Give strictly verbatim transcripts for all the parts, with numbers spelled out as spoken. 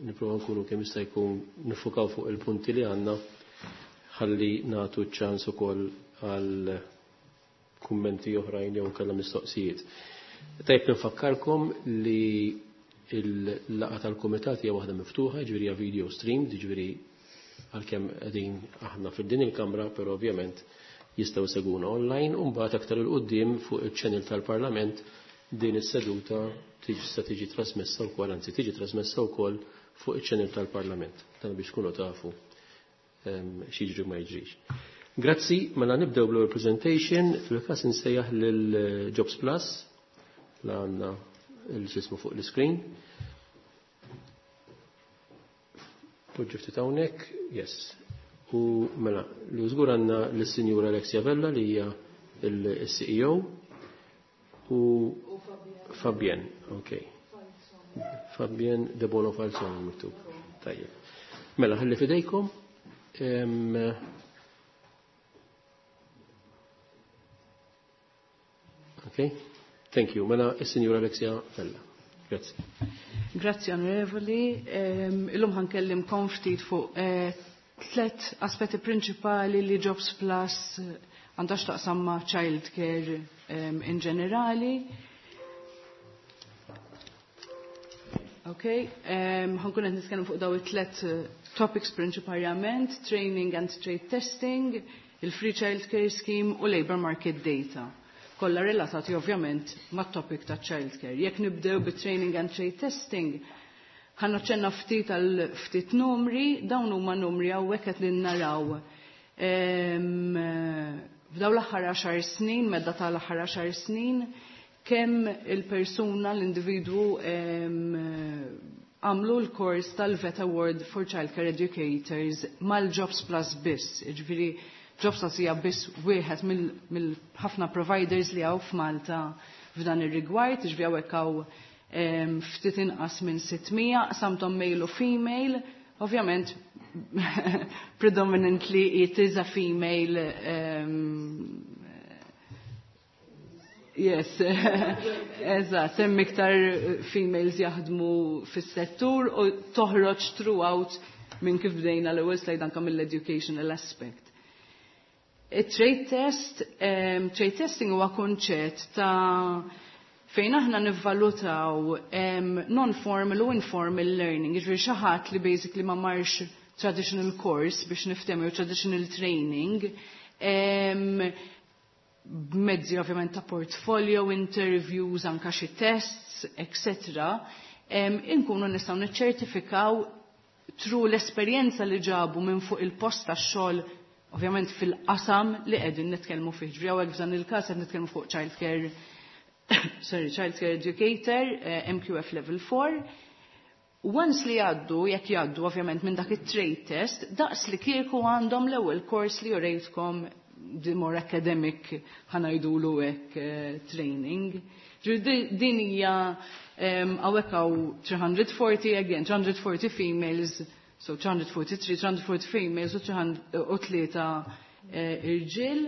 Nipprova nkunu kemm jista' jkun nifukaw fuq il-punti li għandna ħalli nagħtu ċans ukoll għal kummenti oħrajn jew kellha mistoqsijiet. Tajb nfakkarkom li il-laqgħa tal-kumitat hija waħda miftuħa, ġifieri hija video stream, ġifieri għalkemm qegħdin aħna fid-din il-kamra, però ovvjament jistgħu seguna online u mbagħad aktar il quddiem fuq il-channel tal-Parlament din is-seduta tista' tiġi trasmessa wkoll, anzi tiġi trasmessa wkoll fuq iċ-channel tal-Parlament. Dan biex tkunu tafu x'jiġri ma jiġrix. Grazzi, mela nibdew bl presentation, fil-każ insejjaħ lil Jobs Plus, la għandna l-ġismu fuq l-screen. Poġġu ftit hawnhekk, yes. U mela, li żgur għandna lis-Sinjura Alexia Vella li hija il-C E O u Fabien, ok. Fabien De Bono Falzon miktub. Tajjeb. Mela, ħalli fidejkom. Um, ok, thank you. Mela, il-Sinjura Alexia Vella. Grazie. Grazzi, onorevoli. Um, illum ħa nkellimkom ftit fuq eh, tlet aspetti prinċipali li Jobs Plus għandha x'taqsam ma' child care um, in ġenerali. Ok, um, ħa nkun qed nitkellem fuq daw it-tlet eh, topics prinċipalment: training and trade testing, il-free child care scheme u labor market data. Kollha relatati ovvjament mat-topic ta' child care. Jekk nibdew bi training and trade testing, ħa naċċenna ftit għal ftit numri, dawn huma numri hawnhekk qed li naraw. F'daw l-aħħar għaxar snin, medda tal-aħħar għaxar snin, kemm il-persuna, l-individwu għamlu l-kors tal-VET Award for Childcare Educators mal-Jobs Plus biss. Ġifieri, Jobs Plus hija biss wieħed mill-ħafna providers li hawn f'Malta f'dan ir-rigward, ġifieri hawnhekk hawn ftit inqas minn sitt mija, qsamthom male u female, ovvjament predominantly it is a female um, Yes, eżatt, hemm iktar females jaħdmu fis-settur u toħroġ throughout minn kif bdejna l-ewwel slide anke mill-educational aspect. Trade test, um, trade testing huwa konċett ta' fejn aħna nivvalutaw um, non-formal u informal learning, jiġifieri xi ħadd li basically ma marx traditional course biex niftehmu jew traditional training, um, b'mezzi ovvjament ta' portfolio, interviews, anka xi tests, et cetera. Inkunu nistgħu niċċertifikaw through l-esperjenza li ġabu minn fuq il-post tax-xogħol, ovvjament fil-qasam li qegħdin nitkellmu fih. Ġifieri hawnhekk f'dan il-każ qed nitkellmu fuq child care, sorry, child care educator, eh, M Q F level four. Once li jgħaddu, jekk jgħaddu ovvjament minn dak it-trade test, daqs li kieku għandhom l-ewwel course li urejtkom, the more academic, ħa ngħidulu hekk, eh, training. Din hija hawnhekk hawn three hundred forty again, three hundred forty females, so three hundred forty-three, three hundred forty females u tlieta eh, irġiel.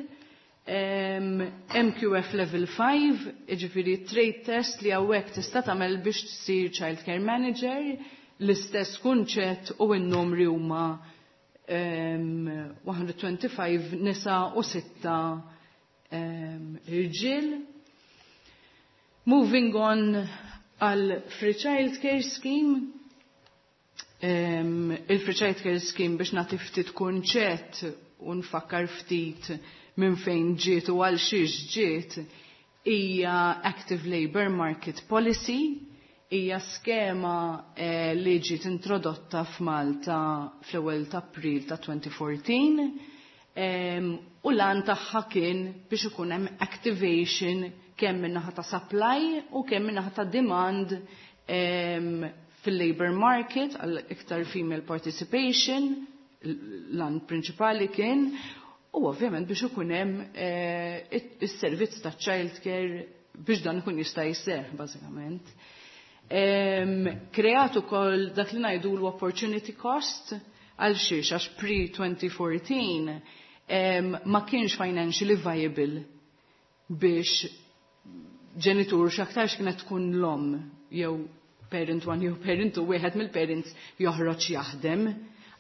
M Q F level five, ġifieri trade test li hawnhekk tista' tagħmel biex tsir child care manager, l-istess kunċett u n-numri huma one hundred twenty-five nisa u sitta irġiel. Moving on għal Free Child Care Scheme. Um, il-Free Child Care Scheme, biex nagħti ftit kunċett u nfakkar ftit minn fejn ġiet u għal xiex ġiet, hija Active Labour Market Policy, hija skema eh, li ġiet introdotta f'Malta fl-ewwel ta' April ta' elfejn u erbatax um, u l-għan tagħha kien biex ikun hemm activation kemm min-naħa ta' supply u kemm min-naħa ta' demand um, fil-labor market għal iktar female participation, l-għan prinċipali kien, u ovvjament biex ikun hemm eh, is-servizz ta' child care biex dan ikun jista' jseħħ bażikament. Kreat ukoll dak li ngħidu l-opportunity cost. Għal xiex? Għax pre-twenty fourteen ma kienx financially viable biex ġenitur, x'aktarx kienet tkun l-om jew parent one jew parent two, wieħed mill-parents joħroġ jaħdem,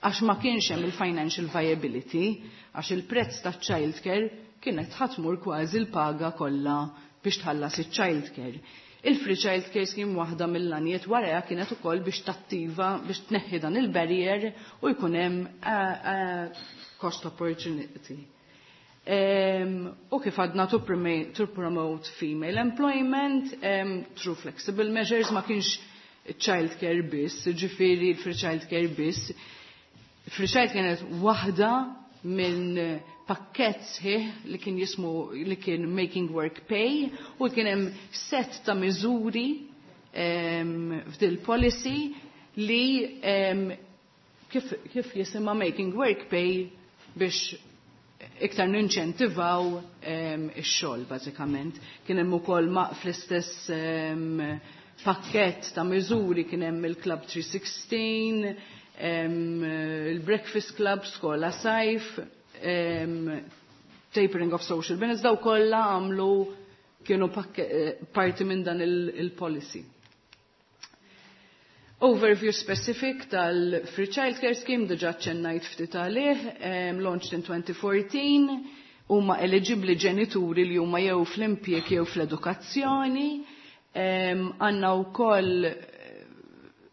għax ma kienx hemm il-financial viability, għax il-prezz ta' childcare kienet ħa tmur kważi l-paga kollha biex tħallas il-childcare. Il-free childcare scheme, waħda mill-għanijiet warajha kienet ukoll biex tattiva, biex tneħħi dan il-barrier u jkun hemm uh, cost opportunity. Um, u kif għadna, to, to promote female employment um, through flexible measures, ma kienx childcare biss, ġifieri il-free childcare biss. Free child kienet waħda minn pakket sħiħ li kien jismu li kien Making Work Pay u kien hemm set ta' miżuri um, f'dil policy li um, kif, kif jisimha Making Work Pay biex iktar ninċentivaw um, ix-xogħol bażikament. Kien hemm ukoll ma fl-istess um, pakket ta' miżuri kien hemm il-Club three sixteen, um, il-Breakfast Club, Skola Sajf, um, tapering of social benefits, daw kollha għamlu kienu eh, parti minn dan il-policy. Overview specific tal-Free Childcare Scheme, diġa ċennajt ftit għalih, um, launched in twenty fourteen, huma eligibli ġenituri li huma jew fl-impjieg jew fl-edukazzjoni, għandna um, wkoll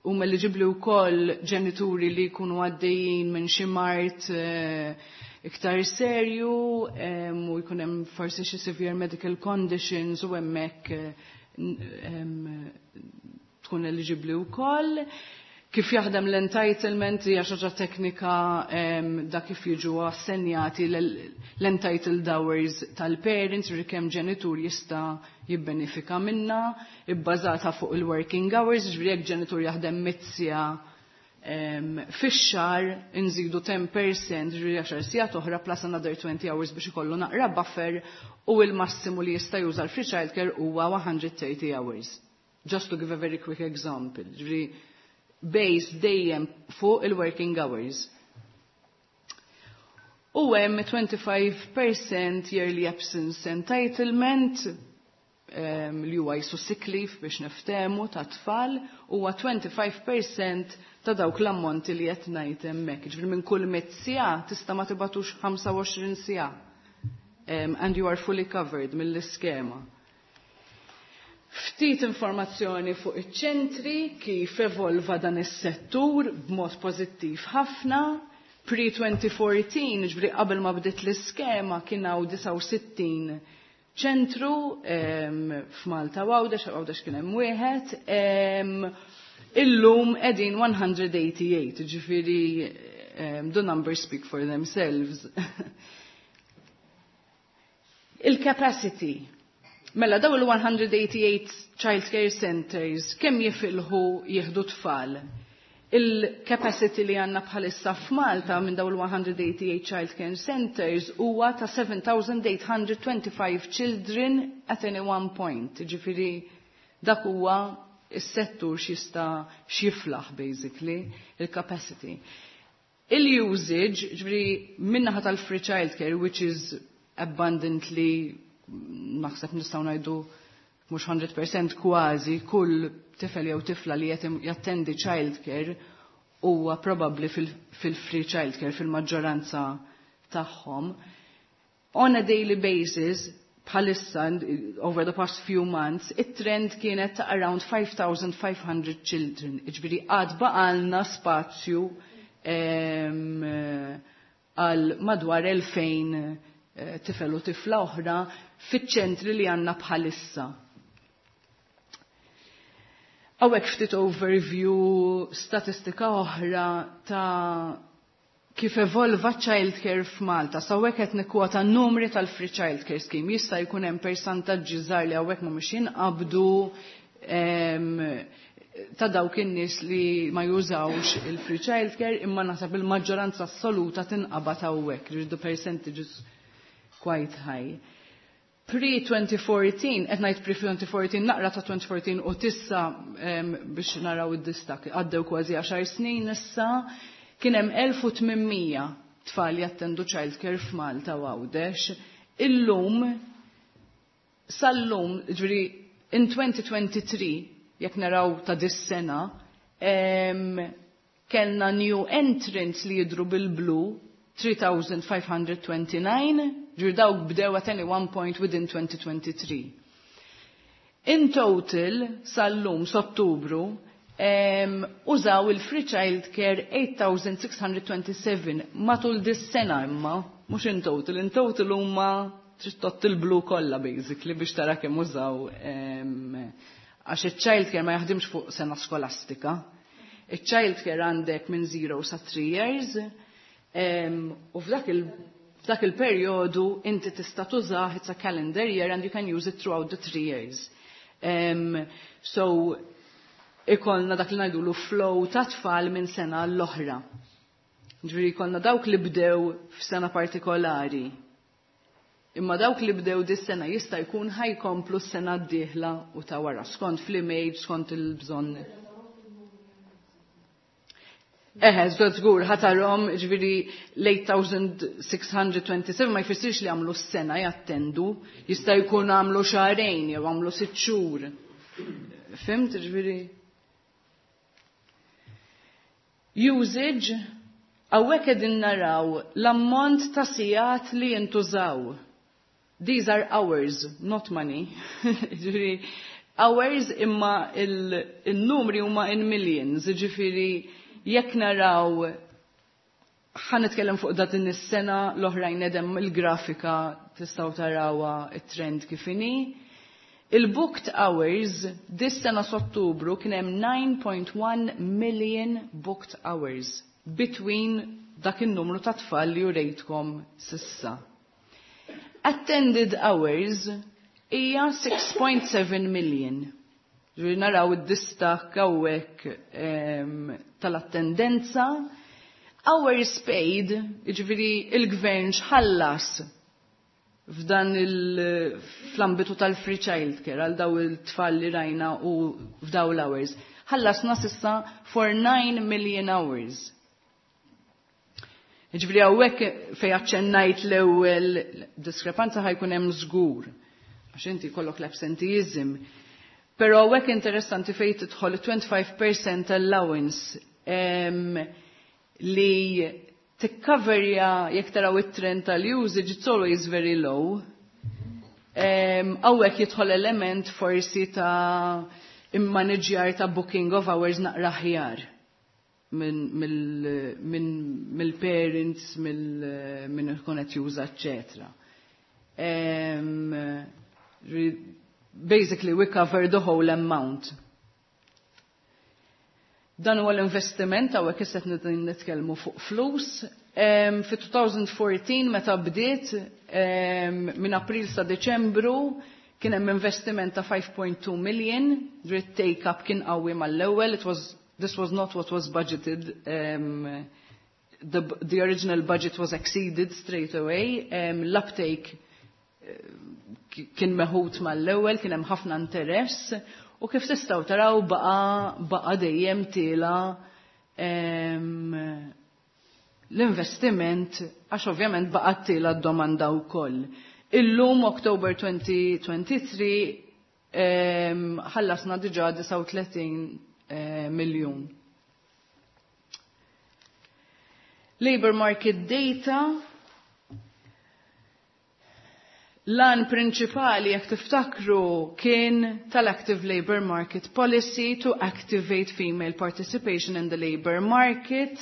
huma eligibli wkoll ġenituri li jkunu għaddejjin minn xi mard uh, iktar serju um, u jkun hemm forsi xi severe medical conditions u hemmhekk um, tkun eligibli wkoll. Kif jaħdem l-entitlement hija xi ħaġa teknika, um, da kif jiġu assenjati l-entitled hours tal-parents, ġifieri kemm ġenitur jista' jibbenefika minna, ibbażata fuq il-working hours, ġifieri jekk ġenitur jaħdem mitt siegħa um, fix-xahar inżidu ten percent, ġifieri għaxar sigħat oħra plus another twenty hours biex ikollu naqra buffer, u il-massimu li jista' juża l-free childcare huwa one hundred thirty hours. Just to give a very quick example. Ġifieri based dejjem fuq il-working hours. U hemm twenty-five percent yearly absence entitlement um, li huwa jisu sick leave biex niftehmu ta' tfal, huwa twenty-five percent ta' dawk l-ammonti li qed ngħid hemmhekk. Ġifieri minn kull mitt siegħa tista' ma tibgħatux ħamsa u għoxrin siegħa. Um, and you are fully covered mill-iskema. Ftit informazzjoni fuq iċ-ċentri, kif evolva dan is-settur b'mod pożittiv ħafna. Pre-twenty fourteen, ġifieri qabel ma bdiet l-iskema, kien hawn disgħa u sittin ċentru um, f'Malta u Għawdex, Għawdex kien hemm wieħed. Um, illum qegħdin one hundred eighty-eight, ġifieri um, the numbers speak for themselves. Il-capacity. Mela daw il-one hundred eighty-eight child care centers kemm jifilħu jieħdu tfal? Il-capacity li għandna bħalissa f'Malta minn daw il-one hundred eighty-eight child care centers huwa ta' seven thousand eight hundred twenty-five children at any one point. Ġifieri dak huwa is-settur x'jista' x'jiflaħ basically, il-capacity. Il-usage, ġifieri min-naħa tal-free child care, which is abundantly, naħseb nistgħu ngħidu mhux mija fil-mija, kważi kull tifel jew tifla li jattendi child care huwa probabbli fil-free child care fil-maġġoranza tagħhom. On a daily basis, bħalissa, over the past few months, it-trend kienet ta' around five thousand five hundred children. Ġifieri għad baqalna spazju għal madwar elfejn eh, tifel u tifla oħra fiċ-ċentri li għandna bħalissa. Hawnhekk ftit overview, statistika oħra ta' kif evolva childcare f'Malta. Sa hawnhekk qed nikkwota numri tal-Free Childcare Scheme. Jista' jkun hemm percentaġġi żgħar li hawnhekk mhumiex jinqabdu ta' dawk in-nies li ma jużawx il-free childcare, imma naħseb il-maġġoranza assoluta tinqabad hawnhekk, the percentages quite high. Pre-twenty fourteen, qed ngħid pre-twenty fourteen, naqra ta' twenty fourteen u s'issa um, biex naraw id-distakk, għaddew kważi għaxar snin issa, kien hemm elf u tmien mija tfal jattendu childcare f'Malta u Għawdex. Illum, sal-lum, ġifieri in twenty twenty-three, jekk naraw ta' dis-sena, em, kellna new entrants li jidru bil-blu tliet elef u ħames mija u tnejn u disgħin, ġifieri dawk bdew at any one point within twenty twenty-three. In total, sal-lum, s'Ottubru, um, użaw il-free child care eight thousand six hundred twenty-seven matul dis-sena imma, mhux in total, in total huma trid tgħodd il-blu kollha basically biex tara kemm użaw, għax il-child care ma jaħdimx fuq sena skolastika. Il-child care għandek minn zero sa three years u f'dak il f'dak il-perjodu inti tista' tużah, it's a calendar year and you can use it throughout the three years. Um, so ikollna dak li ngħidulu flow ta' tfal minn sena l-oħra. Ġifieri jkollna dawk li bdew f'sena partikolari. Imma dawk li bdew dis-sena jista' jkun ħa jkomplu s-sena d-dieħla u ta' wara, skont fl-image, skont il-bżonn. Eħe, żgur żgur, ħa tarahom, ġifieri l-eight thousand six hundred twenty-seven ma jfissirx li għamlu s-sena jattendu, jista' jkun għamlu xahrejn jew għamlu sitt xhur. Fhimt, ġifieri? Usage, hawnhekk qegħdin naraw l-ammont ta' sigħat li jintużaw. These are hours, not money. Ġifieri, hours, imma il-numri huma in millions, ġifieri jekk naraw, ħa nitkellem fuq dat is-sena, l-oħrajn hemm il-grafika tistgħu tarawha it-trend kif inhi. Il-booked hours dis-sena s'Ottubru kien hemm nine point one million booked hours between dak in-numru ta' tfal li urejtkom s'issa. Attended hours hija six point seven million. Ġifieri naraw id-distakk hawnhekk tal-attendenza. Hours paid, ġifieri il-gvern x'ħallas f'dan il-fl-ambitu tal-free child care għal daw il-tfal li rajna u f'daw l-hours. Ħallasna s'issa for nine million hours. Ġifieri hawnhekk fej aċċennajt l-ewwel diskrepanza ħa jkun hemm żgur. Għax inti jkollok l-absenteeism. Però hawnhekk interessanti fej tidħol twenty-five percent allowance em, li tikkaverja jekk taraw it-trend tal-usage, it's always very low. Hawnhekk jidħol element forsi ta' immaniġjar ta' booking of hours naqra aħjar mill-parents, minn ikun qed juża, eċċetera. Um, basically we cover the whole amount. Dan huwa l-investiment, hawnhekk issa qed nitkellmu fuq flus. Um, fi twenty fourteen meta bdiet, um, minn April sa Deċembru kien hemm investiment ta' five point two million, dritt take up kien qawwi mal-ewwel, it was this was not what was budgeted. Um, the, the original budget was exceeded straight away. Um, L-uptake kien meħud mal-ewwel, kien hemm ħafna interess u kif tistgħu taraw baqa baqa dejjem tiela' l-investiment għax ovvjament baqa tiela' d-domanda wkoll. Illum October twenty twenty-three ħallasna diġà disgħa u tletin eh, miljun. Labor market data. L-għan prinċipali, jekk tiftakru, kien tal-Active Labor Market Policy to activate female participation in the labor market.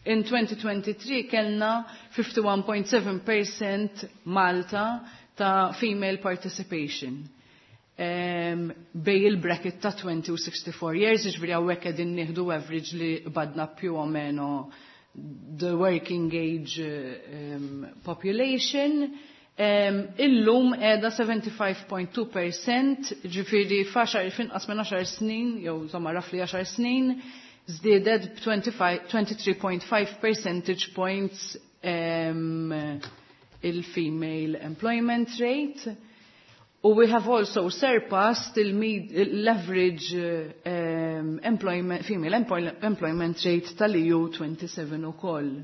In twenty twenty-three kellna fifty-one point seven percent Malta ta' female participation. Um, bej il-bracket ta' twenty u sixty-four years, ġifieri hawnhekk qegħdin nieħdu average li badna più o meno the working age um, population. Um, illum qiegħda seventy-five point two percent, ġifieri f'għaxar, f'inqas minn għaxar snin, jew insomma roughly għaxar snin, żdiedet b' twenty-three point five percentage points um, il-female employment rate. U we have also surpassed l-average um, employment, female employment rate tal-E U twenty-seven ukoll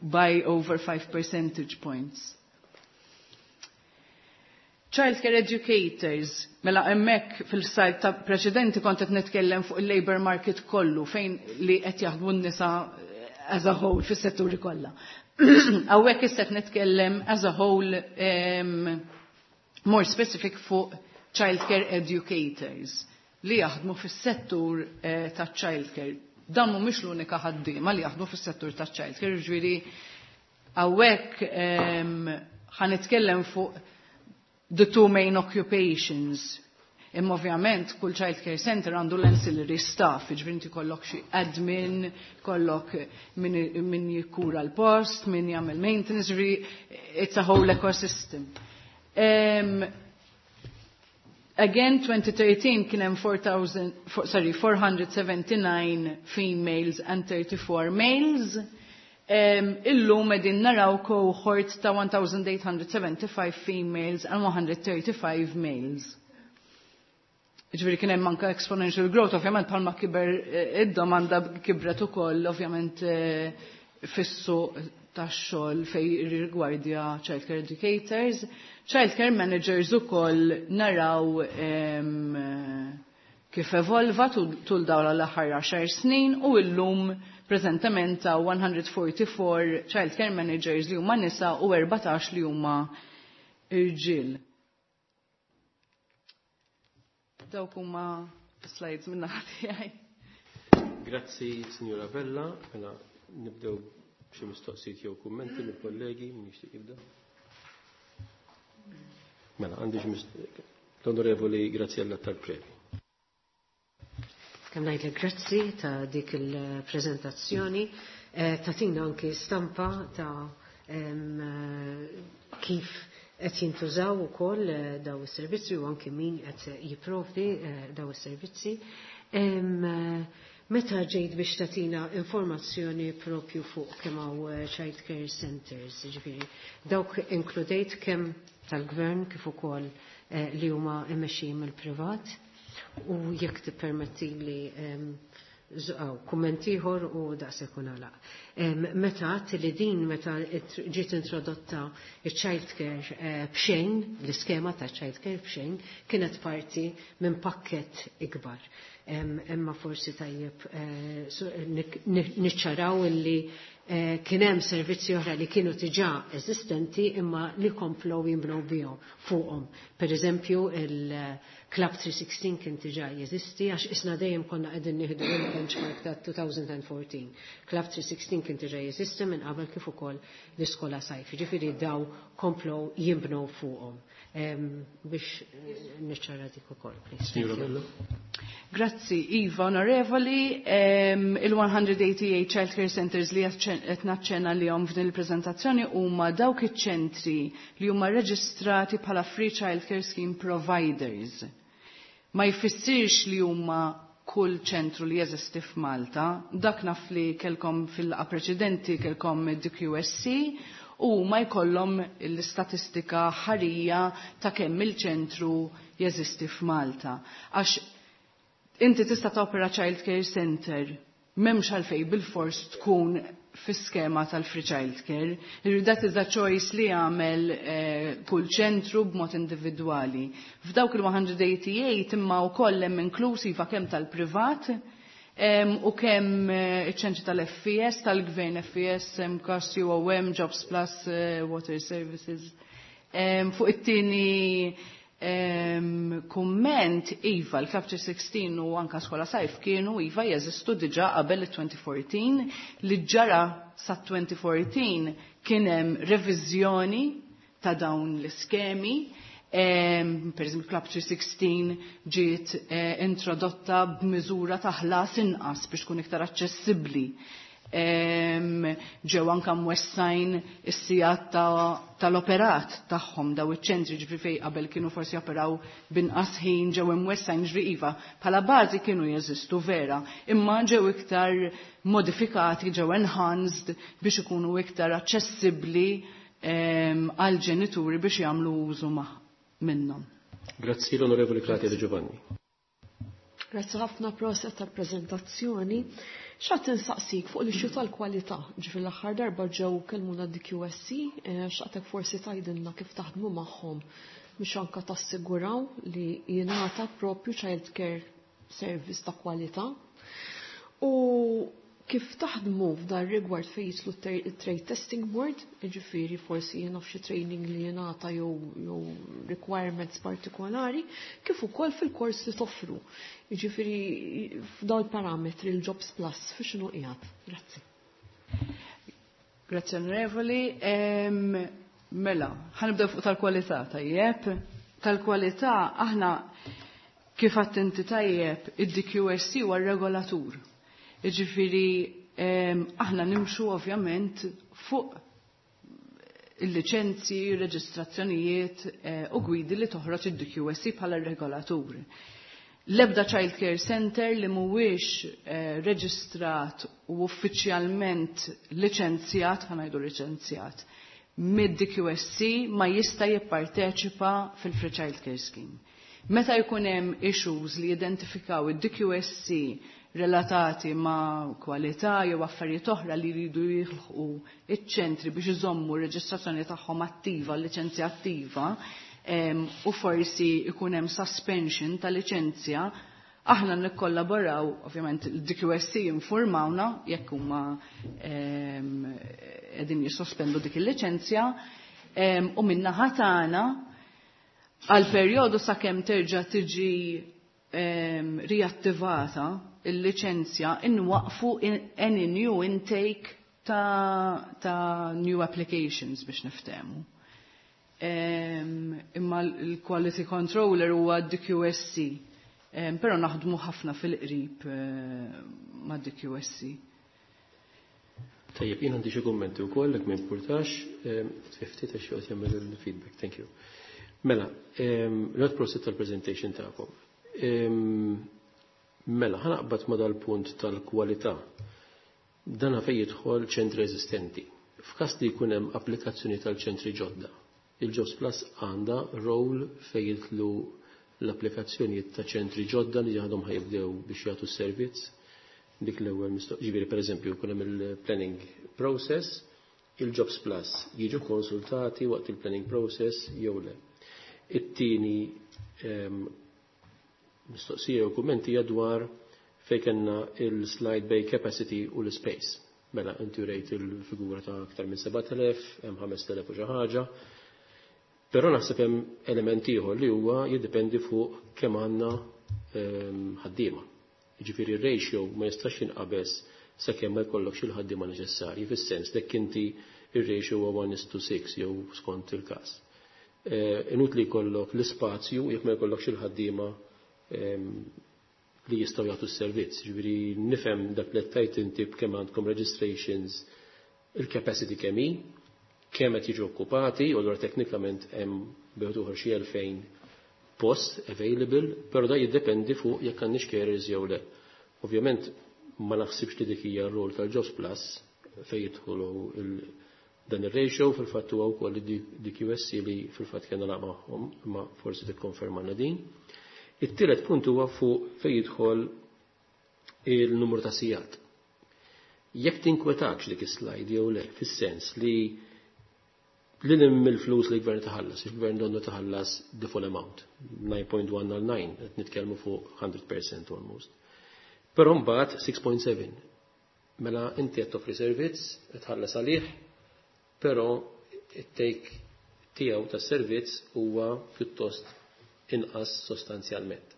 by over five percentage points. Childcare educators, mela hemmhekk fil-slide ta' preċedenti kont qed nitkellem fuq il-labor market kollu fejn li qed jaħdmu n-nisa as a whole fis-setturi kollha. Hawnhekk issa qed nitkellem as a whole um, more specific fuq childcare educators li jaħdmu fis-settur eh, ta' childcare. Dan mhumiex l-unika ħaddiema li jaħdmu fis-settur ta' childcare, ġifieri hawnhekk ħa nitkellem fuq the two main occupations. Imma ovvjament kull child care center għandu l-ancillary staff, ġifieri inti kollok xi admin, kollok min, min jikkura l-post, min jagħmel maintenance, ġifieri it's a whole ecosystem. Um, again, twenty thirteen kien hemm four thousand, sorry, four hundred seventy-nine females and thirty-four males. Um, illum qegħdin naraw cohort ta' one thousand eight hundred seventy-five females and one hundred thirty-five males. Ġifieri kien hemm anke exponential growth, ovvjament bħalma kiber eh, id-domanda kibret ukoll ovvjament eh, fis-suq tax-xogħol fejn rigwardja childcare educators. Childcare managers ukoll naraw em, kif evolva tul dawn l-aħħar għaxar snin u illum preżentament ta' one hundred forty-four childcare managers li huma nisa u erbatax li huma irġiel. Dawk huma slides minn naħa tiegħi. Grazzi, Signora Vella. Mela, nibdew xi mistoqsijiet jew kummenti mill-kollegi, min jixtieq jibda? Mela, għandi xi l-Onorevoli Graziella Tal-Previ. Kemm ngħidlek grazzi ta' dik il-preżentazzjoni, eh, tatina anki stampa ta' em, eh, kif qed jintużaw ukoll eh, daw is-servizzi u anki min qed jipprovdi daw is-servizzi. Meta ġejt biex tatina informazzjoni propju fuq kemm hawn child care centers, ġifieri, dawk inkludejt kemm tal-gvern kif ukoll li huma mmexxijin mill-privat? U jekk tippermetti li żgħaw kumment ieħor u daqshekk nagħlaq. Meta għedt li din meta ġiet introdotta il-child care eh, b'xejn, l-iskema ta' child care b'xejn, kienet parti minn pakket ikbar. Imma forsi tajjeb eh, niċċaraw illi eh, kien hemm servizzi oħra li kienu diġà eżistenti imma li komplow jimbnew bihom fuqhom. Per eżempju, il-Club three sixteen kien diġà jeżisti, għax isna dejjem konna qegħdin nieħdu il-benchmark ta' twenty fourteen. Club three sixteen kien diġà jeżisti minn qabel, kif ukoll l-iskola sajf. Ġifieri daw komplow jimbnew fuqhom. Biex niċċara dik ukoll, please. Grazzi, Iva, onorevoli, il-one hundred eighty-eight Child Care Centers li qed naċċenna li f'din il-preżentazzjoni huma dawk iċ-ċentri li huma reġistrati bħala Free Child Care Scheme Providers. Ma jfissirx li huma kull ċentru li jeżisti f'Malta. Dak naf li kelkom fil-laqgħa preċedenti kelkom D Q S C u ma jkollhom l-istatistika ħarija ta' kemm il-ċentru jeżisti f'Malta. Għax inti tista' topera child care center, m'hemmx għalfej bil-fors tkun fis-skema tal-free child care. That is a choice li jagħmel eh, kull ċentru b'mod individwali. F'dawk il-one hundred eighty-eight imma wkoll hemm inklusiva kemm tal-privat u kemm eh, iċ-ċentri tal-F E S, tal-Gvern F E S, M C A S, U O M, Jobs Plus, eh, Water Services. Fuq it-tieni kumment, iva, l-Club three sixteen u anka Skola Sajf kienu, iva, jeżistu diġà qabel il-twenty fourteen. Li ġara sa twenty fourteen kien hemm reviżjoni ta' dawn l-iskemi. Per eżempju, Club three sixteen ġiet eh, introdotta b'miżura ta' ħlas inqas biex tkun iktar aċċessibbli. Ġew anka mwessajn is-sigħat tal-operat tagħhom daw iċ-ċentri, ġifieri fejn qabel kienu forsi operaw binqas ħin ġew imwessajn. Ġifieri iva, bħala bażi kienu jeżistu vera, imma ġew iktar modifikati, ġew enhanced biex ikunu iktar aċċessibbli għal ġenituri biex jagħmlu użu minnhom. Grazzi, l-Onorevoli Claudia Di Giovanni. Grazzi ħafna, proset tal-prezentazzjoni. Xtaqt insaqsik fuq l-issue tal-kwalità, ġifieri l-aħħar darba ġew kellmuna D Q S C, eh, xtaqtek forsi tgħidilna kif taħdmu magħhom biex anka tassiguraw li jingħata propju child care service ta' kwalità. U kif taħdmu f'dan rigward fejn jidħlu trade testing board, jiġifieri forsi jiena f'xi training li jingħata jew jew requirements partikolari, kif ukoll fil-kors li toffru. Jiġifieri f'dawn il-parametri l-Jobs Plus fi x'inhu qiegħed. Grazzi. Grazzi, onorevoli. Mela, ħa nibdew fuq tal-kwalità, tajjeb. Tal-kwalità aħna, kif inti tajjeb, id-D Q S C huwa regolatur. Jiġifieri aħna nimxu ovvjament fuq il-liċenzi, reġistrazzjonijiet eh, u gwidi li toħroġ id-D Q S C bħala regolatur. L-ebda Child Care Center li mhuwiex eh, reġistrat u uffiċjalment liċenzjat, ħa ngħidu liċenzjat, mid-D Q S C ma jista' jipparteċipa fil-Free Child Care Scheme. Meta jkun hemm issues li jidentifikaw id-D Q S C relatati ma' kwalità jew affarijiet oħra li jridu jilħqu iċ-ċentri biex iżommu r-reġistrazzjoni tagħhom attiva, l-liċenzja attiva, u forsi ikun hemm suspension ta' liċenzja, aħna nikkollaboraw, ovvjament il-D Q S C informawna jekk huma qegħdin jissospendu dik il-liċenzja, u min-naħa tagħna għal perjodu sakemm terġa' tiġi riattivata il-liċenzja inwaqfu any new intake ta', ta new applications biex niftehmu. Imma l-quality controller huwa D Q S C, um, pero naħdmu ħafna fil-qrib uh, ma' D Q S C. Tajjeb, jien għandi xi kummenti wkoll jekk ma jimpurtax, ftit għax joqgħod jagħmel il-feedback, thank you. Mela, not prosit tal-presentation tagħkom. Mela, ħa naqbad ma dal-punt tal-kwalità. Dana fej jidħol ċentri eżistenti. F'każ li jkun hemm applikazzjoni tal-ċentri ġodda, il-Jobs Plus għandha role fej jidħlu l-applikazzjonijiet ta' ċentri ġodda li għadhom ħa jibdew biex jagħtu s-servizz. Dik l-ewwel ġifieri, pereżempju, jkun hemm il-planning process, il-Jobs Plus jiġu konsultati waqt il-planning process jew le? It-tieni ehm, mistoqsija u kummenti dwar fej kellna il-slide bay capacity u l-space. Mela, inti rejt il-figura ta' aktar minn sebat elef, hemm ħamest elef u xi ħaġa. Però naħseb hemm element ieħor li huwa jiddependi fuq kemm għandna ehm, ħaddiema. Jiġifieri r-ratio ma jistax jinqabeż sakemm ma jkollokx il-ħaddiema neċessarji, fis-sens dak inti ir-ratio huwa one to six jew skont il-każ. Eh, inutli jkollok l-ispazju jekk ma jkollokx il-ħaddiema ehm, li jistgħu jagħtu s-servizz. Ġifieri nifhem dak li tajt inti b'kemm għandkom registrations, il-capacity kemm hi, kemm qed jiġu okkupati, u allura teknikament hemm bejn xi elfejn post available, però da jiddependi fuq jekk għandniex carers jew le. Ovvjament ma naħsibx li dik hija r-rol tal-Jobs Plus fejn jidħolu dan ir-ratio, fil-fatt huwa wkoll D Q S C li fil-fatt kellna laqgħa magħhom, imma forsi tikkonfermana din. It-tielet punt huwa fuq fejn jidħol il-numru ta' sigħat. Jekk tinkwetax dik is-slide jew le, fis-sens li li mill-flus li gvern taħallas, il-gvern donnu taħallas the full amount, nine point one nine, qed nitkellmu fuq one hundred percent almost. Però mbagħad six point seven. Mela inti qed toffri servizz, qed tħallas għalih, però it-take tiegħu tas-servizz huwa pjuttost inqas sostanzjalment.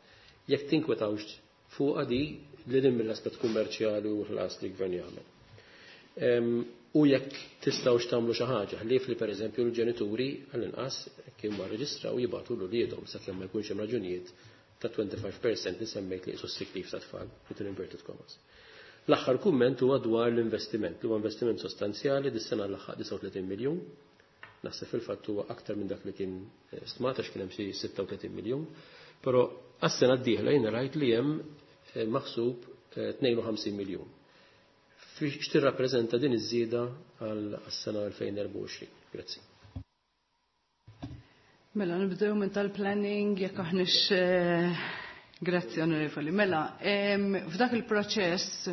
Jekk tinkwetawx fuq di li din mill-aspett kummerċjali u ħlas li gvern jagħmel. U jekk tistgħux tagħmlu xi ħaġa, ħlief li, pereżempju, l-ġenituri għall-inqas kien ma rreġistraw jibgħatu l uliedhom sakemm ma jkunx hemm raġunijiet ta' twenty-five percent li semmejt li qisu sick leave ta' tfal, within inverted commas. L-aħħar kumment huwa dwar l-investiment, li huwa investiment sostanzjali, dis-sena l-aħħar disgħa u tletin miljun. Naħseb fil-fatt huwa aktar minn dak li kien eh, stmat għax kien hemm xi sitta u tletin miljun. Però għas-sena d-dieħla jiena rajt li hemm eh, maħsub tnejn u ħamsin eh, miljun. X'tirrappreżenta din iż-żieda għas-sena elfejn u erbgħa u għoxrin? Grazzi. Mela, nibdew minn tal-planning, jekk aħniex. Grazzi, onorevoli. Mela, f'dak il-proċess,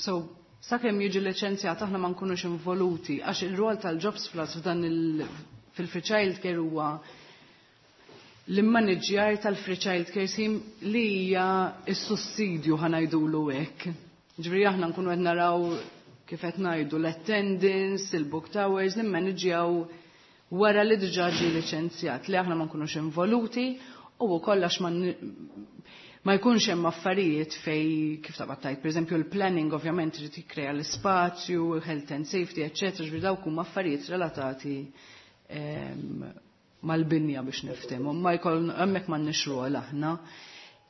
so sakemm jiġi liċenzjat aħna ma nkunux involuti, għax il-rol tal-Jobs Plus f'dan il fil-free child care huwa L-immaniġjar tal-free child care scheme li hija s-sussidju, ħa ngħidulu hekk. Ġifieri aħna nkunu qed naraw, kif qed ngħidu, l-attendance, il-booked hours, nimmaniġjaw wara li diġà ġie liċenzjat, li aħna ma nkunux involuti u wkoll għax ma ma jkunx hemm affarijiet fej kif taqbad tajt, pereżempju l-planning ovvjament irid jikkrea l-ispazju, health and safety, eċċetera, ġifieri dawk huma affarijiet relatati mal-binja biex niftehmu, ma jkoll hemmhekk m'għandniex rwol aħna.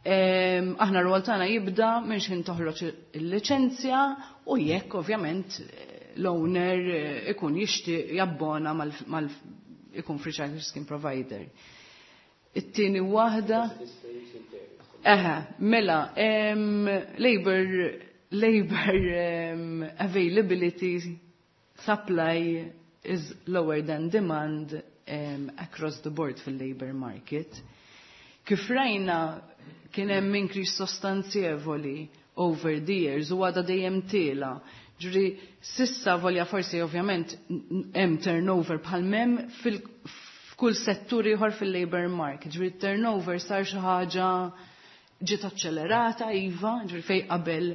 Aħna r-rwol tagħna jibda minn x'ħin toħroġ il-liċenzja u jekk ovvjament l-owner ikun jixtieq jabbona mal ikun free child scheme provider. It-tieni waħda. Eħe, mela, labor, labor um, availability, supply is lower than demand um, across the board fil-labor market. Kif rajna, kien hemm increase sostanzjevoli over the years u għada dejjem tiela'. Ġifieri, s'issa volja forsi ovvjament hemm turnover bħal m'hemm fil-kull settur ieħor fil-labor market. Ġifieri turnover sar xi ħaġa ġiet aċċelerata, iva, ġifieri fej qabel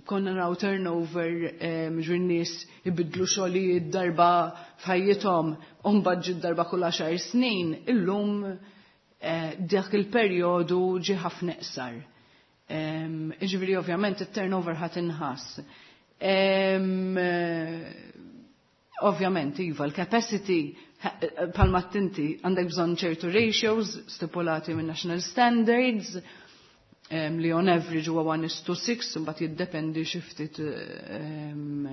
konna naraw turnover, ġifieri nies ibidlu xogħlijiet darba f'ħajjithom u mbagħad ġiet darba kull għaxar snin, illum eh, dak il-perjodu ġi ħafna iqsar. Ġifieri ovvjament it-turnover ħadd inħass. Ovvjament, iva, l-capacity, bħalma inti għandek bżonn ċertu ratios stipulati minn national standards, um, li on average huwa one is to six, imbagħad jiddependi xi ftit um,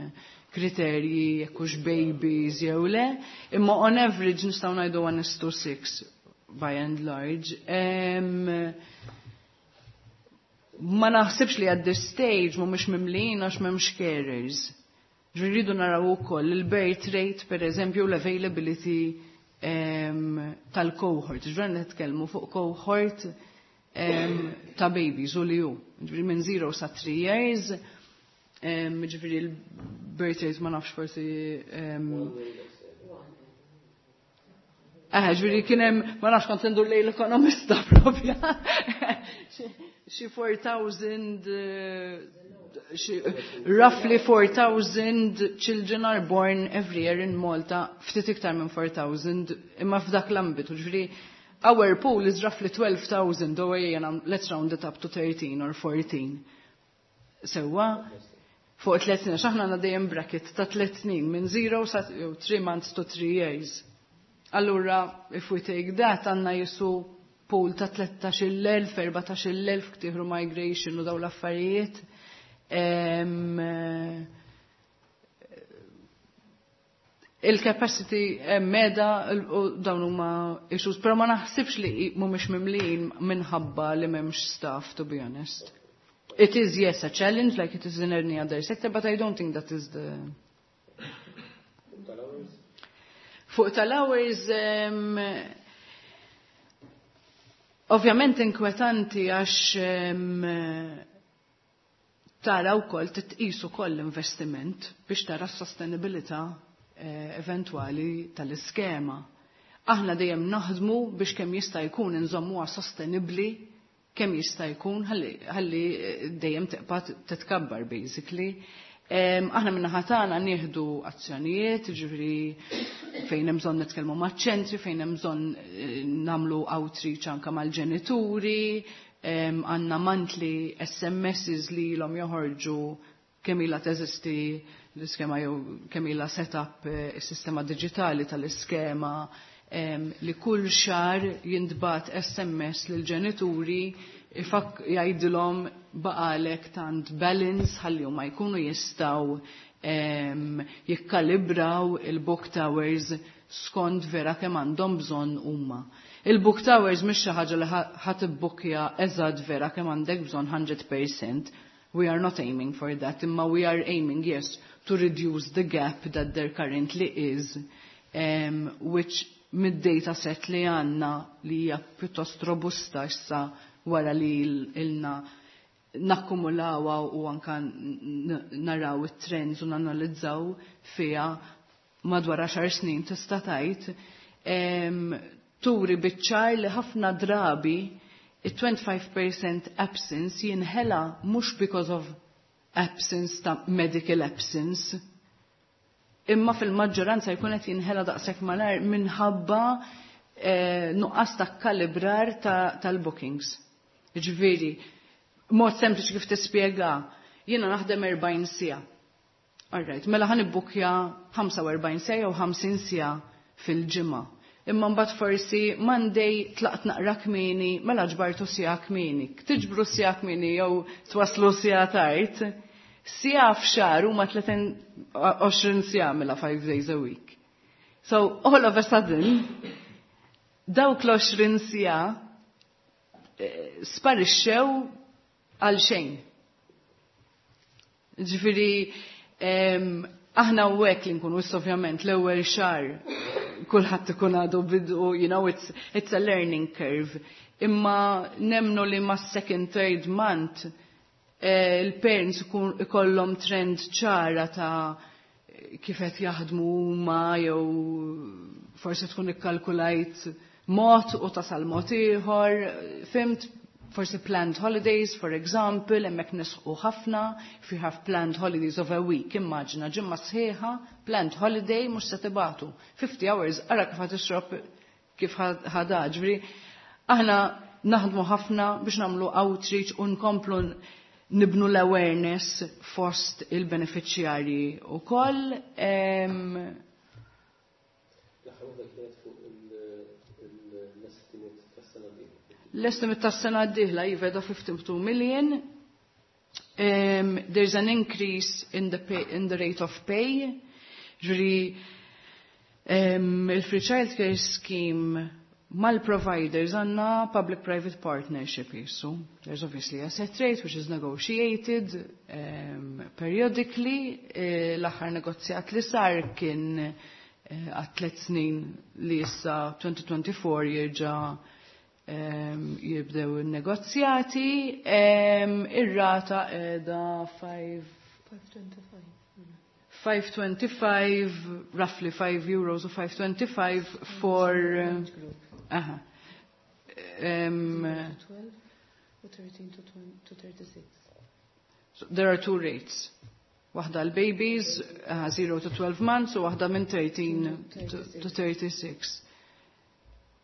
kriterji jekk hux babies jew le, imma on average nistgħu ngħidu one is to six by and large. Um, ma naħsibx li at this stage mhumiex mimlin għax m'hemmx carers. Rridu naraw ukoll il-birth rate, per eżempju, l-availability um, tal-cohort. Ġifieri nitkellmu fuq cohort um, ta' babies u li hu. Ġifieri minn zero sa three years, um, ġifieri il-birth rate ma nafx forsi. Um, Eh, ġifieri kien hemm, ma nafx, kont indur lejn l-ekonomista propja. Xi four thousand, roughly four thousand children are born every year in Malta, ftit iktar minn four thousand, imma f'dak l-ambitu, ġifieri our pool is roughly twelve thousand, u jena, let's round it up to thirteen or fourteen. Sewwa, fuq tliet snin, aħna għandna dejjem bracket ta' tliet snin, minn zero sa three months to three years. Allura, if we take that, għandna jisu pool ta' tlettax-il elf, erbatax-il elf ktieħru migration u daw l-affarijiet. Em, il-capacity meda u dawn huma issues, però ma naħsibx li mhumiex mimlijin minħabba li m'hemmx staff, to be honest. It is, yes, a challenge, like it is in any other sector, but I don't think that is the. Fuq tal-hours, um, ovvjament inkwetanti għax um, tara wkoll titqis ukoll l-investiment biex tara s-sostenibilità eh, eventwali tal-iskema. Aħna dejjem naħdmu biex kemm jista' jkun inżommuha sostenibbli kemm jista' jkun ħalli eh, dejjem tibqa' titkabbar basically. Em, aħna minna tagħna nieħdu azzjonijiet, ġifieri fejn hemm bżonn nitkellmu maċ-ċentri, fejn hemm bżonn eh, nagħmlu outreach anke mal-ġenituri, għandna monthly S M Ss li ilhom joħorġu kemm ilha teżisti l-iskema jew kemm ilha set-up eh, is-sistema diġitali tal-iskema, li kull xahar jintbagħat S M S lil ġenituri ifak jgħidilhom baqalek tant balance ħalli huma jkunu jistgħu jikkalibraw il-booked hours skont vera kemm għandhom bżonn huma. Il-booked hours mhix xi ħaġa li ħa tibbukja eżatt vera kemm għandek bżonn mija fil-mija. We are not aiming for that, imma we are aiming, yes, to reduce the gap that there currently is, um, which mid-data set li għandna li hija pjuttost robusta issa wara li ilna nakkumulawa u anka naraw it-trends u nanalizzaw fija madwar għaxar snin tista' tgħid, Turi biċ-ċar li ħafna drabi it-twenty-five percent absence jinħela mhux because of absence ta' medical absence, imma fil-maġġoranza jkun qed jinħela daqshekk malajr minħabba eh, nuqqas ta' kalibrar tal-bookings. Ġifieri, mod sempliċi kif tispjega, jiena naħdem erbgħin siegħa. Alright, mela ħa nibbukja ħamsa u erbgħin siegħa u ħamsin siegħa fil-ġimgħa. Imma mbagħad forsi Monday tlaqt naqra kmieni, mela ġbartu siegħa kmieni. Tiġbru siegħa kmieni jew twaslu siegħa tard. Siegħa f'xahar huma tletin siegħa mela five days a week. So all of a sudden, dawk l-għoxrin siegħa eh, sparixxew għal xejn. Ġifieri, aħna u hekk li nkunu, ovvjament l-ewwel xahar kulħadd ikun għadu bidu, you know, it's, it's a learning curve. Imma nemnu li ma second, third month eh, il-parents ikollhom trend ċara ta' kif qed jaħdmu huma, jew forsi tkun ikkalkulajt mod u tasal mod ieħor, fhimt, forsi planned holidays, for example, hemmhekk nisħqu ħafna, if you have planned holidays of a week, immaġina ġimgħa sħiħa, planned holiday mhux se tibagħtu. fifty hours, ara kif ħa tixrob kif ħada, ġifieri, aħna naħdmu ħafna biex nagħmlu outreach u nkomplu nibnu l-awareness fost il-beneficjarji u koll. L-aħħar waħda kienet fuq l-estimate tas-sena d-dieħla. L-estimate tas-sena d-dieħla iva da fifty-two million. Um, there's an increase in the, pay, in the rate of pay. Ġifieri, um, il-Free Child Care Scheme mal-providers għandna public-private partnership jisu. There's obviously a set rate which is negotiated um, periodically. Eh, L-aħħar negozjat li sar kien eh, għat tliet snin li issa twenty twenty-four jirġa' um, jibdew il-negozjati. Um, Ir-rata qiegħda five five twenty-five. five twenty-five, roughly five euros or five twenty-five for uh, aha. Um, twelve u thirteen to twenty to thirty-six. So there are two rates. Waħda l-babies, uh, zero to twelve months, u waħda minn thirteen to, to thirty-six.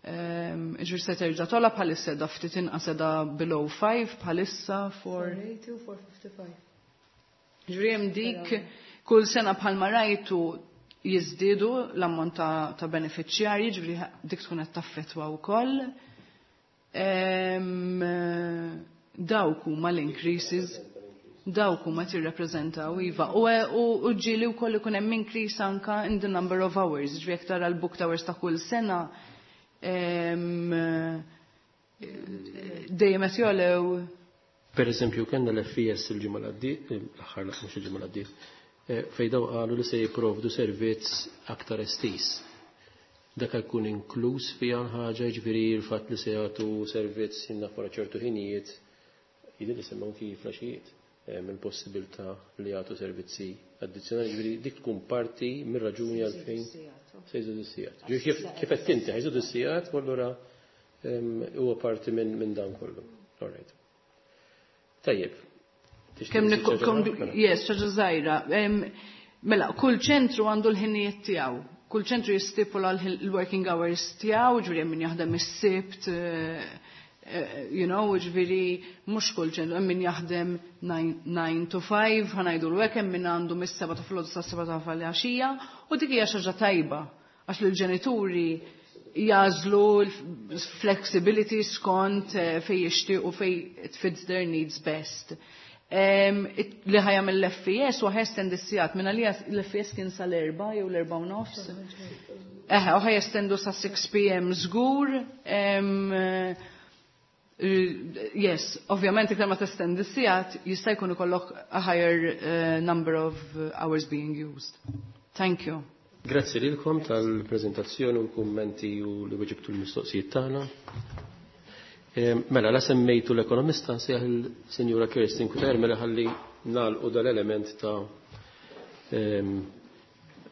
Um, Ġifieri se terġa' togħla, bħalissa da ftit inqas, da below five bħalissa for four eighty u four fifty-five. Ġifieri hemm dik kull sena bħalma rajtu jiżdiedu l-ammont ta', ta' beneficjarji, ġifieri dik tkun qed taffettwa wkoll. Em, Dawk huma l-increases, dawk huma tirrappreżentaw iva. U, u, u ġieli wkoll ikun hemm increase anka in the number of hours, ġifieri jekk tara l-booked hours ta' kull sena em, dejjem qed jogħlew. Per eżempju, kellna l-F E S il-ġimgħa l-għaddiet, l-aħħar, mhux il-ġimgħa l-għaddiet, eh, fejn daw qalu li se jipprovdu servizz aktar estiż. Dak jkun inkluż fiha ħaġa, ġifieri l-fatt li se jagħtu servizz jinna wara ċertu ħinijiet, jidher li semmew kif flaxijiet, il-possibilità li jagħtu servizzi addizzjonali, ġifieri dik tkun parti mir-raġuni għalfejn se jżidu s-sigħat. Ġifieri kif kif qed inti ħa jżidu s-sigħat, u allura em, huwa parti minn minn dan kollu. All right. Tajjeb. Tixtieq Kemm tżid nikko- xi ħaġa kom- oħra? Mela. Yes, ħaġa żgħira. Em, Mela, kull ċentru għandu l-ħinijiet tiegħu. Kull ċentru jistipula l-working hours tiegħu, ġifieri hemm min jaħdem is-Sibt, eh, eh, you know, ġifieri mhux kull ċentru, hemm min jaħdem nine to five, ħa ngħidu l hemm min għandu mis-sebgħa ta' filgħodu sa' sebgħa ta' filgħaxija, u dik hija xi ħaġa tajba għax lill-ġenituri jagħżlu l-flexibility skont eh, fej jixtiequ, fej it fits their needs best. Um, it, li ħa jagħmel l-F E S u ħa jestendi s-sigħat, minna li l-F E S kien sal-erbgħa jew l-erbgħa u nofs. Eħe, u ħa jestendu sa sitt P M żgur. Um, yes, ovvjament iktar ma testendi s-sigħat jista' jkun ikollok a higher uh, number of hours being used. Thank you. Grazzi lilkom tal-prezentazzjoni u l-kummenti u li weġibtu l-mistoqsijiet tagħna. Mela, la semmejtu l-ekonomista, nsejjaħ il-Sinjura Kirsten Cutajar, mela ħalli nagħlqu dal-element ta'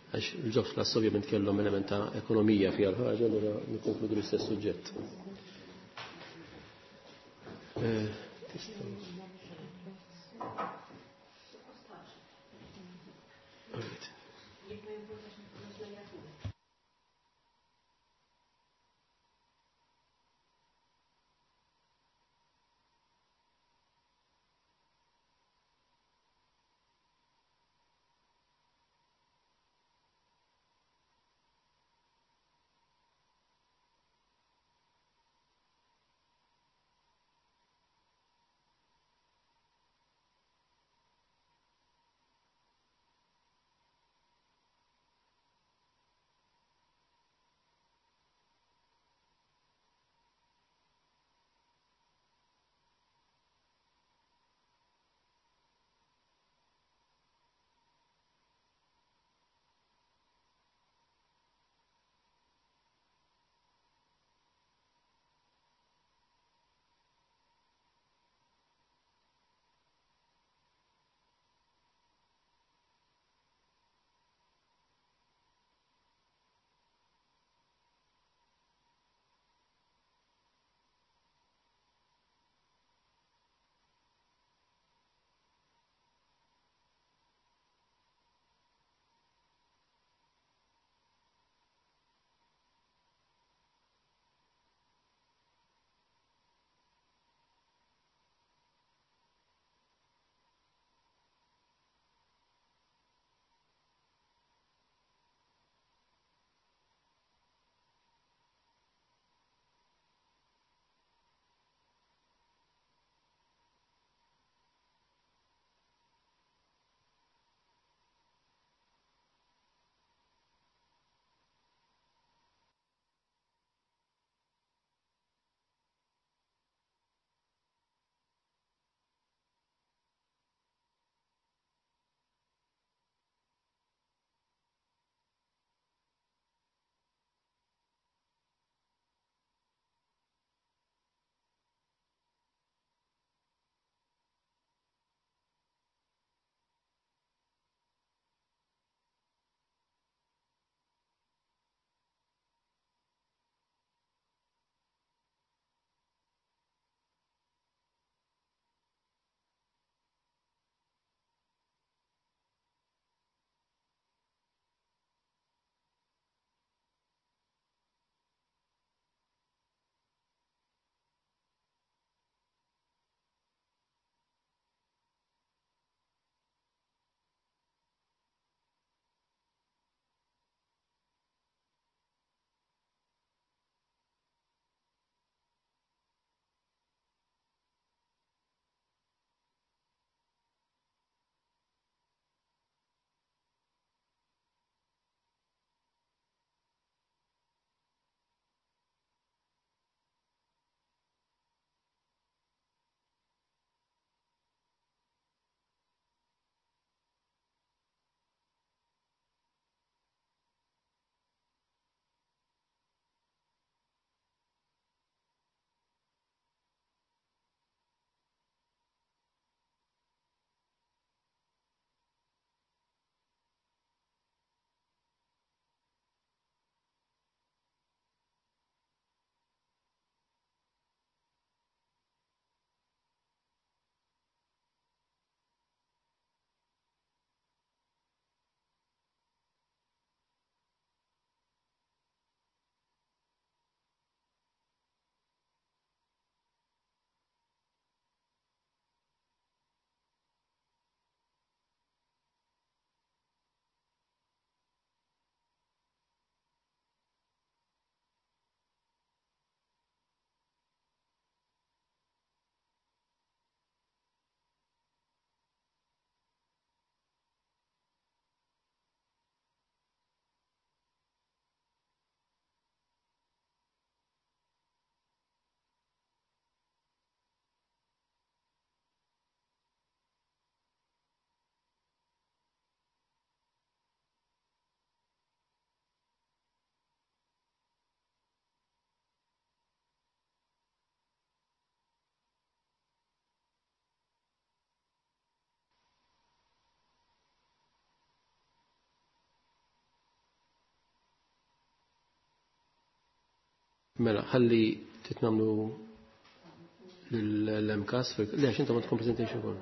Għax il-Jobs Plus ovvjament kellhom element ta' ekonomija fiha l-ħaġa, allura nikkonkludu l-istess suġġett. Eh, Alright. Mela, ħalli titnamlu l-M C A S, le, għax intom għandkom presentation ukoll.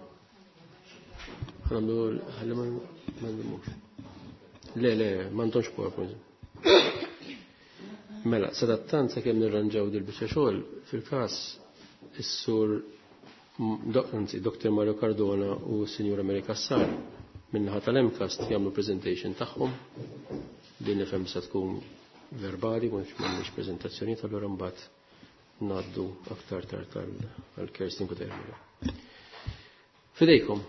Ħa nagħmlu, ħalli ma nagħmlux. Le, le, m'għandhomx PowerPoint. Mela, sadattant sakemm nirranġaw dil-biċċa xogħol, fil-każ is-sur anzi, Doktor Mario Cardona u Sinjura Mary Cassar min-naħa tal-M C A S T jagħmlu presentation tagħhom. Din nifhem se tkun verbali, mhux m'għandniex preżentazzjoni, allura mbagħad ngħaddu aktar tard għal Kerstin Kutermina. Fidejkom.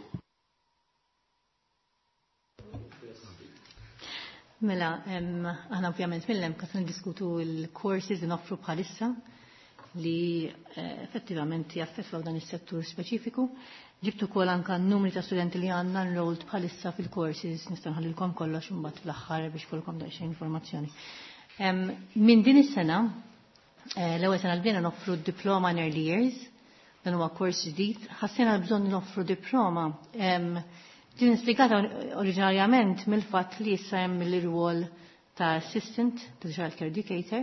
Mela, aħna ovvjament mill-M C A S niddiskutu l-courses li noffru bħalissa li eh, effettivament jaffettwaw dan is-settur speċifiku. Ġibtu kol anka n-numri ta' studenti li għandna enrolled bħalissa fil-courses, nista' nħallilkom kollox imbagħad fl-aħħar biex ikollkom daqsxejn informazzjoni. Minn din is-sena, eh, l-ewwel sena l bdejna noffru diploma in early years, dan huwa kors ġdid, ħassejna bżonn noffru diploma. Din instigata oriġinarjament mill-fatt li issa hemm l-irwol ta' assistant ta' child care educator,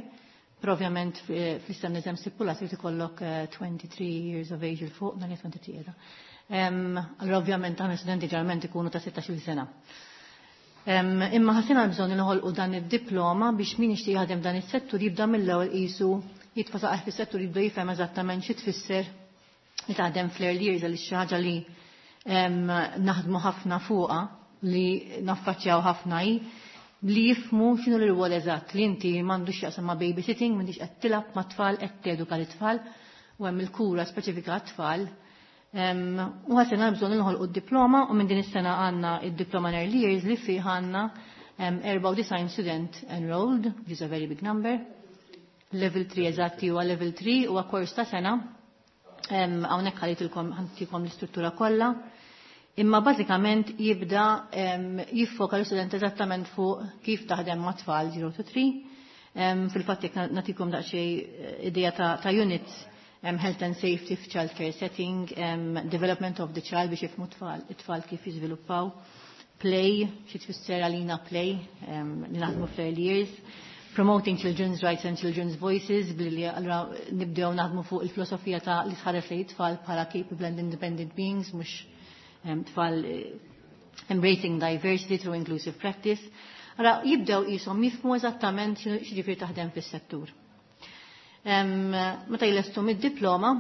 però ovvjament fl-istandard hemm stipulat li ikollok twenty-three eh, years of age 'il fuq, dan twenty-three qiegħda. Allora ovvjament aħna studenti ġeneralment ikunu ta' sittax-il sena. Imma ħassejna bżonn noħolqu dan id-diploma biex min jixtieq jaħdem dan is-settur jibda mill-ewwel qisu jitfa' saqajh fis-settur, jibda jifhem eżattament xi tfisser li taħdem fl-early years, għaliex xi ħaġa li naħdmu ħafna fuqha, li naffaċċjaw ħafna, hi li jifhmu x'inhu l-rwol eżatt, li inti m'għandux x'jaqsam ma' babysitting, m'intix qed tilgħab ma' tfal, qed teduka l-tfal u hemm il-kura speċifika għat-tfal. U ħassejna bżonn noħolqu d-diploma u minn din is-sena għandna id-diploma in early years li fih għandna derbgħa u disgħin student enrolled, which is a very big number. Level three, eżatti, huwa level three, huwa kors ta' sena. Hawnhekk ħallejtilkom, ħa ntikom l-istruttura kollha. Imma bażikament jibda jiffoka l-student eżattament fuq kif taħdem ma' tfal zero to three. Fil-fatt jekk nagħtikom daqsxejn eh, idea ta', ta units, um, health and safety f'child care setting, um, development of the child biex jifhmu tfal, it-tfal kif jiżviluppaw, play, xi tfisser għalina play, um, li naħdmu fl-early years, promoting children's rights and children's voices, billi allura nibdew naħdmu fuq il-filosofija ta' li tħares lejn tfal bħala capable and independent beings, mhux tfal, eh, embracing diversity through inclusive practice. Ara, jibdew qishom jifhmu eżattament x'jiġifieri taħdem fis-settur. Meta jlestu mid-diploma,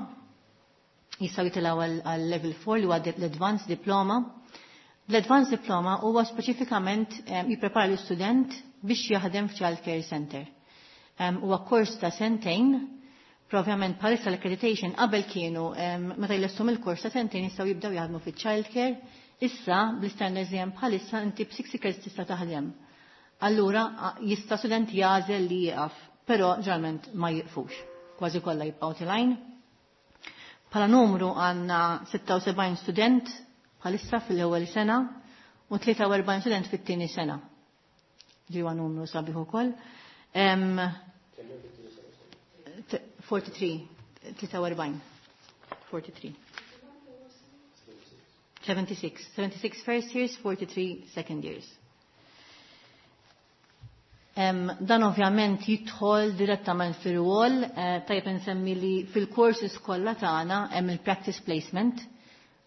jistgħu jitilgħu għal level four li huwa l-advanced diploma. L-advanced diploma huwa speċifikament jipprepara l-istudent biex jaħdem f'child care center. Huwa kors ta' sentejn. Ovvjament bħalissa l-accreditation, qabel kienu meta jlestu mill-kors ta' sentejn jistgħu jibdew jaħdmu fiċ-child care, issa bl-standards li hemm bħalissa inti b'sixty credits tista' taħdem. Allura jista' student jagħżel li jieqaf, però ġeneralment ma jiqfux. Kważi kollha jibqgħu telgħin. Bħala numru għandna sitta u sebgħin student bħalissa fil-ewwel sena u tlieta u erbgħin student fit-tieni sena. Li huwa numru sabiħ ukoll. forty-three, forty-three, forty-three. seventy-six, seventy-six first years, forty-three second years. Um, dan ovvjament jidħol direttament fir-rwol, uh, tajjeb nsemmi li fil-courses kollha tagħna hemm il-practice placement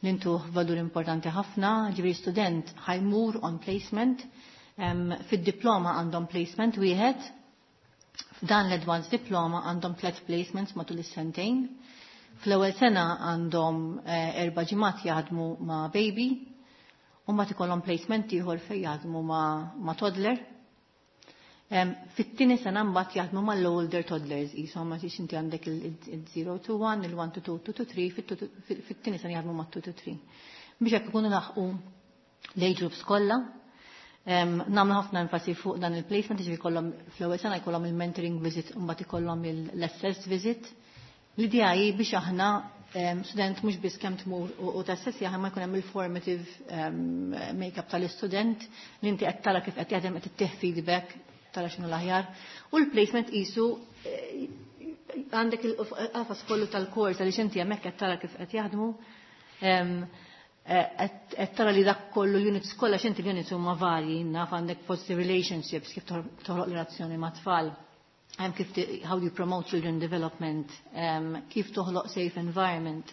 li ntuh valur importanti ħafna, ġifieri student ħa jmur on placement, um, fid-diploma għandhom placement wieħed, f'dan l-advanced diploma għandhom tliet placements matul is-sentejn. Fl-ewwel sena għandhom eh, erba' ġimgħat jaħdmu ma' baby u ma ikollhom placement ieħor fejn jaħdmu ma', ma toddler. Um, Fit-tieni sena mbagħad jaħdmu mal-older toddlers, qishom ma tix inti għandek il-zero to one, il-one to two, two to three, fit-tieni sena jaħdmu ma' two to three. Biex hekk ikunu laħqu l-age groups kollha. Um, Nagħmlu ħafna enfasi fuq dan il-placement, ġifieri jkollhom fl-ewwel sena jkollhom il-mentoring visit u mbagħad ikollhom l-assess visit. L-idea hi biex aħna um, student mhux biss kemm tmur u, u tassessja, ma jkun hemm il-formative um, make-up tal-istudent li inti qed tara kif qed jaħdem, qed ittih feedback, tara x'inhu l-aħjar. U l-placement qisu eh, għandek il-qafas kollu tal-kors għaliex inti hemmhekk qed tara kif qed jaħdmu. Eh, qed tara li dak kollu l-units kollha, x'inti l-units huma varji, naf għandek positive relationships, kif toħloq relazzjoni ma' tfal. Kif how you promote children development, um, kif toħloq safe environment,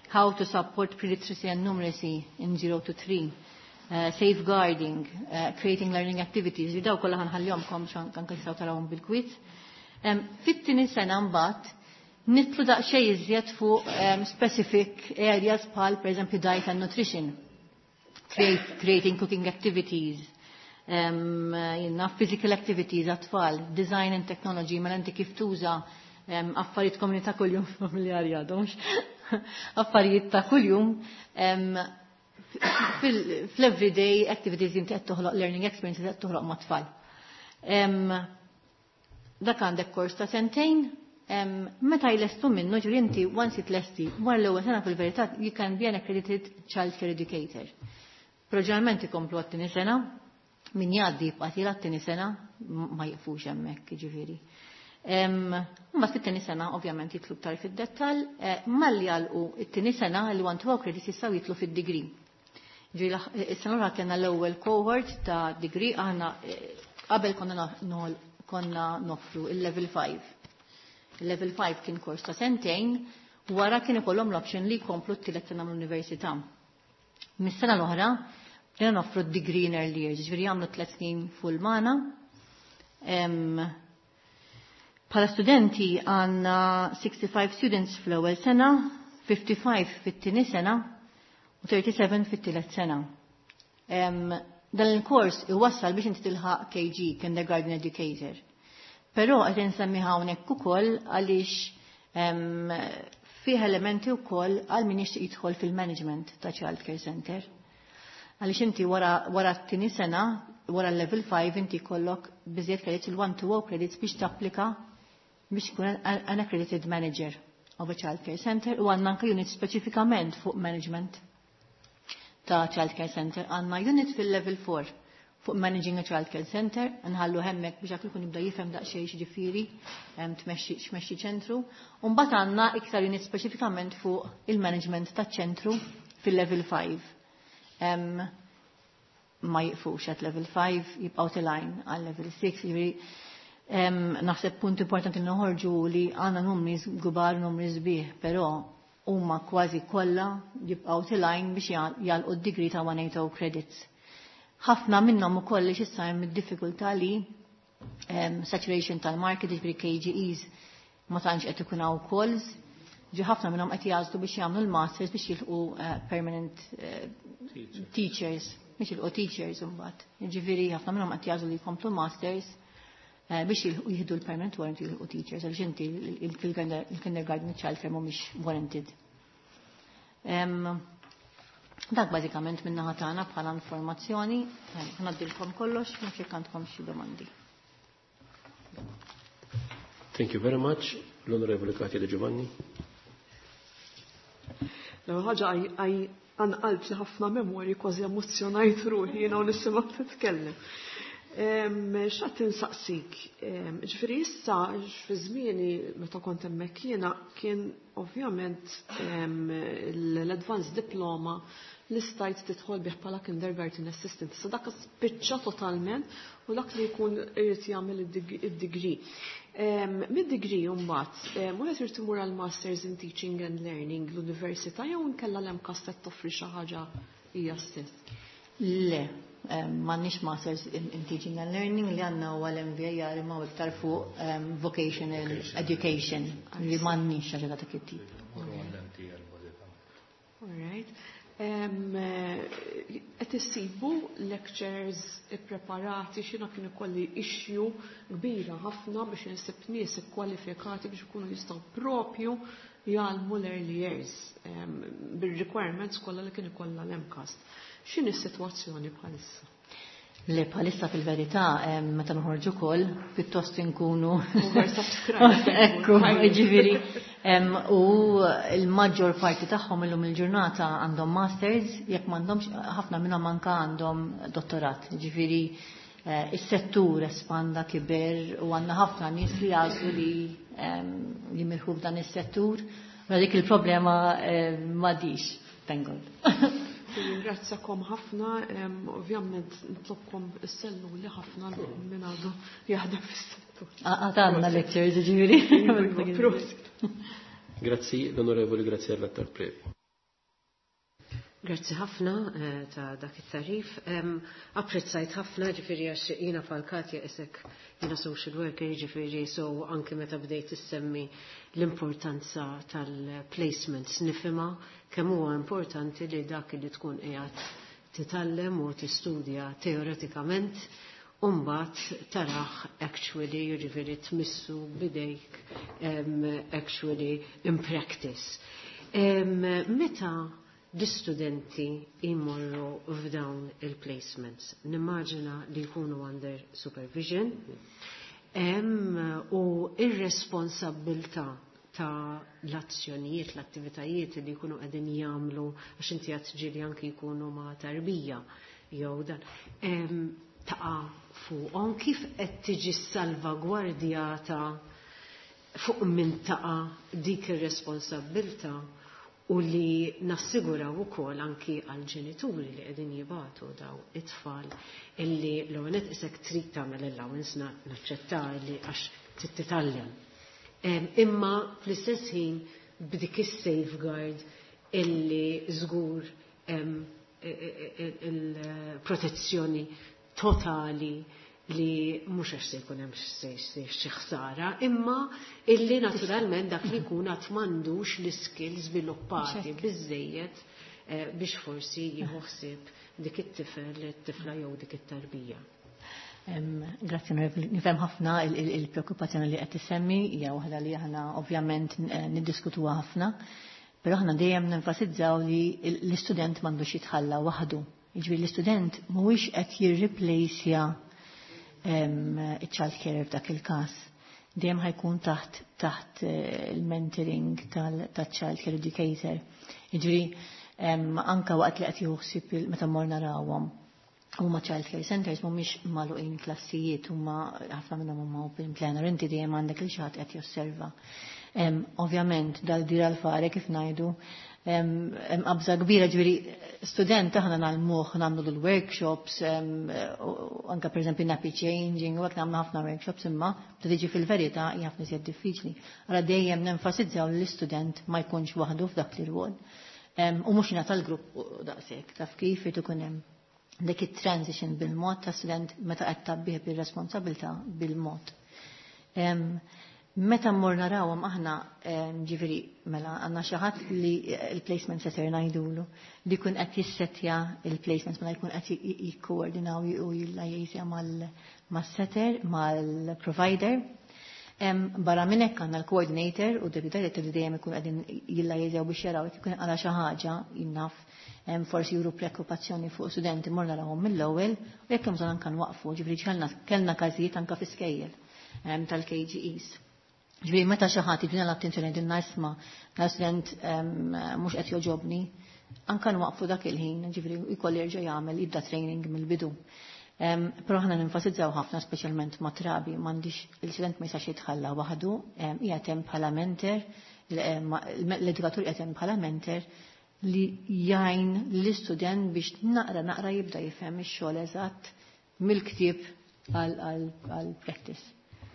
how to support pre-literacy and numeracy in zero to three, uh, safeguarding, uh, creating learning activities. Daw kollha ħa nħallihomlkom anke tistgħu tarawhom bil-kwiet. Um, Fit-tieni sena mbagħad nidħlu daqsxejn iżjed fuq um, specific areas bħal pereżempju diet and nutrition, create, creating cooking activities, um, jenna, physical activities għat-tfal, design and technology, mela inti kif tuża um, affarijiet komunità kuljum familjari għadhomx, affarijiet ta' kuljum um, fil-everyday activities inti qed toħloq learning experiences qed toħloq mat-tfal. Um, dak għandek kors ta' sentejn, um, meta jlestu minnu, ġifieri inti once jitlesti, wara l-ewwel sena fil-verità you can be an accredited child care educator. Però ġeneralment ikomplu għat-tieni sena, min jgħaddi jibqa' għat-tieni sena, ma jiqfux hemmhekk, ġifieri. Mbagħad fit-tieni sena ovvjament jidħlu iktar fid-dettall, eh, malli jagħlqu it-tieni sena li one two credits jistgħu jidħlu fid-degree. Ġifieri is-sena l kellna l-ewwel cohort ta' degree, aħna eh, qabel konna konna noffru il-level five. Il-level five kien kors ta' sentejn, wara kien ikollhom l-option li jkomplu t-tielet sena mill-università. Mis-sena l-oħra, bdejna noffru d-degree in early years, ġifieri jagħmlu tliet snin full magħna. Bħala studenti għandna sixty-five students fl-ewwel sena, fifty-five fit-tieni sena u thirty-seven fit-tielet sena. Dan il-kors iwassal biex inti tilħaq K G, Kindergarten Educator. Però qed insemmi hawnhekk ukoll għaliex fih elementi wkoll għal min jixtieq jidħol fil-management ta' child care center. Għaliex inti wara, wara t-tieni sena, wara level five, inti kollok biżejjed credits, il-one to o credits, biex tapplika biex tkun an accredited manager of a child care center, u għandna anke unit speċifikament fuq management ta' child care center. Għandna unit fil-level four fuq managing a child care center, nħallu hemmhekk biex dak ikun jibda jifhem daqsxejn x'ġifieri tmexxi x'mexxi ċentru. U mbagħad għandna iktar unit speċifikament fuq il-management taċ-ċentru fil-level five. Um, ma jiqfux at level five, jibqgħu telgħin għal level six, ġifieri um, naħseb punt importanti noħorġu li għandna numri kbar, numri sbieħ, però huma kważi kollha jibqgħu telgħin biex jagħlqu d-degree ta' one eighty credits. Ħafna minnhom ukoll li x'issa hemm id-diffikultà li um, saturation tal-market, ġifieri K G Es ma tantx qed ikun hawn calls, ġi ħafna minnhom qed jagħżlu biex jagħmlu l-masters biex jilħqu uh, permanent uh, teachers, biex jilħqu teachers imbagħad. Ġifieri ħafna minnhom qed jagħżlu li jkomplu masters uh, biex jilħqu jieħdu l-permanent warrant, jilħqu teachers, għaliex inti il-kindergarten child care mhumiex warranted. Um, dak bażikament minn naħa tagħna bħala informazzjoni, ngħaddilkom kollox, ma jekk għandkom xi domandi. Thank you very much. L-Onorevole Katia De Giovanni. L-ewwel ħaġa, qanqalt li ħafna memorji, kważi emozjonajt ruħi jiena u nisimgħek titkellem. Xtaqt insaqsik, ġifieri issa fi żmieni meta kont hemmhekk jiena kien ovvjament l-advanced diploma li stajt tidħol bih bħala kindergarten assistant. Issa dak spiċċa totalment u dak li jkun irid jagħmel id-degree. Mid-degree mbagħad, wieħed irid imur għal Masters in Teaching and Learning l-università jew inkella l-MCAST qed toffri xi ħaġa hija stess? Le, m'għandniex Masters in, in Teaching and Learning, li għandna huwa l-M V A R, imma iktar fuq um, vocational education, li m'għandniex ħaġa ta' dak it-tip. All right. Qed issibu lecturers ippreparati? Xina kien ikolli issue kbira ħafna biex insib nies ikkwalifikati biex ikunu jistgħu propju jgħallmu l-early years bir-requirements kollha li kien ikollha l-MCAST. X'inhi s-sitwazzjoni bħalissa? Le, bħalissa fil-verità, meta noħorġu kol, pjuttost inkunu. Ekku, ġifieri. U l-maġġor parti tagħhom illum il-ġurnata għandhom masters, jekk m'għandhomx, ħafna minnhom anka għandhom dottorat. Ġifieri, eh, is-settur espanda, kiber u għandna ħafna nies li jagħżlu li jimirħu f'dan is-settur. Ma dik il-problema m'għadix, thank God. Nirringrazzjakom ħafna, ovvjament nitlobkom issellmuli ħafna minn għadu jaħdem fis-settur. Għatanna lectures, ġifieri. Grazzi l-Onorevoli Graziella Tarprevi. Grazzi ħafna eh, ta' dak it-tarif. Apprezzajt ħafna, ġifieri, għax jiena falkatja isek jiena social worker, ġifieri, so anke meta bdejt issemmi l-importanza tal-placements nifhimha kemm huwa importanti li dak li tkun qiegħed titgħallem u tistudja teoretikament Umbat taraħ actually, ġifieri tmissu b'idejk actually in practice. Meta l-istudenti imorru f'dawn il-placements, nimmaġina li jkunu under supervision u ir-responsabbiltà ta' l-azzjonijiet, l-attivitajiet li jkunu qegħdin jagħmlu, għax inti qed ġieli anki jkunu ma' tarbija jew dan taqa' fuqhom, kif qed tiġi salvagwardjata, fuq min taqa' dik ir-responsabbiltà u li nassiguraw ukoll anki għal ġenituri li qegħdin jibagħtu daw it-tfal illi l-għonet isek trid tagħmel allowance, naċċetta li għax titgħallem. Imma fl-istess ħin b'dik is-safeguard illi żgur il-protezzjoni totali li mhux għax se jkun hemm xi ħsara, imma illi naturalment dak li jkun għad m'għandux l-iskills żviluppati biżejjed eh, biex forsi jieħu ħsieb dik it-tifel, it-tifla jew dik it-tarbija. Grazzi, nifhem ħafna il-preokkupazzjoni li qed tissemmi, hija waħda li aħna ovvjament eh, niddiskutuha ħafna, però aħna dejjem nenfasizzaw li l-istudent m'għandux jitħalla waħdu. Jiġifieri l-istudent mhuwiex qed jirreplaceja il-child care f'dak il-każ. Dejjem ħa jkun taħt taħt eh, il-mentoring tal-child care educator. Jiġifieri anka waqt li qed jieħu ħsieb meta mmur narawhom, huma child care centers mhumiex magħluqin klassijiet, huma ħafna minnhom huma open plan, inti dejjem għandek il xi ħadd qed josserva. Ovvjament dal-dir għal-fare kif ngħidu hemm qabża kbira, ġifieri student aħna nagħlmuh, nagħmlu l-workshops, anka pereżempju nappy changing, u hekk nagħmlu ħafna workshops, imma ta' tiġi fil-verità hija ħafna iżjed diffiċli. Ara dejjem nenfasizzaw li l-istudent ma jkunx waħdu f'dak l-irwol. U mhux jingħata l-grupp daqshekk, taf kif irid ikun hemm dik it-transition bil-mod ta' student meta qed tgħabbih bir-responsabilità bil-mod. Meta mmur narawhom aħna, ġifieri mela għandna xi ħadd li il-placement setter ngħidulu li jkun qed jissetja il-placements, mela jkun qed jikkoordinaw u jillajjejsja mas-setter, mal-provider. Barra minn hekk għandna l-coordinator u deputy director li dejjem ikun qegħdin jillajjeżjaw biex jaraw jekk ikun għala xi ħaġa, jinnaf forsi juru preokkupazzjoni fuq studenti, mor narawhom mill-ewwel u jekk hemm bżonn anke nwaqfu, ġifieri kellna każijiet anke fi skejjel tal-K G Es. Ġifieri meta xi ħadd jiġbidna l-attenzjoni din isma' student mhux qed joġobni, anka nwaqfu dak il-ħin, ġifieri jkollu jerġa' jagħmel jibda training mill-bidu. Però aħna nenfasizzaw ħafna, speċjalment ma' trabi, m'għandix il-student ma jistax jitħalla waħdu, qiegħed hemm bħala mentor, l-edukatur qiegħed hemm bħala mentor li jgħin l-istudent biex naqra naqra jibda jifhem ix-xogħol eżatt mill-ktieb għal practice.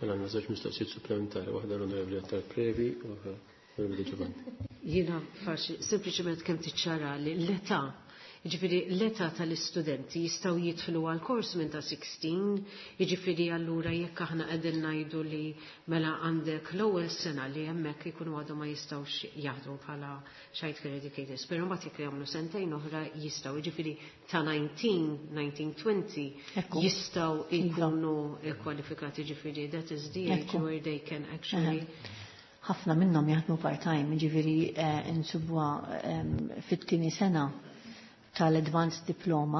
Mela għandna żewġ mistoqsijiet supplementari, waħda l-Onorevoli Attard Previ u waħda l-Onorevoli Giovanni. Jiena faċli, sempliċement kemm tiċċara li l-età, jiġifieri l-età tal-istudenti jistgħu jidħlu għal kors minn ta' sittax, jiġifieri allura jekk aħna qegħdin ngħidu li mela għandek l-ewwel sena li hemmhekk ikunu għadhom ma jistgħux jaħdmu bħala child care educators, però mbagħad jekk jagħmlu sentejn oħra jistgħu, jiġifieri ta' tmintax, tmintax, għoxrin jistgħu jkunu kwalifikati, jiġifieri that is the age where they can actually Ħafna minnhom jaħdmu part-time, ġifieri insibuha fit-tieni sena tal-Advanced Diploma,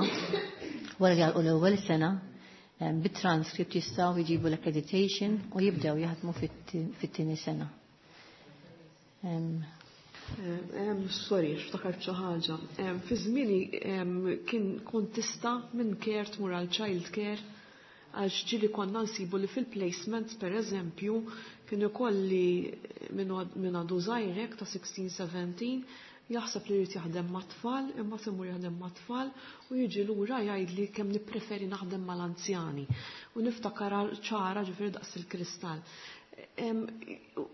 wara li għalqu l-ewwel sena, bit-transcript jistgħu jġibu l-accreditation u jibdew jaħdmu fit-tieni sena. Sorry, ftakart xi ħaġa. Fi żmieni kien kont tista' minn care tmur għal child care, għax ġieli konna nsibu li fil-placements, per eżempju, kienu kolli minn għadu żgħir ta' sittax, sbatax. Jaħseb li jrid jaħdem mat-tfal, imma imur jaħdem mat-tfal u jiġi lura jgħidli kemm nippreferi naħdem mal-anzjani. U niftakar ċara, ġifieri, daqs il-kristall.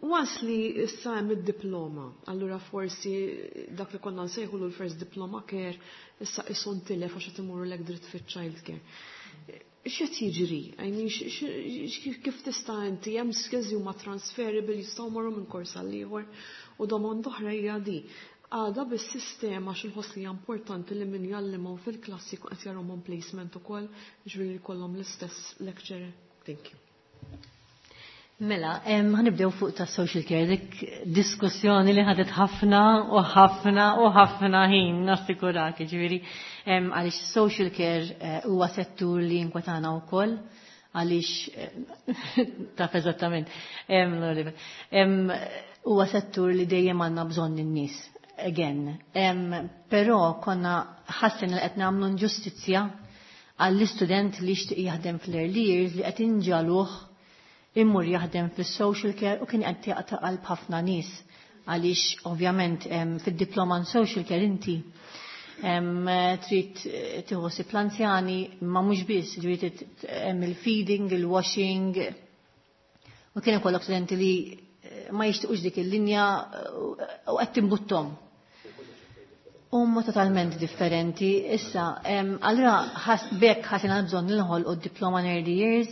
Once li issa hemm id-diploma, allura forsi dak li konna nsejħu l-first diploma care issa isu ntilef għax qed imorru lek dritt fiċ-child care. X'qed jiġri? I mean, kif tista' inti, hemm skills huma transferable, jistgħu morru minn kors għal ieħor? U domanda oħra hija di. Għada bis-sistema x'inħoss li hija importanti li min jallimhom fil-klassi qed jarahom placement ukoll, ġifieri jkollhom l-istess lecturer. Thank you. Mela, ħa nibdew fuq ta' social care, dik diskussjoni li ħadet ħafna u ħafna u ħafna ħin, nassikurak, ġifieri, għaliex social care eh, huwa settur li inkwetana wkoll, għaliex, eh, taf eżattament, huwa settur li dejjem għandna bżonn in-nies, again. Però konna ħassejna li qed nagħmlu inġustizzja għall-istudent li jixtieq jaħdem fl-early years li qed inġagħluh immur jaħdem fis-social care, u kien qed jaqta' qalb ħafna nies, għaliex ovvjament fid-diploma in social care inti trid tieħu l-anzjani, ma mhux biss, ġifieri hemm il-feeding, il-washing, u kien ikollok studenti li eh, ma jixtiequx dik il-linja u qed timbuttom. Huma totalment differenti. Issa, allura bekk ħassejna bżonn noħolqu d-diploma in early years.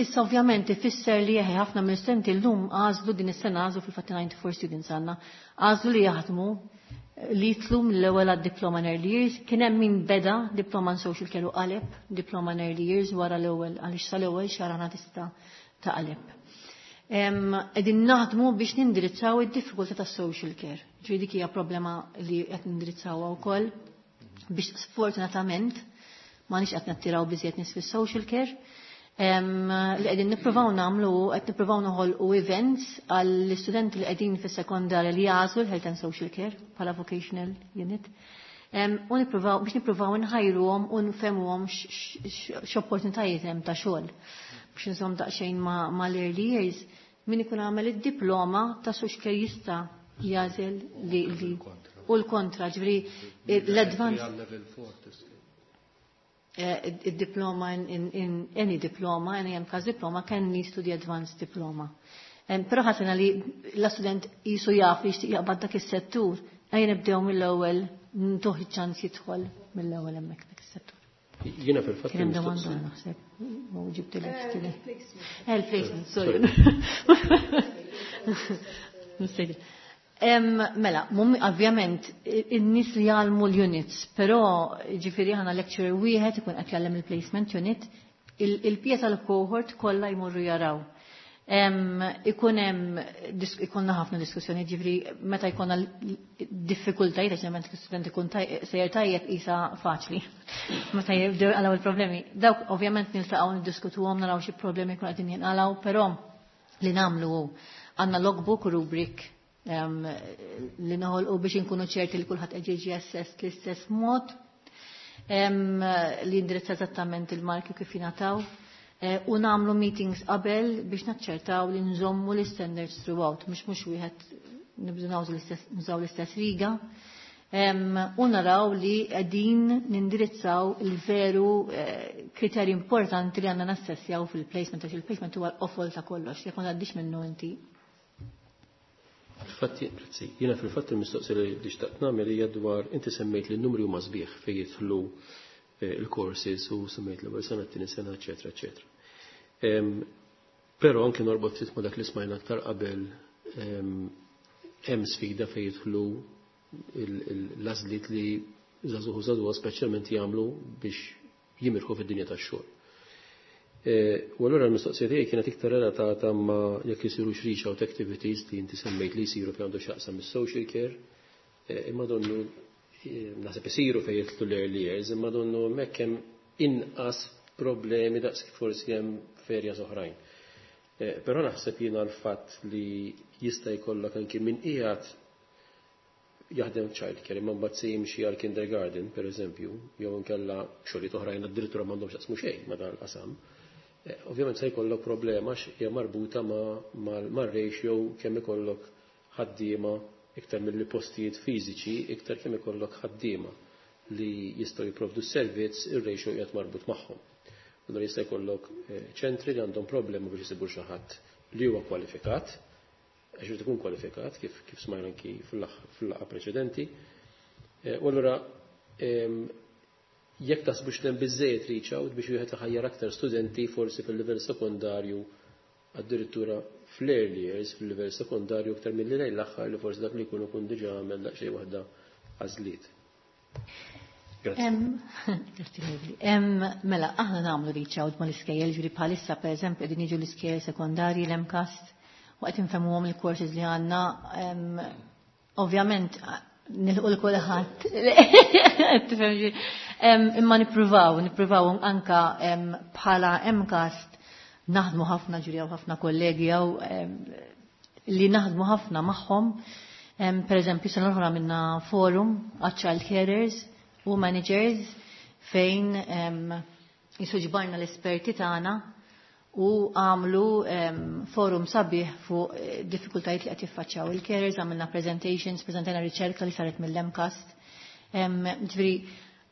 Issa ovvjament ifisser li jeħi ħafna mill-istudenti llum għażlu, din is-sena għażlu, fil-fatt disgħa u disgħin students għandna, għażlu li jaħdmu li jitlu mill-ewwel għad-diploma in early years. Kien hemm min beda diploma in social care u qaleb diploma in early years wara l-ewwel, għaliex sal-ewwel xahar tista' taqleb. Qegħdin naħdmu biex nindirizzaw id-diffikultà tas-social care. Ġifieri dik hija problema li qed nindirizzawha wkoll, biex sfortunatament m'aħniex qed nattiraw biżejjed nies fis-social care. Li qegħdin nippruvaw nagħmlu, qed nippruvaw noħolqu events għall-istudenti li qegħdin fis-sekondarja li jagħżlu l-Health and Social Care bħala vocational unit. U nippruvaw biex nippruvaw nħajruhom u nfehmuhom x'opportunitajiet hemm ta' xogħol. Biex nżomm daqsxejn ma' l-early years, min ikun għamel id-diploma ta' social care jista' jagħżel li u l-kontra, ġifieri l-advanced Eh, il-diploma in, in any diploma, any M CAS diploma can lead to the advanced diploma. Um, Però ħassejna li l-student jisu jaf li jixtieq jaqbad dak is-settur, ejja nibdew mill-ewwel, ntuh iċ-ċans jidħol mill-ewwel hemmhekk dak is-settur. Jiena fil-fatt. Kien domanda, naħseb, ma ġibt il Il-placement, sorry. Mela, ovvjament, in-nies li jgħallmu l-units, però ġifieri ħana lecturer wieħed ikun qed jgħallem il-placement unit, il-pija tal-cohort kollha jmorru jaraw. Ikun hemm ikollna ħafna diskussjoni, ġifieri meta jkollna diffikultajiet, għax l-student ikun sejjer tajjeb isa faċli. Meta jibdew jinqalgħu il-problemi. Dawk ovvjament niltaqgħu, niddiskutuhom, naraw xi problemi jkun qegħdin jinqalgħu, però li nagħmlu, għandna logbook, rubric li noħolqu biex inkunu ċerti li kulħadd qed jiġi assessed l-istess mod, li indirizza eżattament il-marki kif jingħataw, e, u nagħmlu meetings qabel biex naċċertaw li nżommu l-standards throughout, mhux mhux wieħed nibdu nużaw l-istess riga. U naraw li qegħdin nindirizzaw il-veru eh, kriterji importanti li għandna nassessjaw fil-placement, għax il-placement huwa l-qofol ta' kollox, jekk ma tgħaddix minnu inti. Fil-fatti, grazzi, jiena fil-fatt il-mistoqsija li xtaqt nagħmel hija dwar, inti semmejt li n-numri huma sbieħ fejn jidħlu eh, il-courses u semmejt l-ewwel sena, t-tieni sena, eċetera, eċetera. Però anke norbot ftit ma' dak li smajna aktar qabel, hemm sfida fejn jidħlu l-għażliet li żagħżugħ u żagħżugħa speċjalment jagħmlu biex jimirħu fid-dinja tax-xogħol. E, u allura l-mistoqsija tiegħi kienet iktar relatata ma' jekk isiru reach out activities li inti semmejt li jsiru fejn għandu x'jaqsam is-social care, e, imma donnu e, naħseb isiru fejn jidħlu l-early years, imma donnu hemmhekk hemm inqas problemi daqs forsi hemm f'areas oħrajn. Però naħseb jiena l-fatt li jista' jkollok anki min qiegħed jaħdem child care imma mbagħad se jimxi għal kindergarten, per eżempju, jew inkella xogħlijiet oħrajn addirittura m'għandhomx jaqsmu xejn ma' dan il-qasam. Eh, ovvjament se jkollok problema hija marbuta mar-ratio kemm ikollok ħaddiema iktar milli postijiet fiżiċi, iktar kemm ikollok ħaddiema li jistgħu jipprovdu s-servizz, ir-ratio qiegħed marbut magħhom. Allura jista' jkollok eh, ċentri li għandhom problemi biex isibu xi ħadd li huwa kwalifikat, għax irid ikun kwalifikat kif kif smajna anki fil-laqgħa preċedenti. Eh, u allura ehm, jekk taħsbux hemm biżejjed reach out biex wieħed iħajjar aktar studenti forsi fil-livell sekondarju, addirittura fl-early years fil-livell sekondarju, aktar milli lejn l-aħħar li forsi dak li jkun ikun diġà għamel daqsxejn waħda għażliet. Mela, aħna nagħmlu reach out mal-iskejjel, ġifieri bħalissa, pereżempju, qegħdin jiġu l-iskejjel sekondarji l-MCAST u qed infehmuhom il-courses li għandna. Ovvjament nilħu l-kulħadd. Imma nippruvaw, nippruvaw anka bħala MCAST naħdmu ħafna, ġuri ħafna kollegi jew li naħdmu ħafna magħhom. Per eżempju, sena l-oħra minna forum għal child carers u managers fejn jisu ġbarna l-esperti tagħna u għamlu forum sabiħ fuq eh, diffikultajiet li qed jiffaċċjaw il-carers, għamilna presentations, preżentajna riċerka li saret mill-MCAST. Ġifieri,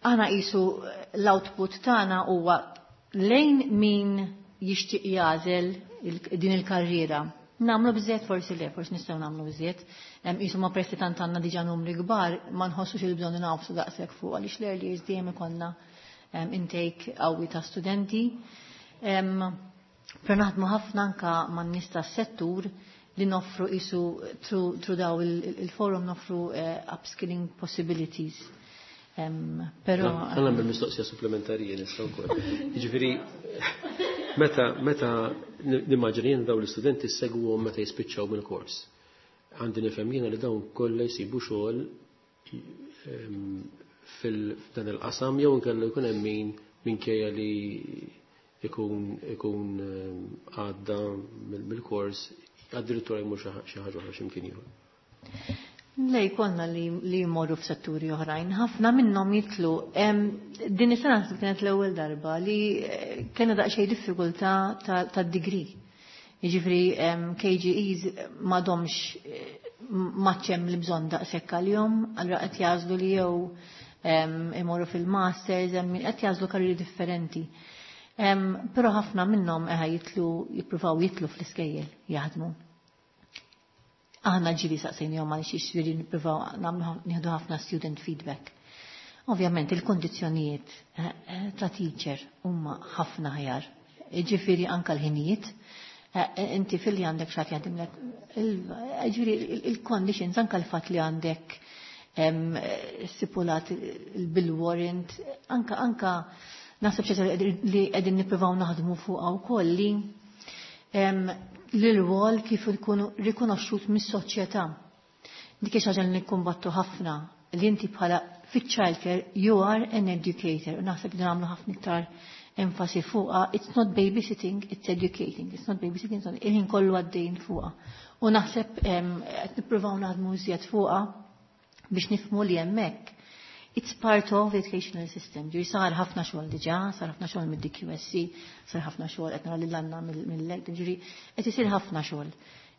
aħna qisu l-output tagħna huwa lejn min jixtieq jagħżel din il-karriera. Nagħmlu biżżejjed? Forsi le, forsi nistgħu nagħmlu biżżejjed. Qisu ma pressi tant għandna diġà numri kbar, ma nħossux il-bżonn nagħfsu daqshekk fuq għaliex l-early years dejjem ikollna intake qawwi ta' studenti. Però naħdmu ħafna anka man-nies tas-settur li noffru qisu through daw il-forum noffru eh, upskilling possibilities. Però Għanna bil-mistoqsija supplementari nista' wkoll. Jiġifieri meta meta nimmaġina jien dawn l-istudenti segwhom meta jispiċċaw mill-kors. Għandi nifhem jiena li dawn kollha jsibu xogħol fil-dan il-qasam jew inkella jkun hemm min minkejja li ikun ikun għadda mill-kors addirittura jmur xi ħaġa oħra x'imkien ieħor? Le, jkollna li, li jmorru f'setturi oħrajn. Ħafna minnhom jitlu. Din is-sena kienet l-ewwel darba li eh, kellna daqsxejn diffikultà tad-degree. Jiġifieri K G Es m'għadhomx eh, maċċem li bżonn daqshekk għalihom, allura qed jagħżlu li jew imorru fil-masters, hemm qed jagħżlu karrieri differenti. Però ħafna minnhom eħa jitlu, jippruvaw jitlu fl-iskejjel jaħdmu. Aħna ġieli saqsejnihom għal xiex, ġieli nippruvaw nagħmlu, nieħdu ħafna student feedback. Ovvjament il-kondizzjonijiet eh, eh, ta' teacher huma ħafna aħjar. Ġifieri anka l-ħinijiet, eh, inti fil-li għandek xi ħadd jaħdimlek, ġifieri il-conditions, anka l-fatt li għandek stipulat il-bill warrant, anka anka naħseb ċerta li qegħdin nippruvaw naħdmu fuqha wkoll li l-rwol kif ikunu rikonoxxut mis-soċjetà. Dik xi ħaġa li nikkumbattu ħafna, li inti bħala fit-childcare you are an educator. U naħseb li nagħmlu ħafna iktar enfasi fuqha. It's not babysitting, it's educating. It's not babysitting, it's not, il-ħin kollu għaddejn fuqha. U naħseb qed nippruvaw naħdmu iżjed fuqha biex nifhmu li hemmhekk it's part of the educational system. Ġifieri sar ħafna xogħol diġà, sar ħafna xogħol mid-D Q S C, sar ħafna xogħol qed nara lil għandna mill-L, ġifieri qed isir ħafna xogħol.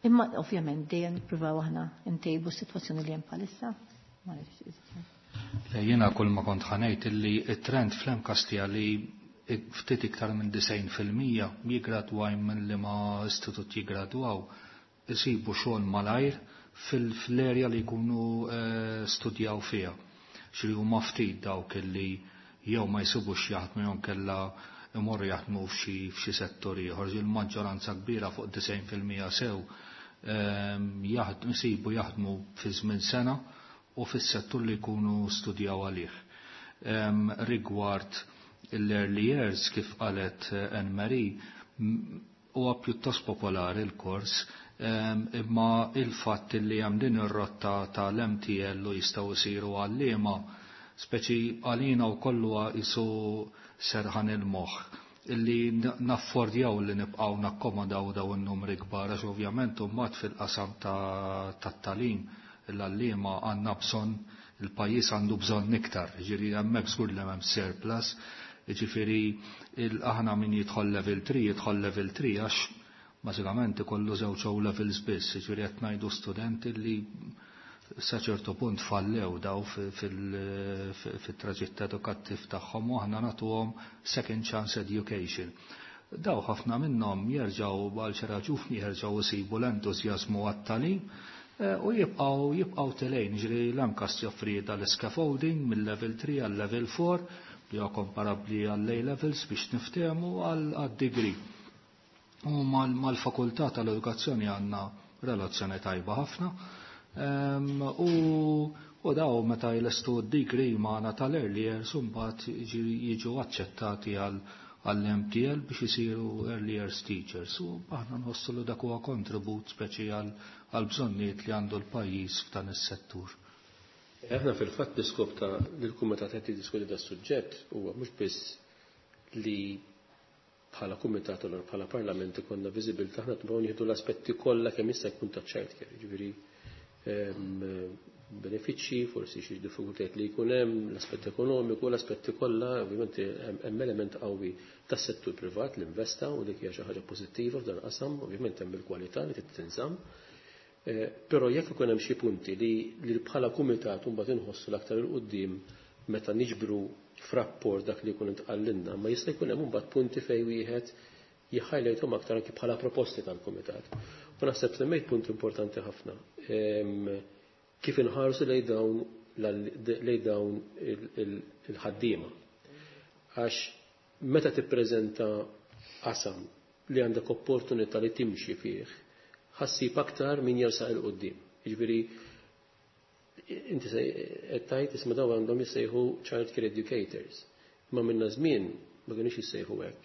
Imma ovvjament dejjem nippruvaw aħna ntejbu s-sitwazzjoni li hemm bħalissa. Le, jiena kull ma kont ħa ngħid illi it-trend fl-MCAST li ftit iktar minn disgħin fil-mija jigradwaw minn li ma istitut jigradwaw isibu xogħol malajr fil-erja li jkunu eh, studjaw fiha. Xi huma ftit dawk illi jew ma jsibux jaħdmu jew kella imorru jaħdmu f'xi f'xi settur ieħor. Il-maġġoranza kbira, fuq disgħin fil-mija sew, ehm, jaħdmu, jaħdmu fi żmien sena u fis-settur li jkunu studjaw għalih. Ehm, rigward l-early years, kif qalet eh, Anne Marie, huwa pjuttost popolari l-kors, ehm, imma il-fatt li hemm din ir-rotta tal-M T L u jistgħu jsiru għalliema, speċi għalina u kollu jisu serħan il-moħħ illi naffordjaw li nibqaw nakkomodaw daw in-numri kbar, għax ovvjament mbagħad fil-qasam tat-tagħlim l-għalliema għandna bżonn, il-pajjiż għandu bżonn iktar, ġifieri hemmhekk żgur li hemm surplus, ġifieri aħna min jidħol level three, jidħol level three għax Bażikament ikollu żewġ O levels biss, jiġifieri qed ngħidu studenti li sa ċertu punt fallew daw fit-traġitt edukattiv tagħhom u aħna nagħtuhom second chance education. Daw ħafna minnhom jerġgħu għal xi raġuni jerġgħu isibu l-entużjażmu għat-tagħlim u jibqgħu jibqgħu telgħin, ġifieri l-MCAST joffri dal-scaffolding mill-level three għal level four li huwa komparabbli għall-A levels biex niftehmu għal degree. U mal-fakultà tal-edukazzjoni għandna relazzjoni tajba ħafna. U u daw meta jlestu d-degree magħna tal-early years imbagħad jiġu aċċettati għall-M T L biex isiru early years teachers. U aħna nħossu li dak huwa kontribut speċi għal bżonnijiet li għandu l-pajjiż f'dan is-settur. Aħna fil-fatt l-iskop ta' l-kumitat qed jiddiskuti da suġġett huwa mhux biss li bħala kumitat u bħala parlament ikollna viżibilità, aħna tibgħu nieħdu l-aspetti kollha kemm jista' jkun ta' child care, jiġifieri benefiċċji, forsi xi diffikultajiet li jkun hemm, l-aspett ekonomiku, l-aspetti kollha, ovvjament hemm element qawwi tas-settur privat li investa u dik hija xi ħaġa pożittiva f'dan qasam, ovvjament hemm il-kwalità li trid tinżamm. Eh, però jekk ikun hemm xi punti li li bħala kumitat mbagħad inħossu l-aktar il quddiem meta niġbru f'rapport dak li jkun intqallilna, ma jista' jkun hemm mbagħad punti fejn wieħed jiħħajlejthom aktar anki bħala proposti tal-kumitat. U naħseb semmejt punt importanti ħafna. Kif inħarsu lejn dawn lejn dawn il-ħaddiema. Għax meta tippreżenta qasam li għandek opportunità li timxi fih, ħa ssib aktar min jersaq 'il quddiem. Jiġifieri inti qed tgħid isma' dawn għandhom jissejħu child care educators. Ma minna żmien ma kienux jissejħu hekk.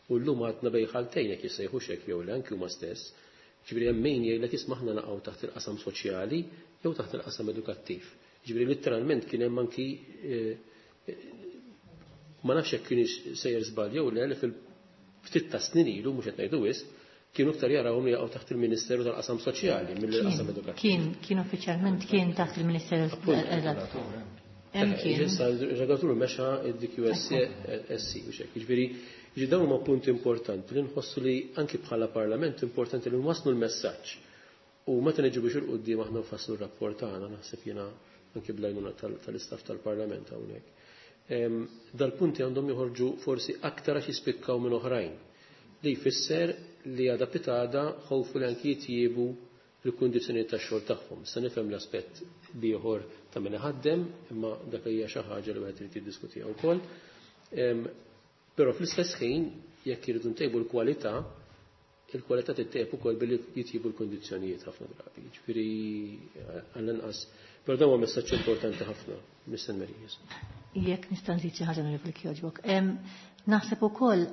U llum għadna bejn ħaltejn jekk jissejħu hekk jew le anki huma stess. Ġifieri hemm min jgħidlek isma' aħna naqgħu taħt il-qasam soċjali jew taħt il-qasam edukattiv. Ġifieri letteralment kien hemm anki eh, ma nafx jekk kienx sejjer żball jew le li fil-ftit ta' snin ilu mhux qed ngħidu wisq, kienu aktar jarawhom li jaqgħu taħt il-Ministeru tal-Qasam Soċjali mill-qasam edukattiv. Kien, kien uffiċjalment kien taħt il-Ministeru. Hemm kien. Issa il-regolatur mexa id-D Q S C u xek. Ġifieri, ġi dawn huma punti importanti li nħossu li anki bħala parlament importanti li nwasslu l-messaġġ. U meta niġu biex 'il quddiem aħna nfasslu r-rapport tagħna naħseb jiena anki bl-għajnuna tal-istaff tal-parlament hawnhekk. Dal-punti għandhom joħorġu forsi aktar għax jispikkaw minn oħrajn. Li jfisser li għada pitgħada ħowfu li anki jitjiebu l-kundizzjonijiet tax-xogħol tagħhom. Se nifhem l-aspett ieħor ta' min iħaddem, imma dak hija xi ħaġa li wieħed irid jiddiskutiha wkoll. Però fl-istess ħin jekk iridu ntejbu l-kwalità, il-kwalità tittejb ukoll billi jitjibu l-kundizzjonijiet ħafna drabi. Ġifieri għall-inqas. Però dan huwa messaġġ importanti ħafna, Mister Marijas. Jekk nista' nżid xi ħaġa Onorevoli jogħġbok. Naħseb ukoll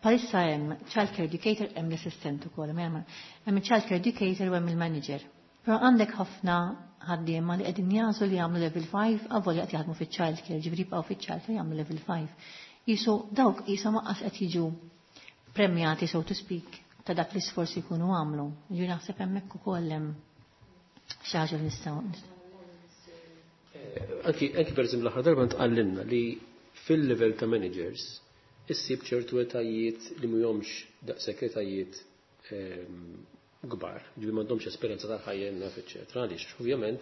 bħalissa hemm child care educator, hemm l-assistent ukoll, hemm child care educator u hemm il-manager. Però għandek ħafna ħaddiema li qegħdin jagħżlu li jagħmlu level five avolja qed jaħdmu fiċ-child care, ġifieri jibqgħu fiċ-child care jagħmlu level five. Jisu dawk qishom lanqas qed jiġu premjati, so to speak, ta' dak l-isforzi jkunu għamlu. Ġifieri naħseb hemmhekk ukoll hemm xi ħaġa li nistgħu. Anki, anki per eżempju l-aħħar darba ntqallinna li fil-level ta' managers issib ċertu etajiet li mhumiex daqshekk etajiet kbar, ġifieri m'għandhomx esperjenza tal-ħajja naf, eċetera. Għaliex ovvjament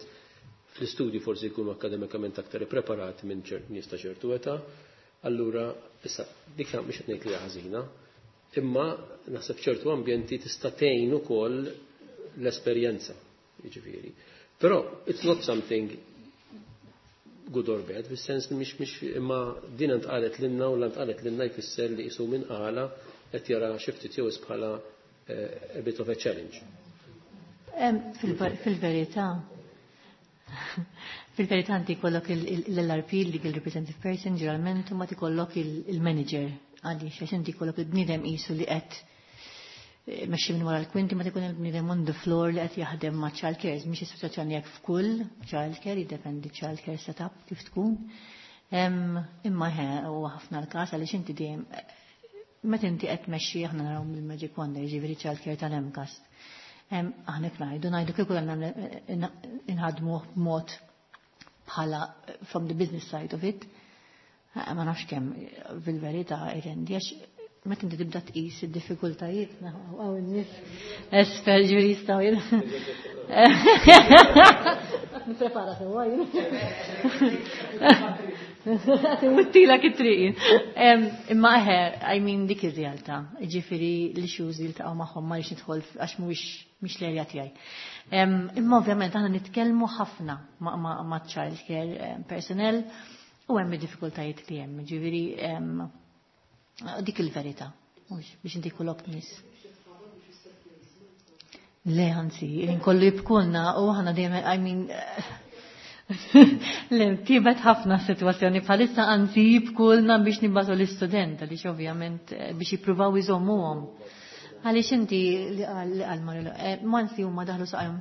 fl-istudji forsi jkunu akademikament aktar preparati minn ċert nies ta' ċertu età, allura issa dik mhix qed ngħid li ħażina, imma naħseb ċertu ambjenti tista' tgħin ukoll l-esperjenza, jiġifieri. Però it's not something good or bad, fis-sens li mhix mhix imma din ntqalet lilna u ntqalet lilna jfisser li qisu minn qala qed jara xi ftit jew bħala eh, a bit of a challenge. Fil-verità, fil-verità inti jkollok l-L R P, Legal Representative Person, ġeneralment, u ma tikollok il-manager, għaliex għax inti jkollok il-bniedem qisu li qed eh, mexxi minn wara l-kwinti ma tikun il-bniedem on the floor li qed jaħdem ma' child care, mhix is-sitwazzjoni jekk f'kull child care, jiddependi child care setup kif tkun. Imma ħe huwa ħafna l-każ għaliex inti dejjem meta inti qed tmexxi aħna naraw mill-Magic Wonder, ġifieri child care tal-MCAST. Aħna ngħidu ngħidu kieku għandna inħadmu b'mod bħala from the business side of it, ma nafx kemm fil-verità irrendi għax Meta inti tibda tqis id-diffikultajiet hawn in-nies esper ġifieri jistgħu jien. Nipprepara sewwa jien. Wittilek it-triq. Imma eħe, I mean dik ir-realtà. Ġifieri l-issues li ltaqgħu magħhom ma rridx nidħol għax mhuwiex mhix l-erja tiegħi. Imma ovvjament aħna nitkellmu ħafna ma' child care personnel u hemm id-diffikultajiet li hemm. Ġifieri dik il-verità, mhux biex inti kullok nies. Le, anzi, kollu jibkulna u aħna dejjem, I mean, le, tibet ħafna situazzjoni bħalissa, anzi jibkulna biex nibatu l-istudent, għaliex ovvjament biex jippruvaw iżommuhom. Għaliex inti li qal Marilo, mansi huma daħlu saqajhom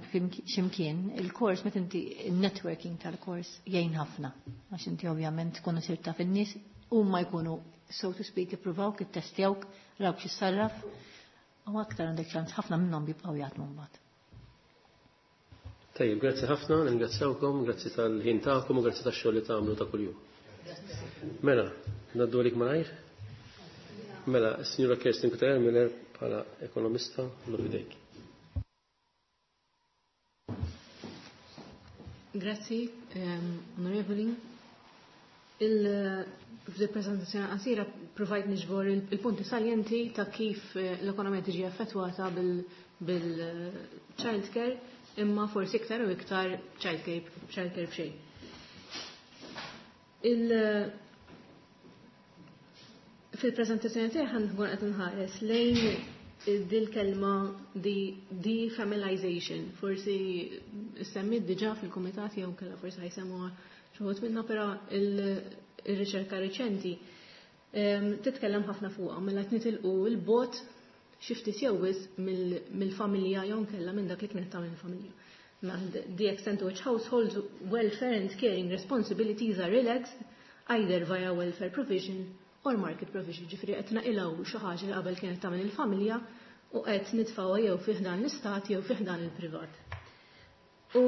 x'imkien, il-kors meta inti il-networking tal-kors jgħin ħafna. Għax inti ovvjament tkunu sirt taf in-nies huma jkunu so to speak, ippruvawk, ittestjawk, rawk x'issarraf, u aktar għandek ċans ħafna minnhom jibqgħu jaħdmu mbagħad. Tajjeb, grazzi ħafna, ningrazzjawkom, grazzi tal-ħin tagħkom u grazzi tax-xogħol li tagħmlu ta' kuljum. Mela, ngħaddu għalik malajr? Mela, s-Sinjura Kerstin Cutajar Miller bħala ekonomista, l idejk. Grazzi, onorevoli. Fil-prezentazzjoni qasira provajt niġbor il-punti salienti ta' kif l-ekonomija tiġi affettwata bil-child care, imma forsi iktar u iktar child care, child care b'xejn. Fil-prezentazzjoni tiegħi ħankun qed nħares lejn dil-kelma defamilialization. Forsi semmit diġà fil-kumitat jew kellha forsi ħajsemmuha xi wħud minna, però il-riċerka reċenti titkellem ħafna fuqha mela qed nitilqu l-bot xi ftit jew wisq mill-familja jew nkella minn dak li kienet tagħmel il-familja. The extent to which households welfare and caring responsibilities are relaxed either via welfare provision or market provision. Ġifieri qed naqilgħu xi ħaġa li qabel kienet tagħmel il-familja u qed nitfgħuha jew fih dan l-istat jew fih dan il-privat. U,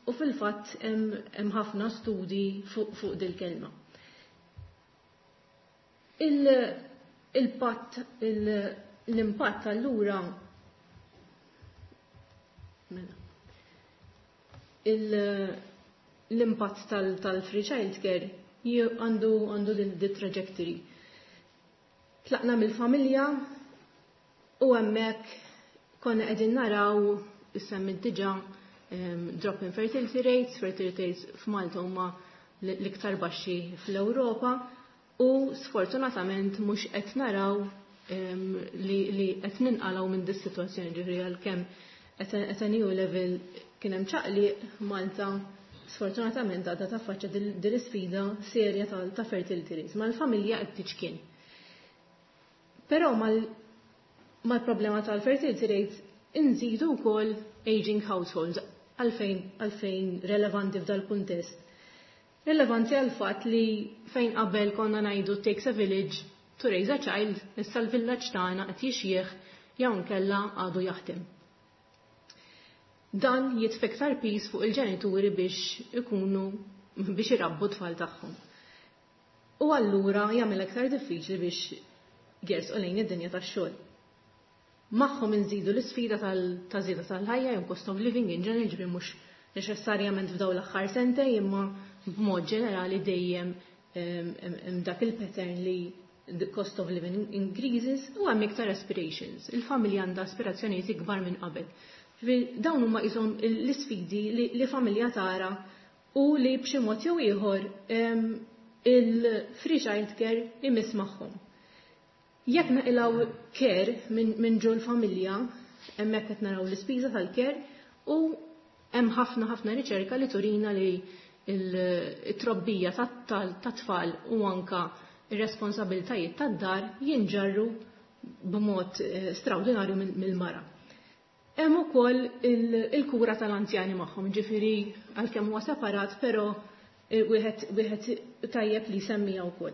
u fil-fatt hemm ħafna studi fuq fuq dil-kelma. Il-patt, l-impatt allura mela. L-impatt tal-free child care għandu għandu di trajectory. Tlaqna mill-familja u hemmhekk konna qegħdin naraw issemmit diġà drop in fertility rates, fertility rates f'Malta huma l-iktar baxxi fl-Ewropa u sfortunatament mhux qed naraw li, li qed ninqalgħu minn dis sitwazzjoni, ġifieri għalkemm at a new level kien hemm ċaqliq Malta sfortunatament għadha taffaċċja din l-isfida serja ta' fertility rates. Mal-familja qed tiċkien. Però mal-problema tal-fertility rates inżidu wkoll aging households. Għalfejn għalfejn relevanti f'dal kuntest. Relevanti għal fatt li fejn qabel konna ngħidu takes a village to raise a child, issa l-villaġġ tagħna qed jixjieħ jew nkella għadu jaħdem. Dan jitfa' iktar piż fuq il-ġenituri biex ikunu biex irabbu tfal tagħhom. U allura jagħmel aktar diffiċli biex jersqu lejn id-dinja tax-xogħol. Magħhom inżidu l-isfida ta' żieda tal-ħajja jew cost of living in general, ġifieri mhux neċessarjament f'dawn l-aħħar sentejn, imma b'mod ġenerali dejjem hemm dak il-pattern li the cost of living increases u hemm iktar aspirations. Il-familja għandha aspirazzjonijiet ikbar minn qabel. Dawn huma qishom l-isfidi li familja tara u li b'xi mod jew ieħor il-free child care imiss magħhom. Jekk naqilgħu care minn ġol familja, hemmhekk qed naraw l-ispiża tal-care u hemm ħafna ħafna riċerka li turina li il-trobbija tat-tfal u anka ir-responsabiltajiet tad-dar jinġarru b'mod straordinarju mill-mara. Hemm ukoll il-kura tal-anzjani magħhom, ġifieri għalkemm huwa separat, però wieħed wieħed tajjeb li semmija wkoll.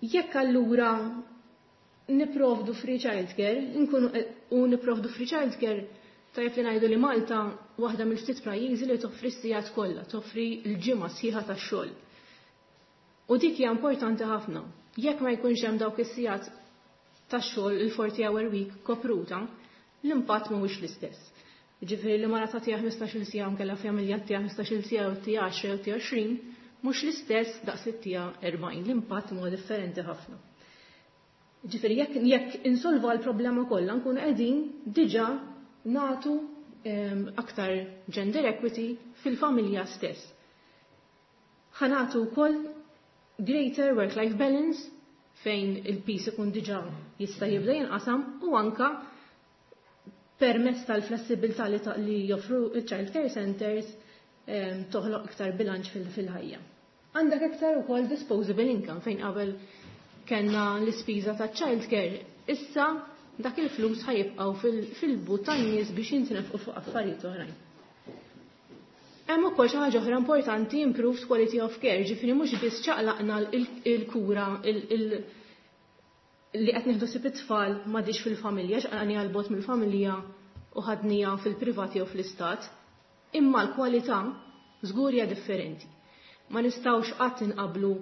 Jekk allura niprovdu free child care, nkunu u niprovdu free child care, tajjeb li ngħidu li Malta waħda mill-ftit pajjiżi li toffri s-sigħat kollha, toffri l-ġimgħa sħiħa tax-xogħol. U dik hija importanti ħafna. Jekk ma jkunx hemm dawk is-sigħat tax-xogħol il-forty hour week kopruta, l-impatt mhuwiex l-istess. Ġifieri li mara tagħtiha ħmistax-il siegħa nkella familja tagħtiha ħmistax-il siegħa u ttiha għaxra jew ttiha għoxrin, mhux l-istess daqs li ttiha erbgħin, l-impatt huwa differenti ħafna. Ġifieri jekk jekk insolvu l-problema kollha nkunu qegħdin diġà nagħtu ehm, aktar gender equity fil-familja stess. Ħa nagħtu wkoll greater work-life balance fejn il-piż ikun diġà jista' jibda jinqasam u anka permezz tal-flessibilità li, li joffru il-child care centers ehm, toħloq iktar bilanċ fil-ħajja. Għandek iktar ukoll disposable income fejn qabel kellna l-ispiża ta' child care, issa dak il-flus ħa jibqgħu fil-but tan-nies biex jintnefqu fuq affarijiet oħrajn. Hemm ukoll xi ħaġa oħra importanti, improved quality of care, ġifieri mhux biss ċaqlaqna il-kura li qed nieħdu ħsieb it-tfal m'għadix fil-familja, ċaqlaqniha 'l bogħod mill-familja u ħadniha fil-privati jew fl-istat, imma l-kwalità żgur hija differenti. Ma nistgħux qatt inqablu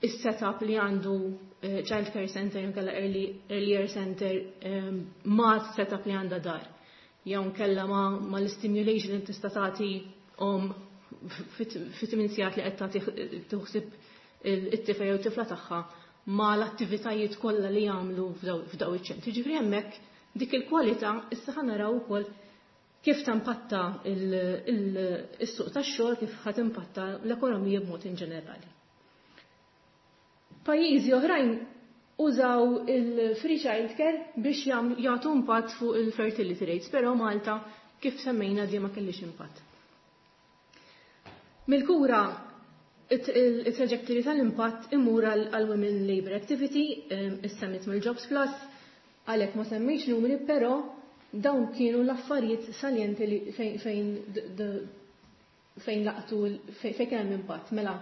is-setup li għandu eh, child care center jew kellha early, early year center eh, ma' setup li għandha dar. Jew nkella ma, ma l-stimulation li tista' tagħti omm fit-tmien sigħat li qed tagħti taħseb it-tifel jew tifla tagħha ma l-attivitajiet kollha li jagħmlu f'daw iċ-ċentri. Ġifieri hemmhekk dik il-kwalità issa ħa naraw ukoll kif tampatta il-suq tax-xogħol, kif ħa timpatta l-ekonomija b'mod in ġenerali. Pajjiżi oħrajn użaw il-free child care biex jagħtu impatt fuq il-fertility rates, però Malta, kif semmejna, di ma kellix impatt. Mil-kura il-trajectory tal-impatt imur għal Women Labor Activity, issemmit mill-Jobs Plus, għalhekk ma semmejx numri, però dawn kienu l-affarijiet salienti li fejn fejn laqtu fejn kien hemm impatt. Mela,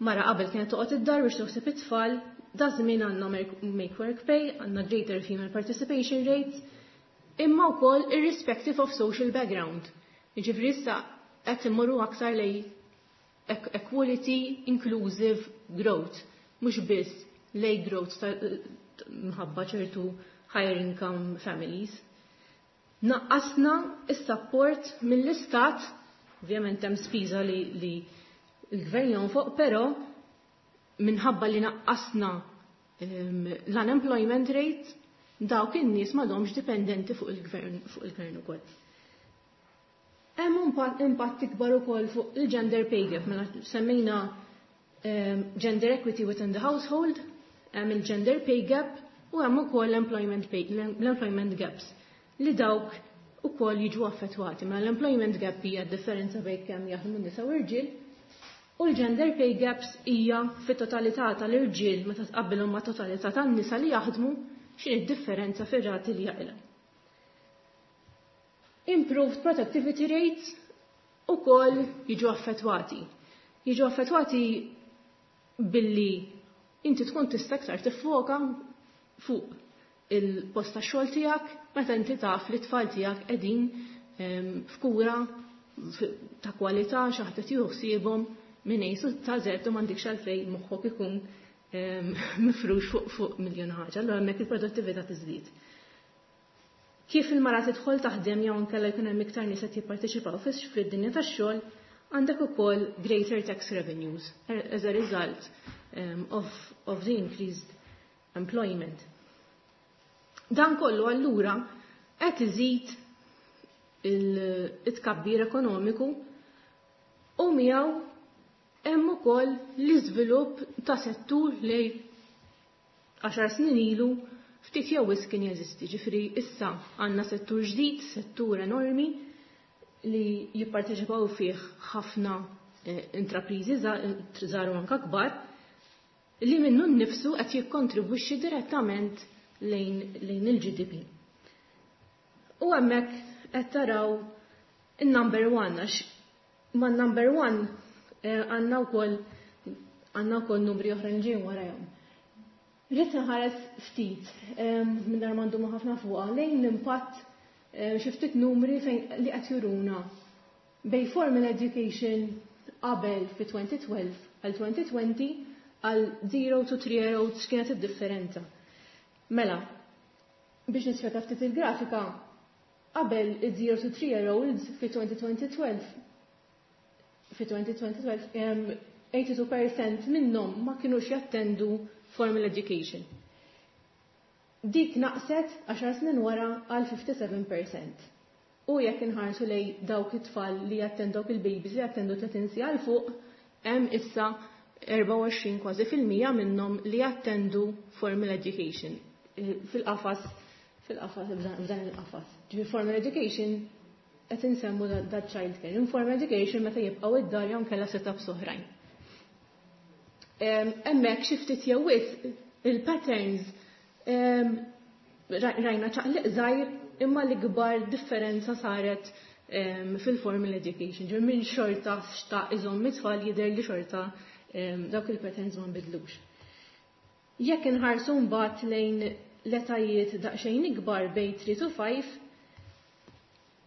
mara qabel kienet toqgħod id-dar biex toħseb it-tfal, da żmien għandna make work pay, għandna greater female participation rates, imma wkoll irrespective of social background. Jiġifieri issa qed immorru aktar lej equality inclusive growth, mhux biss lej growth ta' mħabba ċertu higher income families. Naqqasna is-support mill-istat, ovvjament hemm spiża li, li l-gvern jonfoq, però minħabba li naqqasna um, l-unemployment rate, dawk in-nies m'għadhomx dipendenti fuq il-gvern fuq il-gvern ukoll. Hemm impatt ikbar ukoll fuq il-gender pay gap, mela semmejna um, gender equity within the household, hemm il-gender pay gap u hemm ukoll l-employment pay, l-employment gaps li dawk ukoll jiġu affettwati. Mela l-employment gap hija differenza bejn kemm jaħdmu nisa u rġiel u l-gender pay gaps hija fit-totalità tal-irġiel meta tqabbilhom ma' totalità tan-nisa li jaħdmu, x'inhi d-differenza fir-rati li jaqilgħu. Improved productivity rates ukoll jiġu affettwati. Jiġu affettwati billi inti tkun tista' aktar tiffoka fuq il-post tax-xogħol tiegħek meta inti taf li t-tfal tiegħek qegħdin f'kura ta' kwalità, xi ħadd qed jieħu ħsiebhom minn A sa Z u m'għandekx għalfejn moħħok ikun mifrux fuq fuq miljon ħaġa, allura hemmhekk il-produttività tiżdied. Kif il-mara tidħol taħdem jew inkella jkun hemm iktar nies qed jipparteċipaw fid-dinja tax-xogħol, għandek ukoll greater tax revenues as a result um, of, of the increased employment. Dan kollu allura qed iżid il-tkabbir ekonomiku u miegħu hemm ukoll l-iżvilupp ta' settur li għaxar snin ilu ftit jew wisq kien jeżisti. Ġifieri issa għandna settur ġdid, settur enormi li jipparteċipaw fih ħafna eh, intrapriżi żgħar u anke kbar li minnu nnifsu qed jikkontribwixxi direttament lejn, lejn il-G D P. U hemmhekk qed taraw il-number one, għax ma' number one eh, għandna wkoll għandna wkoll numri oħra ġejjin warajhom. Rrid nħares ftit mingħajr ma ndumu ħafna fuqha lejn l-impatt, xi ftit numri fejn li qed juruna bej formal education qabel fi elfejn u tnax għal elfejn u għoxrin. Għal zero to three year olds x'kienet id-differenza? Mela, biex nispjega ftit il-grafika, qabel iż-zero to three year olds fi twenty twelve, fi twenty twelve, eighty-two percent minnhom ma kinux jattendu formal education. Dik naqset għaxar snin wara għal fifty-seven percent. U jekk inħarsu lej dawk it-tfal li jattendu, dawk il-babies li jattendu tletin siegħa 'l fuq, hemm issa erbgħa u għoxrin kważi fil-mija minnhom li jattendu formal education eh, fil-qafas fil-qafas f'dan il-qafas. Ġifieri formal education qed insemmu da child care. Informal education meta jibqgħu id-dar jew kellha setups oħrajn. Hemmhekk xi ftit jew wisq il-patterns rajna ċaqliq żgħir, imma l-ikbar differenza saret fil-formal education. Ġifieri minn xorta xtaq iżomm it-tfal, jidher li xorta dawk il-patterns ma nbidlux. Jekk inħarsu mbagħad lejn l-etajiet daqsxejn ikbar, bejn three to five,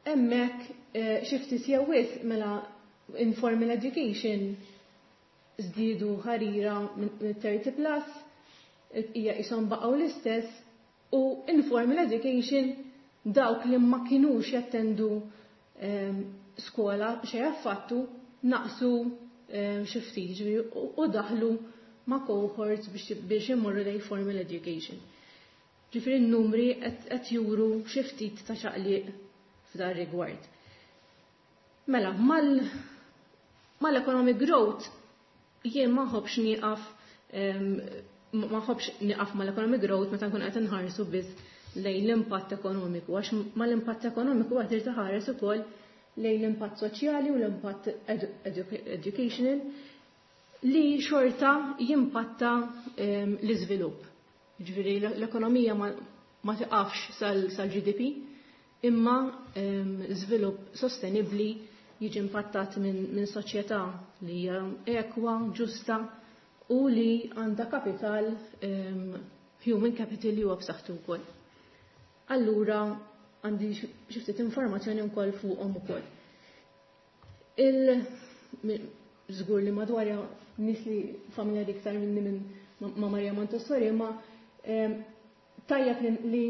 hemmhekk eh, xi ftit jew wisq, mela informal education żdiedu ħarira minn thirty plus, hija qishom baqgħu l-istess, u informal education dawk li ma kinux jattendu ehm, skola xejn affattu naqsu ehm, xi ftit u daħlu ma' cohorts biex imorru lejn formal education. Ġifieri n-numri qed juru xi ftit ta' ċaqliq f'dan rigward. Mela, mal-economic growth jien ma nħobbx nieqaf ma nħobbx nieqaf mal-economic growth meta nkun qed inħarsu biss lejn l-impatt ekonomiku, għax mal-impatt ekonomiku qed irid iħares ukoll lejn l-impatt soċjali u l-impatt educational li xorta jimpatta l-iżvilupp. Ġifieri l-ekonomija ma tiqafx sal-G D P, imma żvilupp sostenibbli jiġi impattat minn soċjetà li hija ekwa, ġusta u li għandha kapital, human capital li huwa b'saħħtu wkoll. Allura għandi xi ftit informazzjoni wkoll fuqhom ukoll. Il żgur li madwar nies li familjari iktar minni minn ma' Maria Montessori, ma tajjeb li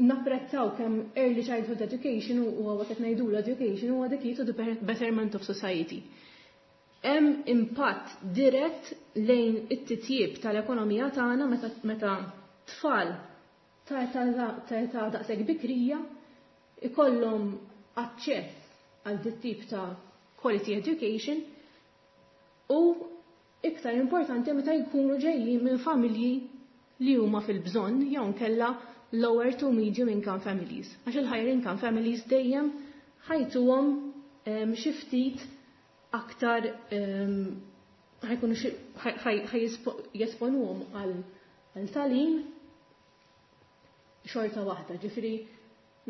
napprezzaw kemm early childhood education u għawa qed ngħidu l-education huwa the key to the betterment of society. Hemm impatt dirett lejn it-titjib tal-ekonomija tagħna meta tfal ta' età daqshekk bikrija ikollhom aċċess għal dit tip ta' quality education, u iktar importanti meta jkunu ġejjin minn familji li huma fil-bżonn jew nkella lower to medium income families. Għax il-higher income families dejjem ħa jtuhom xi ftit aktar, ħa jkunu jesponuhom għal tagħlim xorta waħda. Ġifieri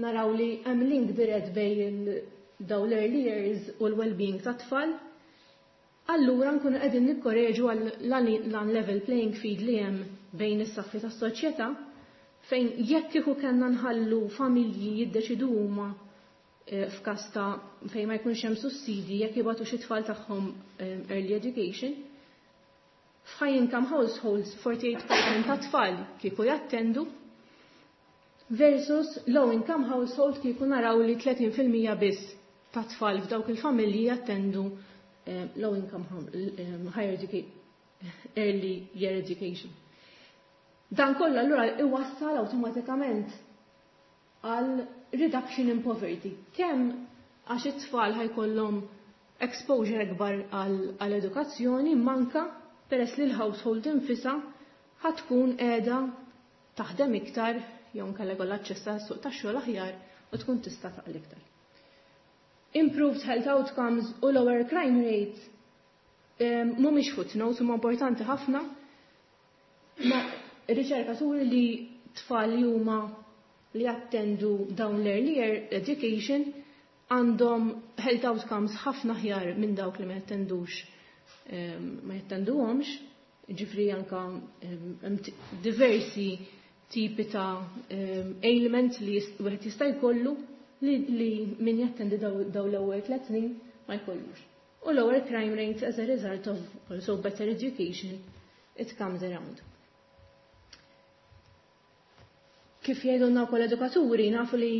naraw li hemm link dirett bejn daw l-early years u l-well-being ta' tfal. Allura nkunu qegħdin nikkoreġu għall-level playing field li hemm bejn is-saffi tas-soċjetà, fejn jekk kieku kellna nħallu familji jiddeċidu huma eh, f'każ ta' fejn ma jkunx hemm sussidi jekk jibagħtu xi tfal tagħhom eh, early education, f'high income households forty-eight percent ta' tfal kieku jattendu versus low income household kieku naraw li thirty percent biss ta' tfal f'dawk il-familji jattendu eh, low income higher education, early year education. Dan kollu allura iwassal awtomatikament għal reduction in poverty. Kemm għax it-tfal ħa jkollhom exposure akbar għal edukazzjoni, manka peress li l-household infisha ħa tkun qiegħda taħdem iktar jew nkella jkollha aċċess għas-suq tax-xogħol aħjar u tkun tista' taqla' iktar. Improved health outcomes u lower crime rates mhumiex footnotes, huma importanti ħafna. Ma riċerka turi li tfal li huma li attendu dawn l-early year education għandhom health outcomes ħafna aħjar minn dawk li ma jattendux, ma jattenduhomx, ġifieri anka diversi tipi ta' ailments li wieħed jista' jkollu li, li min jattendi daw l-ewwel tliet snin ma jkollux. U lower crime rates as a result of also better education. it comes around. Kif jgħidulna wkoll edukaturi, nafu li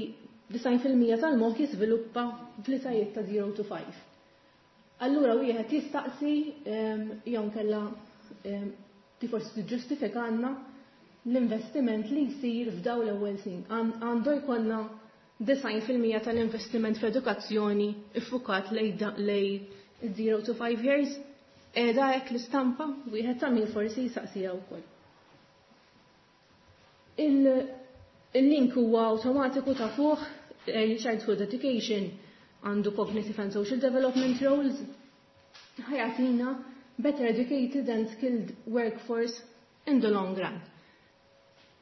disgħin fil-mija tal-moħħ jiżviluppa fl-etajiet ta' zero to five. Allura wieħed jistaqsi, ehm, jew nkella, ehm, ti forsi tiġġustifikanna l-investiment li jsir f'daw l-ewwel snin. Għan-, għandu jkollna disgħin fil-mija tal-investiment f'edukazzjoni iffukat lej da-, lej zero to five years, qiegħda hekk l-istampa, wieħed ta' min forsi jistaqsija wkoll. Il-, Il-link huwa awtomatiku ta' fuq Early Childhood Education għandu Cognitive and Social Development Roles, ħajatina better educated and skilled workforce in the long run.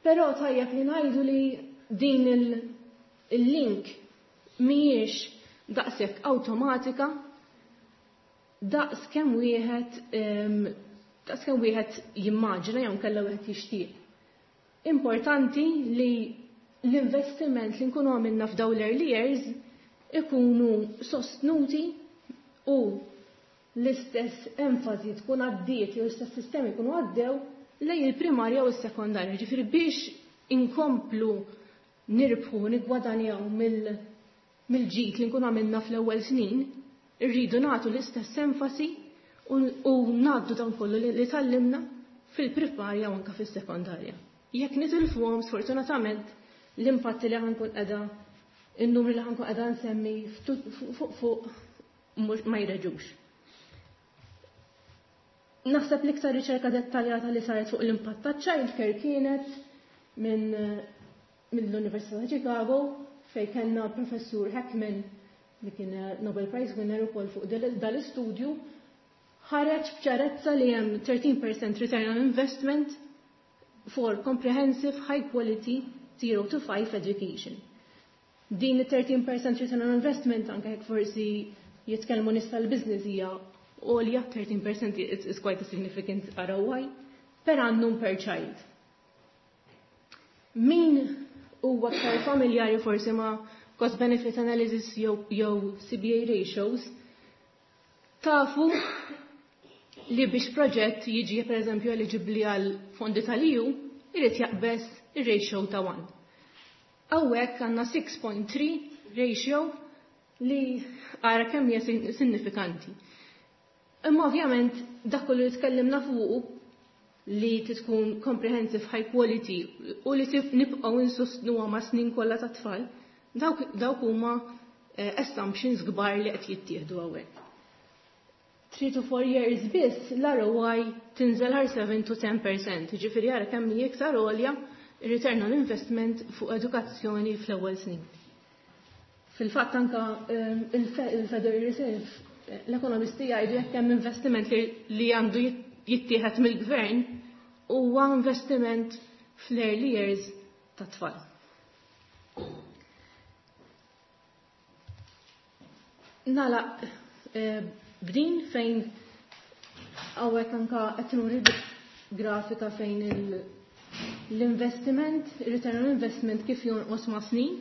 Però tajjeb li ngħidu li din il-, il-link mhijiex daqshekk awtomatika daqs kemm wieħed, em, daqs kemm wieħed jimmaġina jew kellha wieħed jixtieq. Importanti li l-investiment li nkunu għamilna f'dawn l-early years ikunu sostnuti u l-istess enfasi tkun għaddiet jew l-istess sistemi jkunu għaddew lejn il-primarja u s-sekondarja. Ġifieri biex inkomplu nirbħu, nigwadanjaw mill-, mill-ġid li nkunu għamilna fl-ewwel snin, irridu nagħtu l-istess enfasi u, u ngħaddu dan kollu li, li tgħallimna fil-primarja u anke fis-sekondarja. Jekk nitilfuhom, sfortunatament, l-impatti li ħankun qiegħda, in-numri li ħankun qiegħda nsemmi ftu-, fuq fuq mhux ma jreġux. Naħseb l-iktar riċerka dettaljata li saret fuq l-impatt ta' childcare kienet minn, mill-Università ta' Chicago, fejn kellna professur Heckman li kien Nobel Prize winner ukoll fuq dal-, dal-istudju, ħareġ b'ċarezza li hemm thirteen percent return on investment for comprehensive high quality zero to five education. Din it-thirteen percent return on investment anke jekk forsi jitkellmu nies tal-business hija għolja, thirteen percent is, is quite a significant R O I per annum per child. Min huwa aktar familjari forsi ma' cost benefit analysis jew, jew C B A ratios, tafu li biex proġett jiġi per eżempju eligibli għal fondi tal-E U, irid jaqbeż ir-ratio ta' one. Hawnhekk għandna six point three ratio li ara kemm hija sin-, sinifikanti. Imma ovvjament dak kollu li tkellimna fuqu li tkun comprehensive high quality u li tif-, nibqgħu insostnuha ma' snin kollha ta' tfal, dawk, dawk huma, eh, assumptions kbar li qed jittieħdu hawnhekk. Three to four years biss l-R O I tinżel għal seven to ten percent, jiġifieri ara kemm hi iktar għolja return on investment fuq edukazzjoni fl-ewwel snin. Fil-fatt anka, ehm, il-Fe-, il-Federal Reserve, l-ekonomisti jgħidu jekk hemm investiment li, li għandu jit-, jittieħed mill-gvern huwa investiment fl-early years ta' tfal. Nagħlaq, eh, b'din fejn hawnhekk anka qed nuri grafika fejn il-, l-investiment, return on investment kif jonqos ma' snin,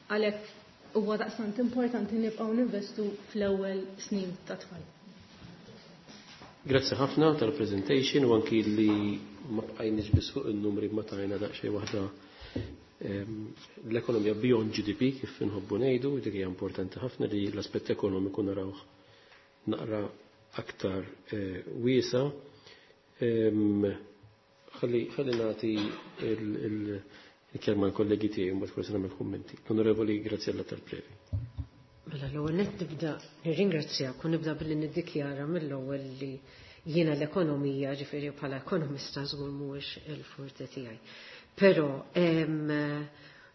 għalhekk huwa daqstant importanti nibqgħu ninvestu fl-ewwel snin ta' tfal. Grazzi ħafna tal-presentation u anki li ma bqajniex biss fuq in-numri ma tajna daqsxejn waħda, ehm, l-ekonomija beyond G D P kif inħobbu ngħidu, dik hija importanti ħafna li l-aspett ekonomiku narawh naqra aktar, eh, wiesa. Ehm, ħalli, ħalli nagħti il-, il-, il-kelma l-kollegi tiegħi mbagħad forsi nagħmel kummenti. L-Onorevoli Graziella Tal-Previ. Mela l-ewwel nett nibda nirringrazzjak u nibda billi niddikjara mill-ewwel li jiena l-ekonomija, ġifieri bħala ekonomista żgur mhuwiex il-forte tiegħi. Però, ehm,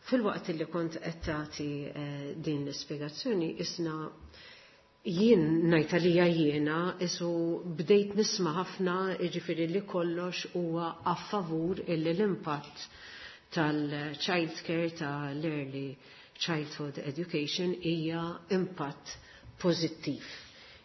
fil-waqt li kont qed tagħti, eh, din l-ispjegazzjoni isna jien ngħid għalija jiena isu bdejt nisma' ħafna, jiġifieri li kollox huwa a favur illi l-impatt tal-child care, tal-early childhood education hija impatt pożittiv.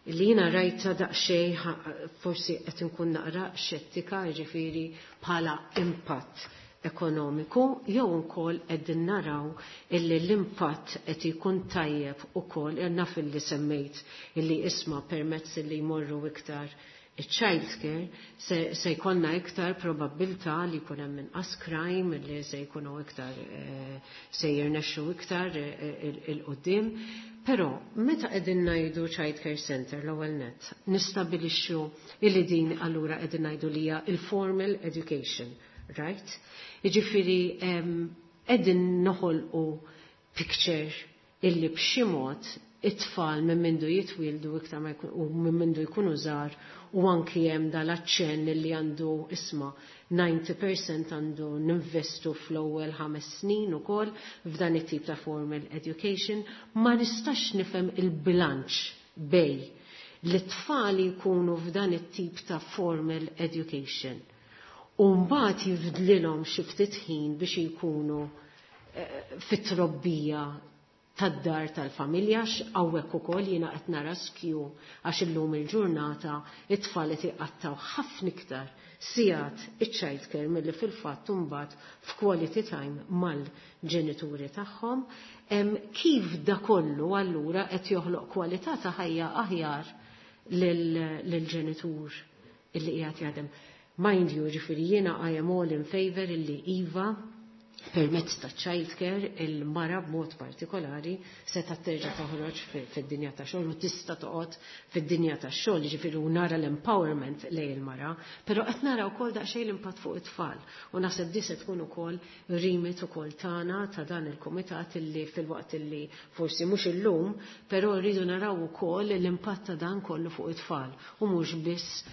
Li jiena rajta daqsxejn ħa-, forsi qed inkun naqra xettika, jiġifieri bħala impatt ekonomiku, jew ukoll qegħdin naraw illi l-impatt qed ikun tajjeb ukoll, naf illi semmejt illi isma' permezz illi jmorru iktar Il-child care se, se jkollna iktar probabbiltà li jkun hemm inqas crime, li se jkunu iktar eh, se jirnexxu iktar eh, 'il quddiem. Però meta qegħdin ngħidu child care center l-ewwel nett, nistabilixxu illi din allura qegħdin ngħidu li hija il-formal education, right? Jiġifieri qegħdin noħolqu picture illi b'xi mod it-tfal minn mindu jitwildu iktar ma jkun u minn mindu jkunu żgħar u anki hemm dal-aċċenn li għandu isma' disgħin fil-mija għandu ninvestu fl-ewwel ħames snin ukoll f'dan it-tip ta' formal education, ma nistax nifhem il-bilanċ bejn li t-tfal jkunu f'dan it-tip ta' formal education u mbagħad jifdlilhom xi ftit ħin biex jkunu eh, fit-trobbija tad-dar tal-familja, hawnhekk ukoll jiena qed nara skew għax illum il-ġurnata it-tfal qed iqattaw ħafna iktar sigħat iċ-child care milli fil-fatt imbagħad f'quality time mal-ġenituri tagħhom. Kif da kollu allura qed joħloq kwalità ta' ħajja aħjar lill-ġenitur illi qiegħed jaħdem? Mind you, ġifieri jiena I am all in favor illi iva, permezz ta' child care il-mara b'mod partikolari se ta' terġa' toħroġ fid-dinja ta' xogħol u tista' toqgħod fid-dinja ta' xogħol, ġifieri u nara l-empowerment lejn il-mara, però qed nara wkoll daqsxejn l-impatt fuq it-tfal. U naħseb di se tkun ukoll remit ukoll tagħna ta' dan il-kumitat illi fil-waqt illi forsi mhux illum, però rridu naraw ukoll l-impatt ta' dan kollu fuq it-tfal u mhux biss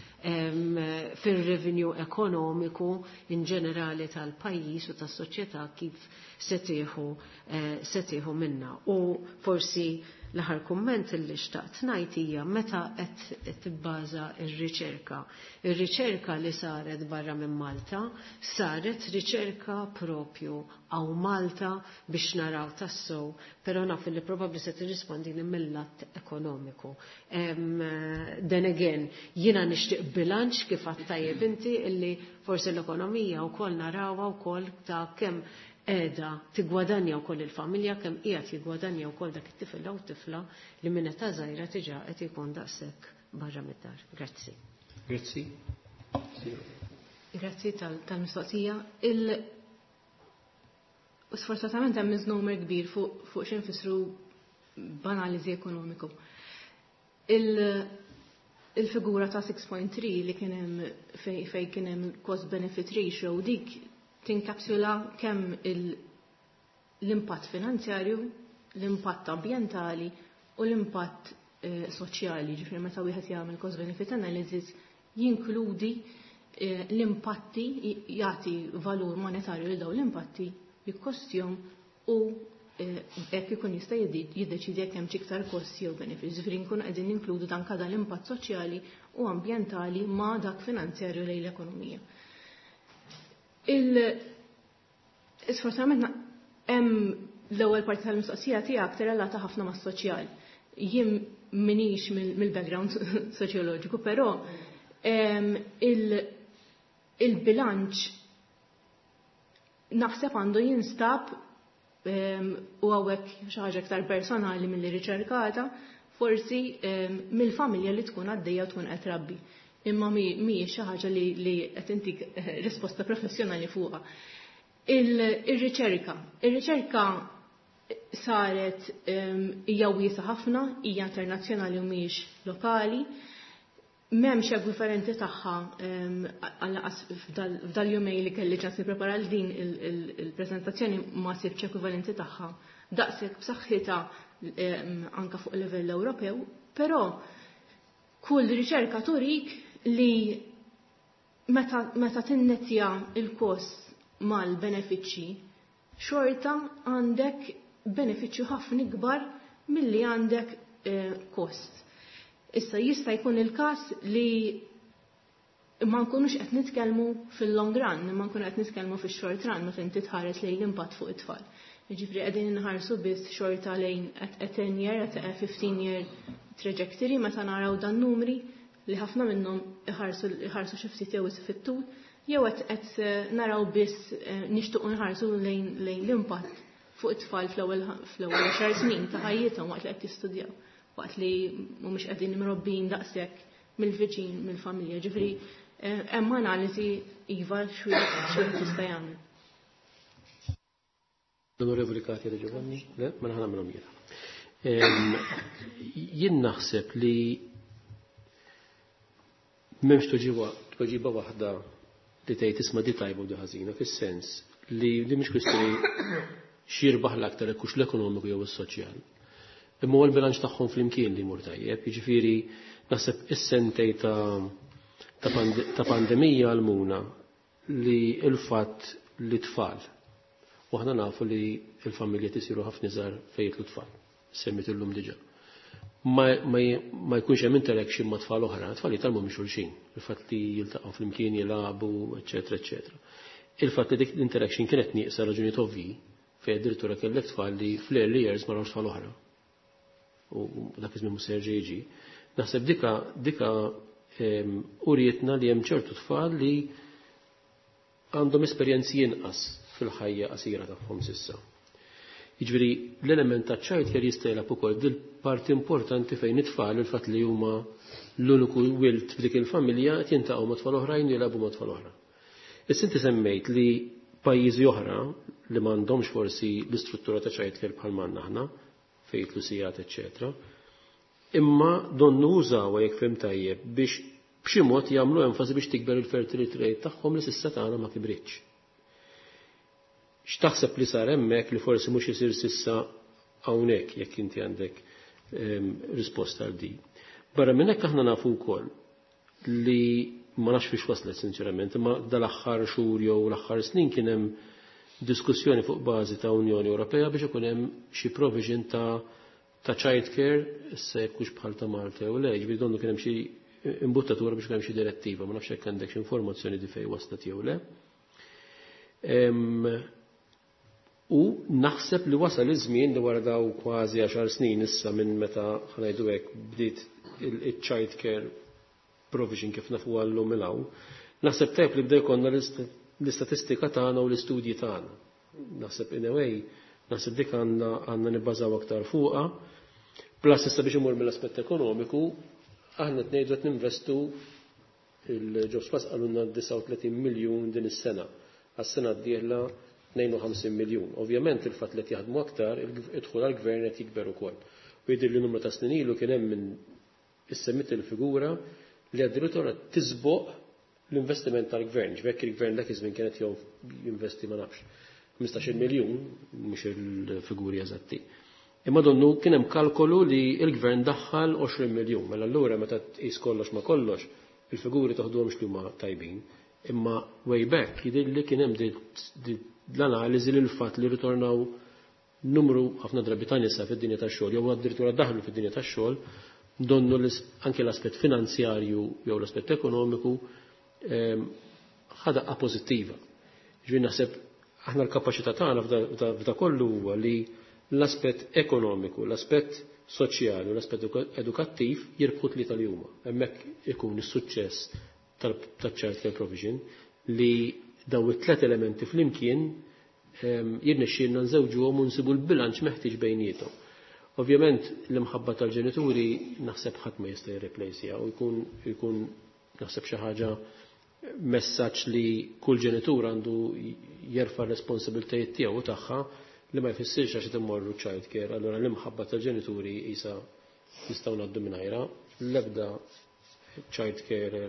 fil-revenue ekonomiku in ġenerali tal-pajjiż u tas-soċjetà kif se tieħu eh, se tieħu minna. U forsi l-aħħar kumment illi xtaqt ngħid hija meta qed tibbaża r-riċerka. Ir-riċerka li saret barra minn Malta saret riċerka propju hawn Malta biex naraw tassew, però naf li probabbli se tirrispondini mill-lat ekonomiku. Then again, jiena nixtieq bilanċ kif għedt tajjeb inti illi forsi l-ekonomija wkoll narawha wkoll ta' kemm qiegħda tigwadanja wkoll il-familja, kemm qiegħed jigwadanja wkoll dak it-tifel jew tifla li minn età żgħira diġà qed ikun daqshekk barra mid-dar. Grazzi. Grazzi. Grazzi tal-mistoqsija. Il Sfortunatament hemm misnomer kbir fuq fuq x'infissru b'analiżi ekonomiku. Il-figura ta' sitta punt tlieta li kien hemm fej, fej kien hemm cost benefit ratio, dik tinkapsula kemm l-impatt finanzjarju, l-impatt ambjentali u l-impatt eh, soċjali. Ġifieri meta wieħed jagħmel cost benefit analysis jinkludi eh, l-impatti, jagħti valur monetarju lil dawn l-impatti, jikkostjahom u eh, hekk ikun jista' jiddeċidi jekk hemm iktar kost jew benefits. Ġifieri nkunu qegħdin ninkludu dan kada l-impatt soċjali u ambjentali ma' dak finanzjarju lejn l-ekonomija. Il Sfortunatament hemm l-ewwel parti tal-mistoqsija tiegħek tirrelata ħafna mas-soċjal. Jien minix mill-background soċjoloġiku, però il-bilanċ naħseb għandu jinstab, u hawnhekk xi ħaġa iktar personali milli riċerkata, forsi mill-familja li tkun għaddejja u tkun qed trabbi. Imma mhijiex xi ħaġa li qed intik risposta professjonali fuqha. Il-riċerka. Il-riċerka saret, hija wiesa ħafna, hija internazzjonali u mhijiex lokali. M'hemmx ekwivalenti tagħha għal f'dal-jumej li kelli ċans nipprepara l din il-preżentazzjoni, ma sibx ekwivalenti tagħha daqshekk b'saħħitha anka fuq livell Ewropew, però kull riċerka turik li meta, meta tinnetja il-kost mal-benefiċċji, xorta għandek benefiċċju ħafna ikbar milli għandek eh, kost. Issa jista' jkun il-każ li ma nkunux qed nitkellmu fil-long run, ma nkunu qed nitkellmu fix-short run meta inti tħares lejn l-impatt fuq it-tfal. Jiġifieri qegħdin inħarsu biss xorta lejn a ten year, at a fifteen year trajectory meta naraw dan numri li ħafna minnhom iħarsu xi ftit jew fit-tul, jew qed eh, naraw biss eh, nixtuq nħarsu lejn l-impatt fuq it-tfal fl-ewwel fl-ewwel xar snin ta' ħajjithom waqt li qed jistudjaw, waqt li mhumiex qegħdin imrobbin daqshekk mill-viċin, mill-familja. Ġifieri eh, hemm analiżi iva x'wieħed jista' jagħmel. L-Onorevoli Katia De Giovanni? Le, ma naħna minnhom jiena. Jien naħseb li m'hemmx tweġiba waħda li tgħid isma' di tajba u di ħażina, fis-sens li li mhix kwistjoni x'jirbaħ l-aktar hekk hux l-ekonomiku jew is-soċjal. Imma huwa l-bilanċ tagħhom flimkien li jmur tajjeb, jiġifieri naħseb is-sentej ta' ta' pandemija għalmuna li l-fatt li tfal. U aħna nafu li l-familji tisiru ħafna iżgħar fejn jidħlu tfal, semmit illum diġà. Ma, ma, ma jkunx hemm interaction ma' tfal oħra, tfal jitgħallmu minn xulxin, il-fatt li jiltaqgħu flimkien jilagħbu, eċetera, eċetera. Il-fatt li dik l-interaction kienet nieqsa raġunijiet ovvji, fejn addirittura kellek tfal li fl-early years ma rawx tfal oħra. U dak iż-żmien mhux se jerġa' jiġi. Naħseb dika dika urietna li hemm ċertu tfal li għandhom esperjenzi inqas fil-ħajja qasira tagħhom s'issa. Jiġifieri l-element ta' child care jista' jilgħab ukoll dil parti importanti fejn it-tfal il-fatt li huma l-uniku wild f'dik il-familja qed jiltaqgħu ma' tfal oħrajn u jilagħbu ma' tfal oħra. Issa inti semmejt li pajjiżi oħra li m'għandhomx forsi l-istruttura ta' child care bħal m'għandna aħna, fejn jidħlu sigħat, eċċetera. Imma donnu użawha jekk fhimt tajjeb biex b'xi mod jagħmlu enfasi biex tikber il-fertility rate tagħhom li s'issa tagħna ma kibritx. X'taħseb li sar hemmhekk li forsi mhux isir s'issa hawnhekk jekk inti għandek ehm, risposta għal di. Barra minn hekk aħna nafu wkoll li ma nafx fiex waslet sinċerament, imma dal-aħħar xhur jew l-aħħar snin kien hemm diskussjoni fuq bażi ta' Unjoni Ewropea biex ikun hemm xi provision ta' ta' child care, issa jekk hux bħal ta' Malta jew le, ġifieri donnu kien hemm xi imbuttatura biex ikun hemm xi direttiva, ma nafx jekk għandek xi informazzjoni di fejn waslet jew le. Em, U naħseb li wasal iż-żmien li wara daw kważi għaxar snin issa minn meta ħa ngħidu hekk bdiet il-child care provision kif nafu għallum il hawn, naħseb tajb li bdew jkollna l-istatistika tagħna u l-istudji tagħna. Naħseb in a way, naħseb dik għandna għandna nibbażaw aktar fuqha. Plus issa biex imur mill-aspett ekonomiku, aħna qed ngħidu qed ninvestu il-Jobs Plus qalulna disgħa u tletin miljun din is-sena. Għas-sena d-dieħla tnejn u ħamsin miljun. Ovvjament il-fatt li qed jaħdmu aktar, id-dħul għall-gvern qed jikber ukoll. U jidher li numru ta' snin ilu kien hemm minn issemmit il-figura li addirittura tisboq l-investiment tal-gvern. Ġbekk il-gvern dak iż-żmien kienet jinvesti ma nafx ħmistax-il miljun, mhux il-figuri eżatti. Imma donnu kien hemm kalkolu li l-gvern daħħal għoxrin miljun. Mela allura meta tqis kollox ma kollox, il-figuri toħduhomx li huma tajbin. Imma way back jidher li kien hemm l-analiżi li l-fatt li ritornaw numru ħafna drabi ta' nisa fid-dinja tax-xogħol jew addirittura daħlu fid-dinja tax-xogħol, donnu anke l-aspett finanzjarju jew l-aspett ekonomiku ħa daqqa pożittiva. Ġifieri naħseb aħna l-kapaċità tagħna f'da kollu huwa li l-aspett ekonomiku, l-aspett soċjali u l-aspett edukattiv jirbħu tlieta li huma. Hemmhekk ikun is-suċċess tal-child care provision li daw it-tlet elementi flimkien jirnexxielna nżewġuhom u nsibu l-bilanċ meħtieġ bejniethom. Ovvjament l-imħabba tal-ġenituri naħseb ħadd ma jista' jirreplejsija u jkun jkun naħseb xi ħaġa messaġġ li kull ġenitur għandu jerfa' r-responsabiltajiet tiegħu u tagħha li ma jfissirx għax immorru child care, allura l-imħabba tal-ġenituri isa nistgħu ngħaddu mingħajra. L-ebda child care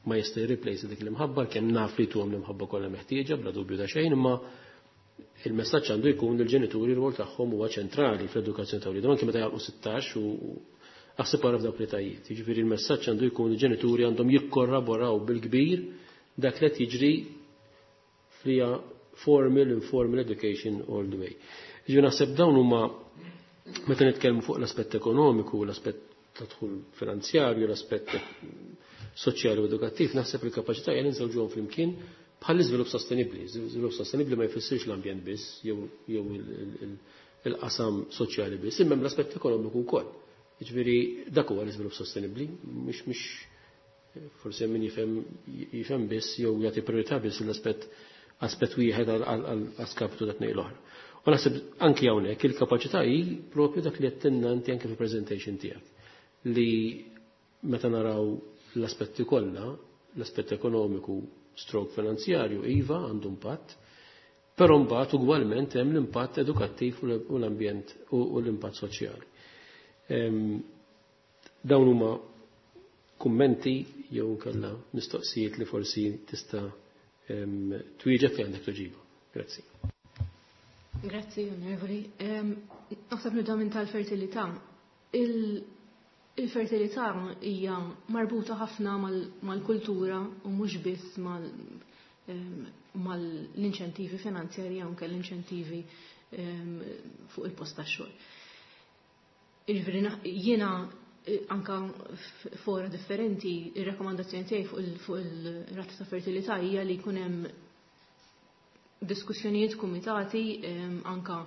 ma jista' jirreplace dik l-imħabba, kemm naf li tuhom l-imħabba kollha meħtieġa bla dubju ta' xejn, imma il-messaġġ għandu jkun li l-ġenituri r-rwol tagħhom huwa ċentrali fl-edukazzjoni ta' wliedhom anke meta jagħlqu sittax u aħseb wara f'dawk l-etajiet. Jiġifieri l-messaġġ għandu jkun il-ġenituri għandhom jikkorraboraw bil-kbir dak li qed jiġri flija formal, informal education all the way. Jiġifieri naħseb dawn huma meta nitkellmu fuq l-aspett ekonomiku, l-aspett ta' dħul finanzjarju, l-aspett soċjali u edukattiv, naħseb il-kapaċità hija nżewġuhom flimkien bħal iżvilupp sostenibbli. Iżvilupp sostenibbli ma jfissirx l-ambjent biss jew il-qasam soċjali biss, imma l-aspett ekonomiku wkoll. Jiġifieri dak huwa l-iżvilupp sostenibbli, mhux mhux forsi min jifhem jifhem biss jew jagħti priorità biss l-aspett aspett wieħed għal skapitu ta' tnejn l-oħra. U naħseb anki hawnhekk il-kapaċità hi propju dak li qed inti anke fil-presentation tiegħek li Meta naraw l-aspetti kollha, l-aspett ekonomiku stroke finanzjarju, iva għandu impatt, però mbagħad ugwalment hemm l-impatt edukattiv u l-ambjent u l-impatt soċjali. Dawn huma kummenti jew kella mistoqsijiet li forsi tista' twieġeb li għandek tweġiba. Grazzi. Grazzi, onorevoli. Naħseb nibda minn tal-fertilità. Il-fertilità hija marbuta ħafna mal-kultura u mhux biss mal-inċentivi finanzjarji anke l-inċentivi fuq il-post tax-xogħol. Jiġifieri jiena anka fora differenti, ir-rakkomandazzjoni tiegħi fuq il-rata ta' fertilità hija li jkun hemm diskussjonijiet kumitati anka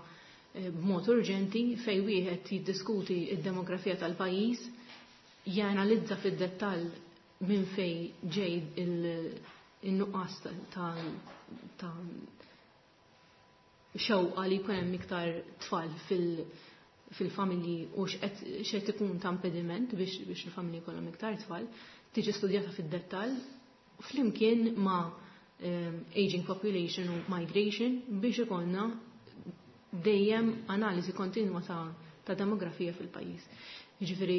b'mod urġenti fejn wieħed jiddiskuti id-demografija tal-pajjiż, janalizza fid-dettall minn fejn ġej il-nuqqas ta' xewqa li jkun hemm iktar tfal fil- fil-familji u x'qed ikun ta' impediment biex biex il-familji jkollhom iktar tfal, tiġi studjata fid-dettall flimkien ma' aging population u migration biex ikollna dejjem analiżi kontinwa ta', ta' demografija fil-pajjiż. Jiġifieri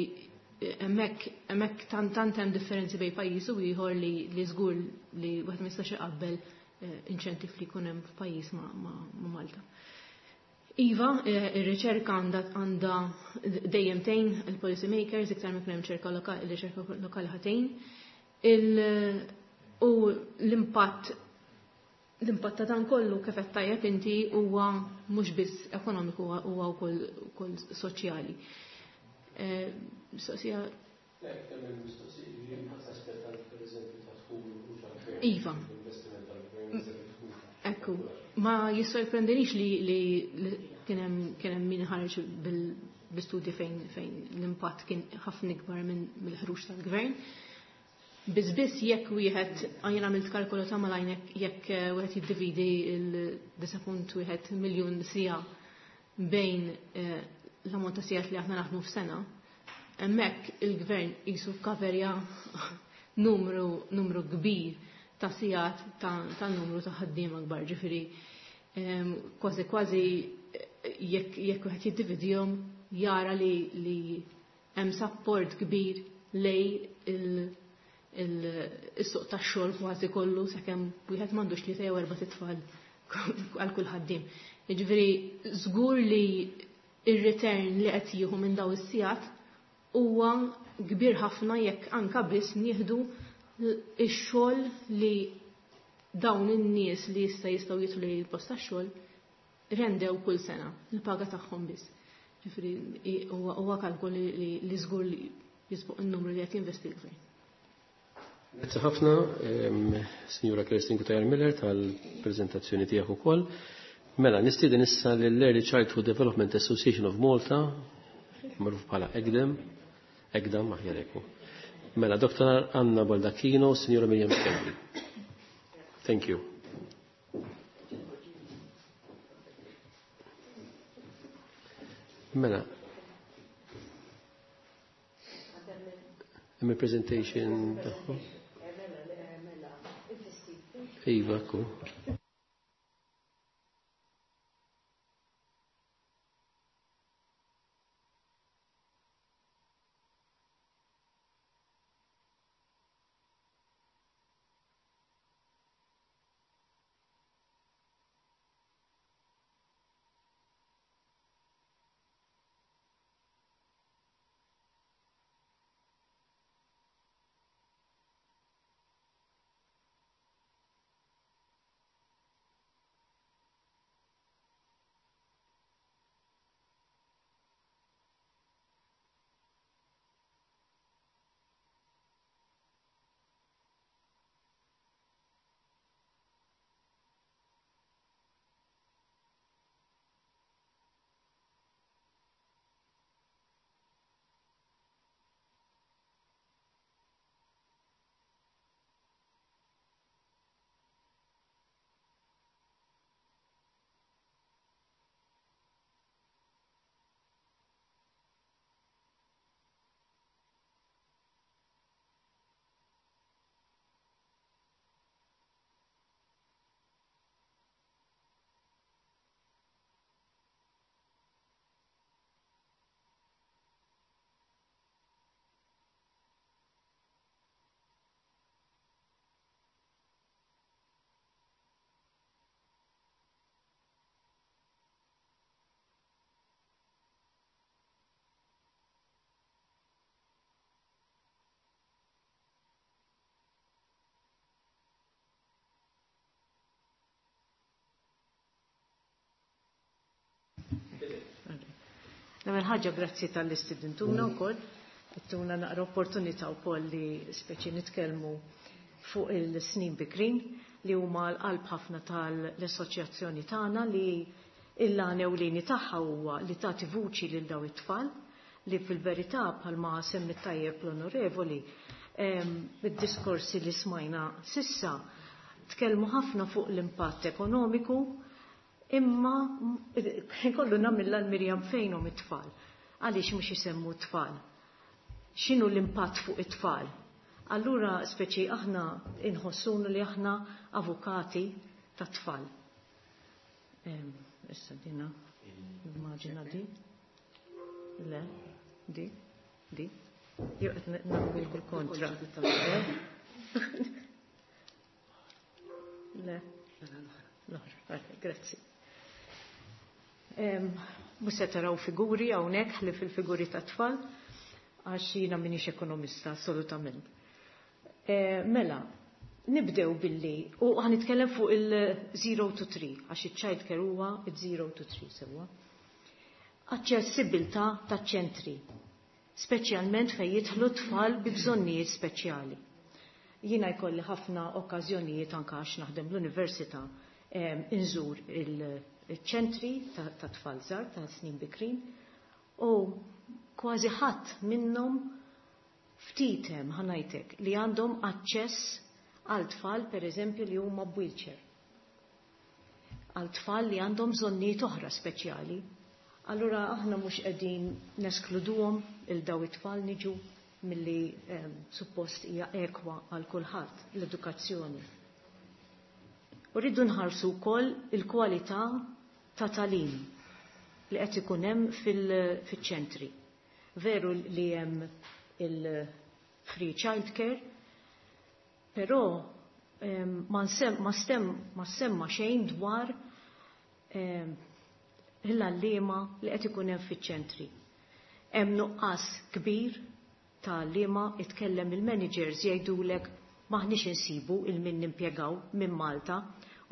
hemmhekk hemmhekk tant tant hemm differenzi bejn pajjiż u ieħor li li żgur li wieħed ma jistax iqabbel inċentiv li jkun hemm f'pajjiż ma', ma, ma Malta. Iva, ir-riċerka għandha dejjem tgħin il-policy makers iktar ma jkun hemm riċerka lokali, riċerka lokali ħatejn. U l-impatt l-impatt ta' dan kollu kif qed tajjeb inti huwa mhux biss ekonomiku huwa wkoll soċjali. Mistoqsija. Iva. Ekku, ma jissorprendinix li li kien hemm kien hemm min ħareġ bil-istudji fejn fejn l-impatt kien ħafna ikbar minn mill-ħruġ tal-gvern. Biss biss jekk wieħed jien għamilt kalkolu ta' malajn jekk wieħed jiddividi il-disa' punt wieħed miljun sija bejn l-ammont ta' sigħat li aħna naħdmu f'sena, hemmhekk il-gvern qisu kaverja numru numru kbir ta' sigħat ta' numru ta' ħaddiema kbar, ġifieri kważi kważi jekk jekk wieħed jiddividihom jara li li hemm support kbir lej il-suq tax-xogħol kważi kollu sakemm wieħed m'għandux tlieta jew erba' titfal għal kull ħaddiem. Jiġifieri żgur li ir-return li qed jieħu minn daw is-sigħat huwa kbir ħafna jekk anka biss nieħdu ix-xogħol li dawn in-nies li issa jistgħu jidħlu lejn il-post tax-xogħol rendew kull sena il-paga tagħhom biss. Ġifieri huwa kalkol li żgur li jisbuq in-numru li qed jinvesti l-gvern. Grazzi ħafna, Signora Kerstin Cutajar Miller tal-preżentazzjoni tiegħek ukoll. Mela, nistieden issa lill-Early Childhood Development Association of Malta, magħruf bħala ECDAM, ECDAM aħjar hekk. Mela, Doktor Anna Baldacchino, Signora Miriam Schembri. Thank you. Mela, hemm presentation tagħhom. Iva, ku. L-ewwel ħaġa, grazzi talli stidintuna wkoll, ittuna naqra opportunità wkoll li speċi nitkellmu fuq il-snin bikrin, li huma l-qalb ħafna tal-assoċjazzjoni tagħna, li l-għan ewlieni tagħha huwa li tagħti vuċi lil daw it-tfal li fil-verità, bħalma semmi tajjeb l-onorevoli, id-diskorsi li smajna s'issa tkellmu ħafna fuq l-impatt ekonomiku, imma kollu nagħmilha l-Mirjam, fejnhom it-tfal? Għaliex mhux isemmu t-tfal? X'inhu l-impatt fuq it-tfal? Allura speċi aħna inħossunu li aħna avukati ta' tfal. Issa dina, immaġina di. Le, di, di. Jew qed nagħmlu kull kontra. Le, l-oħra, grazzi. Mhux se taraw figuri hawnhekk li fil-figuri ta' tfal, għax jiena m'iniex ekonomista assolutament. E, mela, nibdew billi, u ħa nitkellem fuq il-zero to three, għax il-child care huwa il-zero to three sewwa. Aċċessibilità ta' ċentri, speċjalment fejn jidħlu tfal bi bżonnijiet speċjali. Jiena jkolli ħafna okkażjonijiet, anke għax naħdem l-università, inżur il-ċentri ta' tfal żgħar ta' snin bikrin, u kważi ħadd minnhom, ftit hemm, ħa ngħidlek, li għandhom aċċess għal tfal, per eżempju, li huma b'wheelchair. Għal tfal li għandhom bżonnijiet oħra speċjali. Allura aħna mhux qegħdin neskluduhom il daw it-tfal, niġu milli eh, suppost hija ekwa għal kulħadd l-edukazzjoni. U rridu nħarsu wkoll il-kwalità ta' tagħlim li qed ikun hemm fil-ċentri. Veru li hemm il-free childcare, però ma stem ma semma xejn dwar l-għalliema li qed ikun hemm fiċ-ċentri. Hemm nuqqas kbir ta' għalliema. Itkellem il-managers, jgħidulek maħniex insibu 'il min nimpjegaw minn Malta,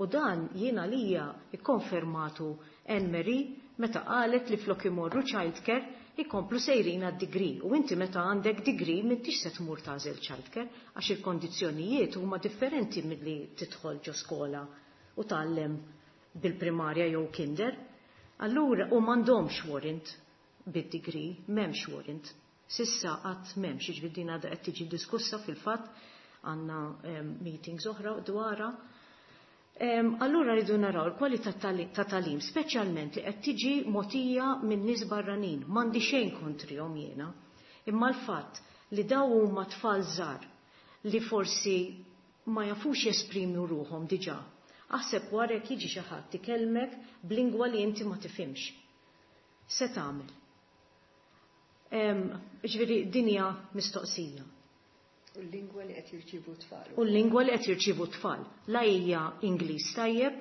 u dan jiena lija ikkonfermatu Anne Marie meta qalet li flok imorru childcare ikomplu sejrin għad-degree, u inti meta għandek degree m'intix se tmur tagħżel childcare, għax il-kondizzjonijiet huma differenti milli tidħol ġo skola u tgħallem bil-primarja jew kinder. Allura u m'għandhomx warrant bid-degree, m'hemmx warrant. S'issa qatt m'hemmx, jiġifieri din għadha qed tiġi diskussa, fil-fatt għandna meetings oħra dwarha. Allura rridu naraw il-kwalità ta' tagħlim, speċjalment li qed tiġi mogħtija minn nies barranin. M'għandi xejn kontrihom jiena. Imma l-fatt li daw huma tfal żgħar li forsi ma jafux jesprimu ruħhom diġà. Aħseb wara jekk jiġi xi ħadd ikellmek b'lingwa li inti ma tifhimx. Se tagħmel? Ġifieri dinja mistoqsija. U l-lingwa li qed jirċivu tfal. U l-lingwa li qed jirċivu tfal. La hija Ingliż tajjeb,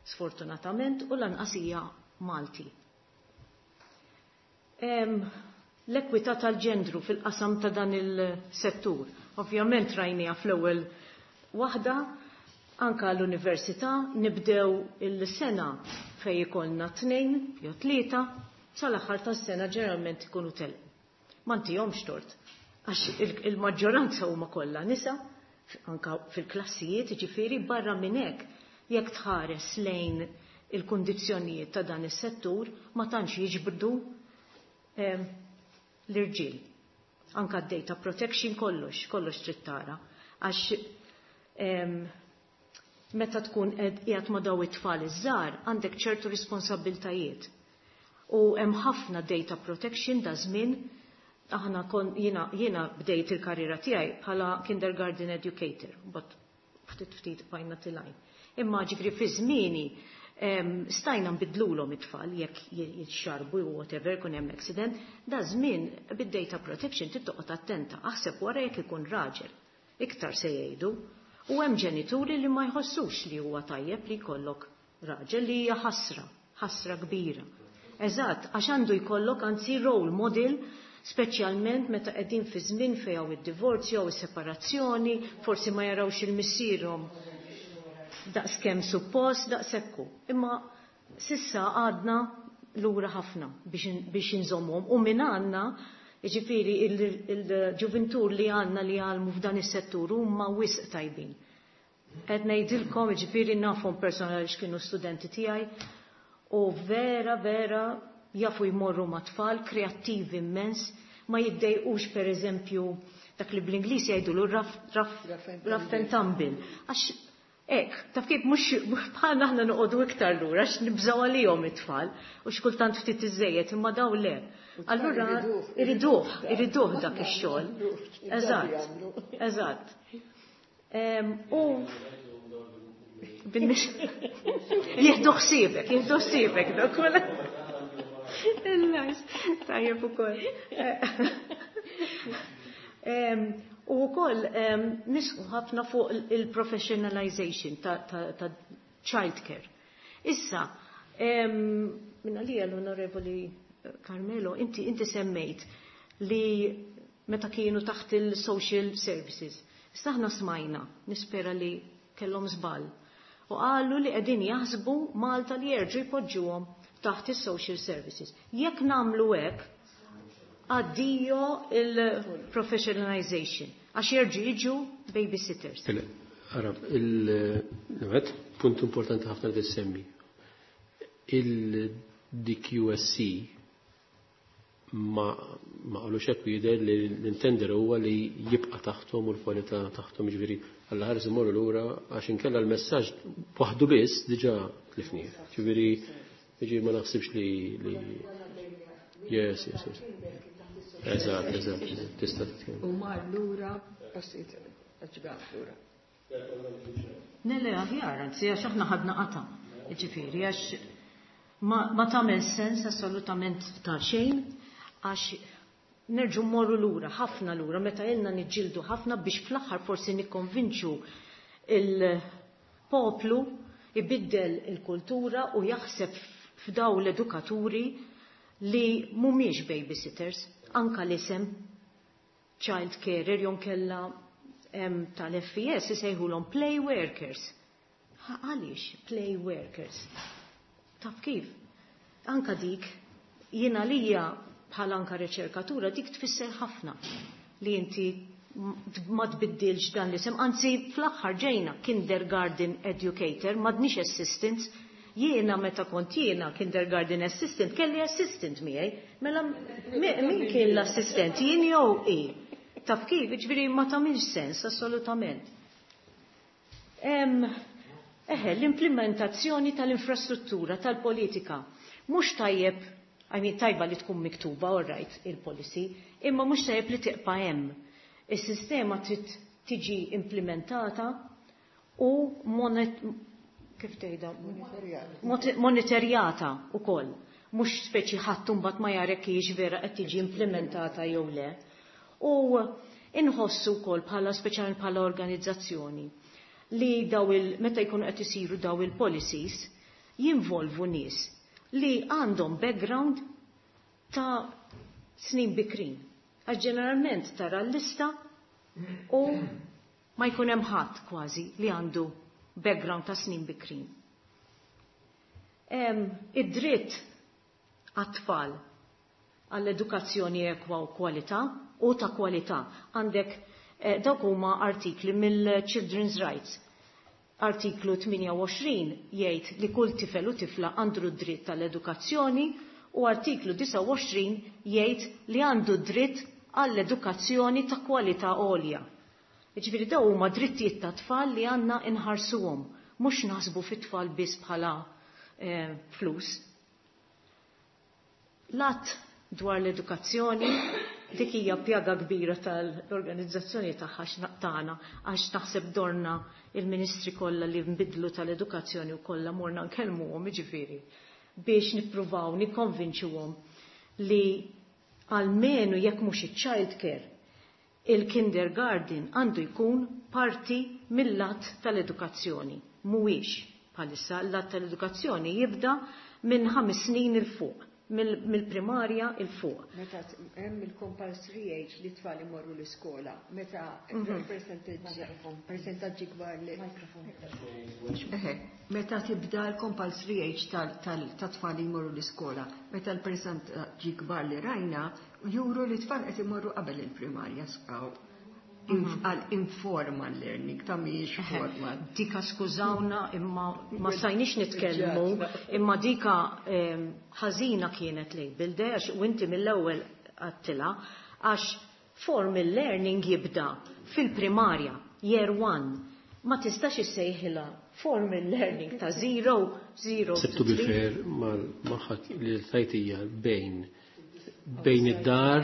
sfortunatament, u lanqas hija Malti. L-ekwità tal-ġendru fil-qasam ta' dan il-settur. Ovvjament rajnija fl-ewwel waħda, anka l-università nibdew il-sena fej ikollna tnejn jew tlieta, sal-aħħar tas-sena ġeneralment ikunu telqu. Ma ntihomx tort, għax il-maġġoranza huma kollha nisa, anka fil-klassijiet, ġifieri barra minn hekk, jekk tħares lejn il-kundizzjonijiet ta' dan is-settur, ma tantx jiġbdu l-irġiel. Anka d-data protection, kollox, kollox trid tara. Għax meta tkun qiegħed ma' daw it-tfal iż-żgħar, għandek ċertu responsabiltajiet. U hemm ħafna data protection da żmien. Aħna kon jiena jiena bdejt il-karriera tiegħi bħala kindergarten educator, but ftit ftit bajna tilajn. Imma ġifri fi żmieni stajna nbidlulhom it-tfal jekk jitxarbu u whatever, kun hemm accident, da żmien bid-data protection trid toqgħod attenta, aħseb wara jekk ikun raġel. Iktar se jgħidu. U hemm ġenituri li ma jħossux li huwa tajjeb li jkollok raġel, li hija ħasra, ħasra kbira. Eżatt, għax għandu jkollok anzi role model, speċjalment meta qegħdin fi żmien fejn hawn id-divorzju jew is-separazzjoni, forsi ma jarawx il-missierhom daqskemm suppost, daqsekku. Imma s'issa għadna lura ħafna biex inżommhom u minn għandna, jiġifieri il-ġuvintur li għandna li għalmu f'dan is-settur huma wisq tajbin. Qed ngħidilkom, jiġifieri nafhom personali x'kienu studenti tiegħi u vera vera jafu jmorru ma' tfal, kreattivi immens, ma jiddejqux per eżempju dak li bl-Ingliż jgħidulu rough, rough, rough and tumble. Għax hekk, taf kif, mhux bħalna aħna noqogħdu iktar lura għax nibżgħu għalihom it-tfal u xkultant ftit iżejjed, imma daw le. Allura iriduh, iriduh dak ix-xogħol. Eżatt, eżatt. U jieħdu ħsiebek, jieħdu ħsiebek dak kollha. Nice, tajjeb ukoll. U wkoll nisħu ħafna fuq il-professionalization ta', ta, ta childcare. Issa, minna li l-Onorevoli Carmelo, inti, inti semmejt li meta kienu taħt il-social services. Issa aħna smajna, nispera li kellhom żball. U qalu li qegħdin jaħsbu Malta li jerġgħu jpoġġuhom taħt il-social services. Jekk nagħmlu hekk, addio il-professionalization. Għax jerġgħu jiġu babysitters. Ara, il-għed, punt importanti ħafna li semmi. Il-D Q S C ma ma qalux hekk, jidher li l-intender huwa li jibqa' taħthom u l-kwalità taħthom, jiġifieri Alla ħares imorru lura, għax inkella l-messaġġ waħdu biss diġà tlifnieh. Ġifieri jiġifieri ma naħsibx li li Yes, yes, yes. Eżatt, eżatt, tista' titkellem. U mar lura, passiet, ġgħat lura. Nelle aħjar, anzi, għax aħna ħadna qata. Ġifieri, għax ma, ma tagħmel sens assolutament ta' xejn, għax nerġu mmorru lura, ħafna lura, meta ilna niġġieldu ħafna biex fl-aħħar forsi nikkonvinċu il-poplu ibiddel il-kultura u jaħseb f'daw l-edukaturi li mhumiex babysitters, anka l-isem child carer jonkella tal-F E S isejħulhom play workers. Għaliex play workers? Taf kif? Anka dik, jiena lija bħala anka riċerkatura, dik tfisser ħafna li inti ma tbiddilx dan l-isem. Anzi, fl-aħħar ġejna kindergarten educator, m'għadniex assistants. Jiena meta kont jiena kindergarten assistant, kelli assistant miegħi. Mela min kien l-assistent? Jien jew i? Taf kif, ġifieri ma tagħmilx sens assolutament. Eħe, l-implementazzjoni tal-infrastruttura, tal-politika. Mhux tajjeb, I mean, tajba li tkun miktuba, all right, il-policy, imma mhux tajjeb li tibqa' hemm. Is-sistema trid tiġi implementata u monet, kif tgħidha? Monitorjata ukoll. Mhux speċi ħadd mbagħad ma jarek hijiex vera qed tiġi implementata jew le. U inħossu wkoll bħala, speċjalment bħala organizzazzjoni, li daw il meta jkunu qed isiru daw il-policies jinvolvu nies li għandhom background ta' snin bikrin. Għax ġeneralment tara l-lista u ma jkun hemm ħadd kważi li għandu background ta' snin bikrin. Id-dritt għat-tfal għall-edukazzjoni ekwa u kwalità u ta' kwalità. Għandek eh, dawk huma artikli mill-Children's Rights. Artiklu tmienja u għoxrin jgħid li kull tifel u tifla għandu dritt tal-edukazzjoni u artiklu disgħa u għoxrin jgħid li għandu dritt għall-edukazzjoni ta' kwalità għolja. Ġifieri daw huma drittijiet ta' tfal li għandna inħarsuhom, mhux naħsbu fit-tfal biss bħala eh, flus. L-att dwar l-edukazzjoni, dik hija pjaga kbira tal-organizzazzjoni tagħha tagħna, għax naħseb dorna il-ministri kollha li nbidlu tal-edukazzjoni u kollha morna nkellmuhom, jiġifieri biex nippruvaw nikkonvinċuhom li almenu jekk mhux iċ-child care, il-kindergarten għandu jkun parti mill-att tal-edukazzjoni. Mhuwiex bħalissa. L-att tal-edukazzjoni jibda minn ħames snin il fuq. Mill-primarja 'il fuq. Meta hemm il-compulsory age li tfal imorru l-iskola, meta Mhm. percentaġġi kbar li meta tibda l-compulsory age tal-tfal li jmorru l-iskola, meta l-percentaġġi kbar li rajna juru li tfal qed imorru qabel il-primarja skaw għal informal learning, ta' mhijiex formal. Dika, skużawna, imma ma stajniex nitkellmu, imma dika ħażina kienet label għax u inti mill-ewwel għedtilha, għax formal learning jibda fil-primarja, year one. Ma tistax issejħilha formal learning ta' zero, zero. To be fair, maħat li tajtija bejn bejn id-dar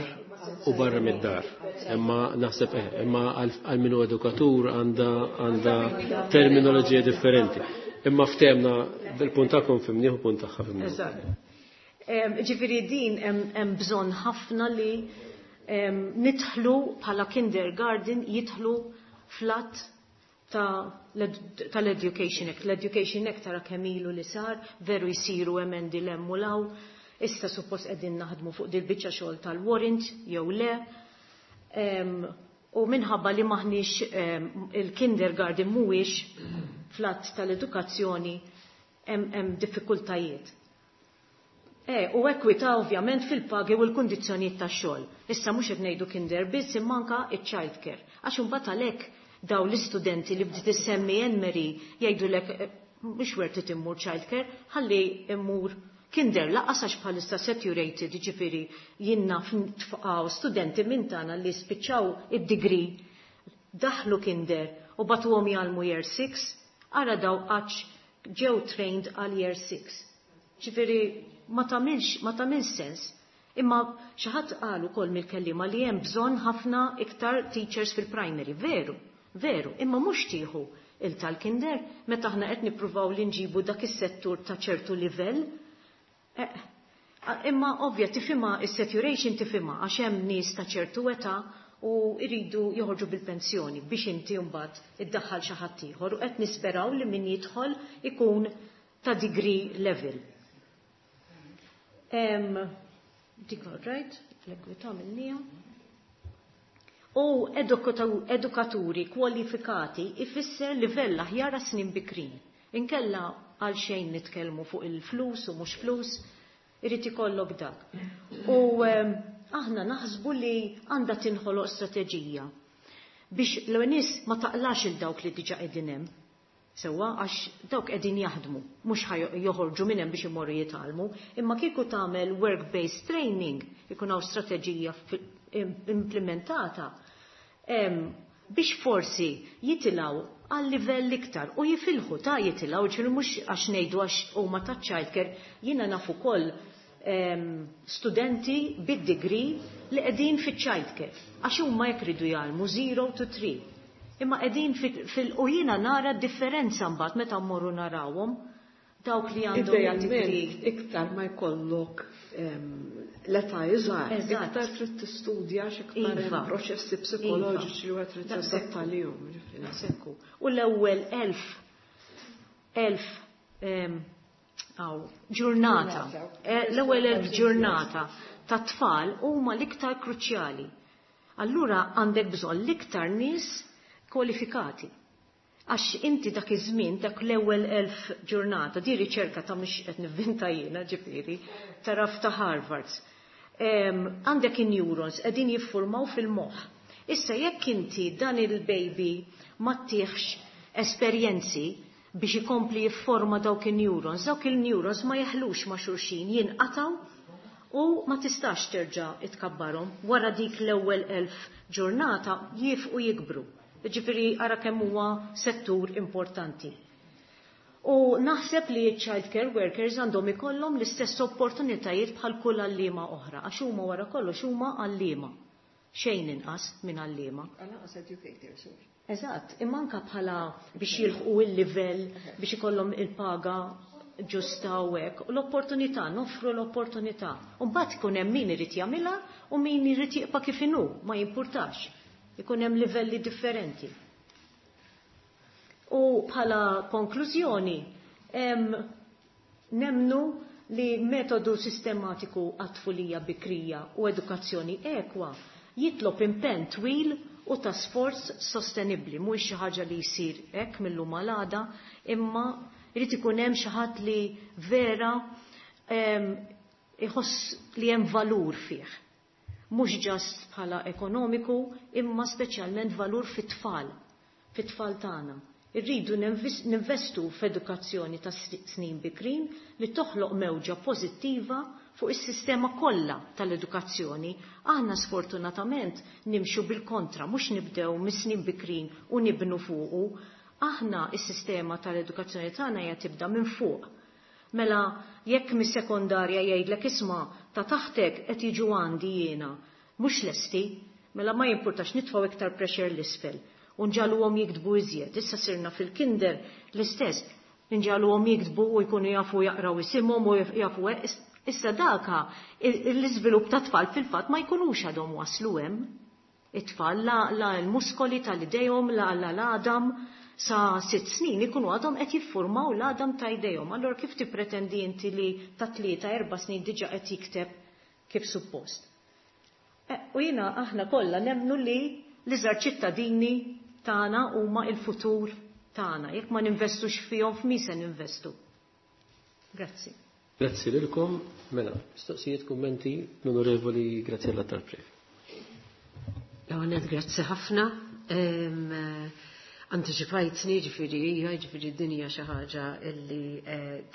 u barra mid-dar. Imma naħseb eh, imma għal minu edukatur għanda għanda terminoloġija differenti. Imma ftehemna bil-punt tagħkom fhimnieh u punt tagħha fhimnieh. Eżatt. Ġifieri din hemm bżonn ħafna li nidħlu bħala kindergarten, jidħlu fl-att tal-Education Act. L-Education Act tara kemm ilu li sar, veru jisiru emendi 'l hemm u 'l hawn. Issa suppost qegħdin naħdmu fuq dil-biċċa xogħol tal-warrant jew le. U minħabba li maħniex, il-kindergarten mhuwiex fl-att tal-edukazzjoni, hemm diffikultajiet. E, u ekwita ovvjament fil-pagi u l-kundizzjonijiet tax-xogħol. Issa mhux qed ngħidu kinder biss, imma anka iċ-child care. Għax imbagħad għalhekk daw l-istudenti li bdiet issemmi Anne-Marie jgħidulek eh, mhux worth it immur child care, ħalli immur kinder lanqas, għax bħalissa saturated. Ġifieri jiena tfaqaw studenti minn tagħna li spiċċaw id-degree, daħlu kinder u bagħtuhom jgħallmu year six, ara daw għax ġew trained għal year six. Ġifieri ma tagħmilx ma tagħmilx sens. Imma xi ħadd qal ukoll mill-kellima li hemm bżonn ħafna iktar teachers fil-primary. Veru, veru, imma mhux tieħu il tal-kinder meta aħna qed nippruvaw li nġibu dak is-settur ta' ċertu livell. Eh, imma ovvja tifhimha, is-saturation tifhimha, għax hemm nies ta' ċertu età u jridu joħorġu bil-pensjoni biex inti mbagħad iddaħħal xi ħadd ieħor, u qed nisperaw li min jidħol ikun ta' degree level. Em, dik right, l-ekwità minnija. U edukaturi kwalifikati ifisser livell aħjar snin bikrin. Inkella għal xejn nitkellmu fuq il-flus u mhux flus, irid ikollok dak. U aħna naħsbu li għandha tinħoloq strateġija biex l-nies ma taqlax il dawk li diġa qegħdin hemm. Sewwa, għax dawk qegħdin jaħdmu, mhux joħorġu minn hemm biex imorru jitgħallmu, imma kieku tagħmel work-based training, ikun hawn strateġija implementata biex forsi jitilgħu għal livell iktar u jifilħu ta' jitilgħu, ġifieri mhux għax ngħidu għax huma ta' childcare. Jiena naf ukoll studenti bid-degree li qegħdin fiċ-childcare għax huma jekk ridu jgħallmu zero to three. Imma qegħdin fil u jiena nara differenza mbagħad meta mmorru narawhom dawk li għandhom. Idealment, iktar ma jkollok l-età iżgħar, iktar trid tistudja x'iktar Iva. proċessi psikoloġiċi li wieħed trid Daqshekk. tadatta lihom. Ġifieri. Daqshekk. U l-ewwel elf elf em, aw, ġurnata, eh, l-ewwel elf ġurnata ta' tfal huma l-iktar kruċjali. Allura għandek bżonn l-iktar nies kwalifikati. Għax inti dak iż-żmien, dak l-ewwel elf ġurnata, di riċerka ta' mhux qed nivvinta jiena, ġifieri, taraf ta' Harvard. Għandek in-neurons qegħdin jiffurmaw fil-moħħ. Issa jekk inti dan il-baby ma ttihx esperjenzi biex ikompli jifforma dawk il-neurons, dawk il-neurons ma jeħlux ma' xulxin, jinqataw u ma tistax terġa' itkabbarhom. Wara dik l-ewwel elf ġurnata jifqu jikbru. Ġifieri ara kemm huwa settur importanti. U naħseb li child care workers għandhom ikollhom l-istess opportunitajiet bħal kull għalliema oħra, għax huma wara kollox huma għalliema. Xejn inqas minn għalliema. Għal educators. Eżatt, imma anka bħala biex jilħqu il-livell, biex ikollhom il-paga ġusta u hekk. U l-opportunità, noffru l-opportunità. U mbagħad ikun hemm min irid jagħmilha u min irid jibqa' kif inhu, ma jimpurtax. Ikun hemm livelli differenti. U bħala konklużjoni, em, nemnu li metodu sistematiku għat-tfulija bikrija u edukazzjoni ekwa jitlob impenn twil u ta' sforz sostenibli, mhuwiex xi ħaġa li jsir hekk mill-lum għal għada, imma jrid ikun hemm xi ħadd li vera iħoss li hemm valur fih. Mhux just bħala ekonomiku, imma speċjalment valur fit-tfal, fit-tfal tagħna. Irridu ninvestu f'edukazzjoni ta' snin bikrin li toħloq mewġa pożittiva fuq is-sistema kollha tal-edukazzjoni. Aħna sfortunatament nimxu bil-kontra, mhux nibdew mis-snin bikrin u nibnu fuqu. Aħna is-sistema tal-edukazzjoni tagħna hija tibda minn fuq. Mela jekk mis-sekondarja jgħidlek isma' ta' taħtek qed jiġu għandi jiena, mhux lesti, mela ma jimpurtax nitfgħu iktar pressure l-isfel u nġagħluhom jiktbu iżjed. Issa sirna fil-kinder l-istess, nġagħluhom jiktbu u jkunu jafu jaqraw isimhom u jafu. Issa daka l-iżvilupp ta' tfal fil-fatt ma jkunux għadhom waslu hemm. It-tfal la, la l-muskoli tal-idejhom, la la l-għadam sa sitt snin ikunu għadhom qed jiffurmaw l-għadam ta' idejhom. Allora kif tippretendi inti li ta' tlieta erba' snin diġà qed jikteb kif suppost? E, u jiena aħna kollha nemmnu li l-iżgħar ċittadini tagħna huma il-futur tagħna. Jekk ma ninvestux fihom, f'min se ninvestu? Grazzi. Grazzi lilkom. Mela, mistoqsijiet, kummenti, l-Onorevoli Graziella Tarprev. Għanet, grazzi ħafna. Anticipajtni, ġifieri, ġifieri dinja xi ħaġa illi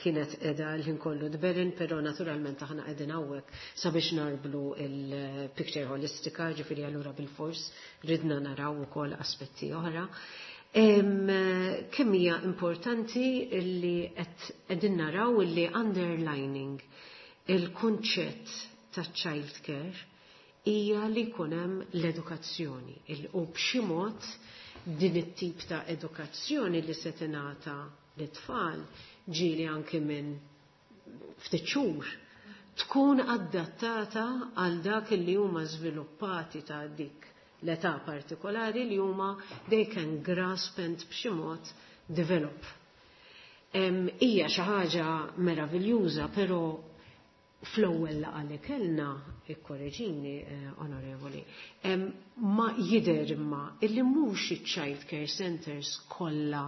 kienet qiegħda l-ħin kollu tberin, però naturalment aħna qegħdin hawnhekk sabiex narblu il-picture holistika, ġifieri allura bil-fors ridna naraw ukoll aspetti oħra. Kemm hija importanti illi qed qegħdin naraw illi underlining il-kunċett ta' child care hija li jkun hemm l-edukazzjoni u b'xi mod din it-tip ta' edukazzjoni li se tingħata lit-tfal ġieli anke minn ftit xhur tkun adattata għal dak li huma żviluppati ta' dik l-età partikolari li huma they can grasp and b'xi mod develop. Hija xi ħaġa meraviljuża, però fl-ewwel laqgħa li kellna, ikkoreġini, onorevoli, ma jidher imma illi mhux iċ-child care centers kollha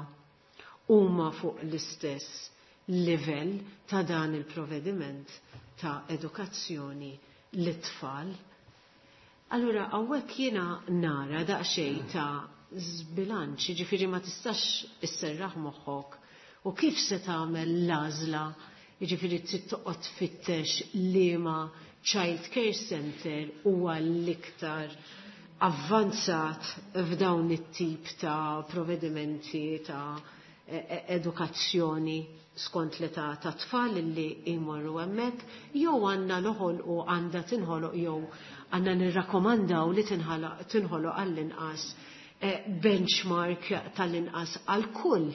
huma fuq l-istess livell ta' dan il-provvediment ta' edukazzjoni lit-tfal. Allura hawnhekk jiena nara daqsxejn ta' żbilanċ, jiġifieri ma tistax isserraħ moħħok u kif se tagħmel l-għażla, jiġifieri trid toqgħod tfittex liema child care center huwa l-iktar avvanzat f'dawn it-tip ta' provvedimenti ta' edukazzjoni skont l-età ta' tfal li jmorru hemmhekk, jew għandna noħolqu, għandha tinħoloq, jew għandna nirrakkomandaw li tinħoloq għall-inqas benchmark tal-inqas għal kull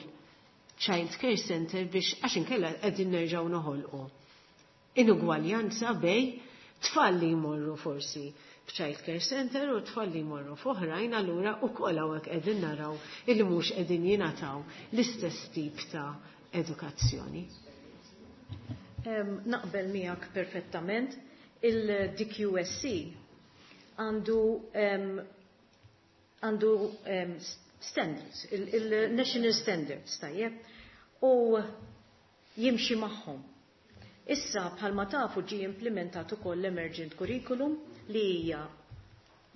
child care center biex għax inkella qegħdin nerġgħu noħolqu inugwaljanza bejn tfal li jmorru forsi f'child care center u tfal li jmorru f'oħrajn, allura ukoll hawnhekk qegħdin naraw illi mhux qegħdin jingħataw l-istess tip ta' edukazzjoni. Naqbel miegħek perfettament. Il-D Q S C għandu għandu standards, il-national standards, tajjeb, u jimxi magħhom. Issa bħalma tafu ġi implementat ukoll l-emergent curriculum li hija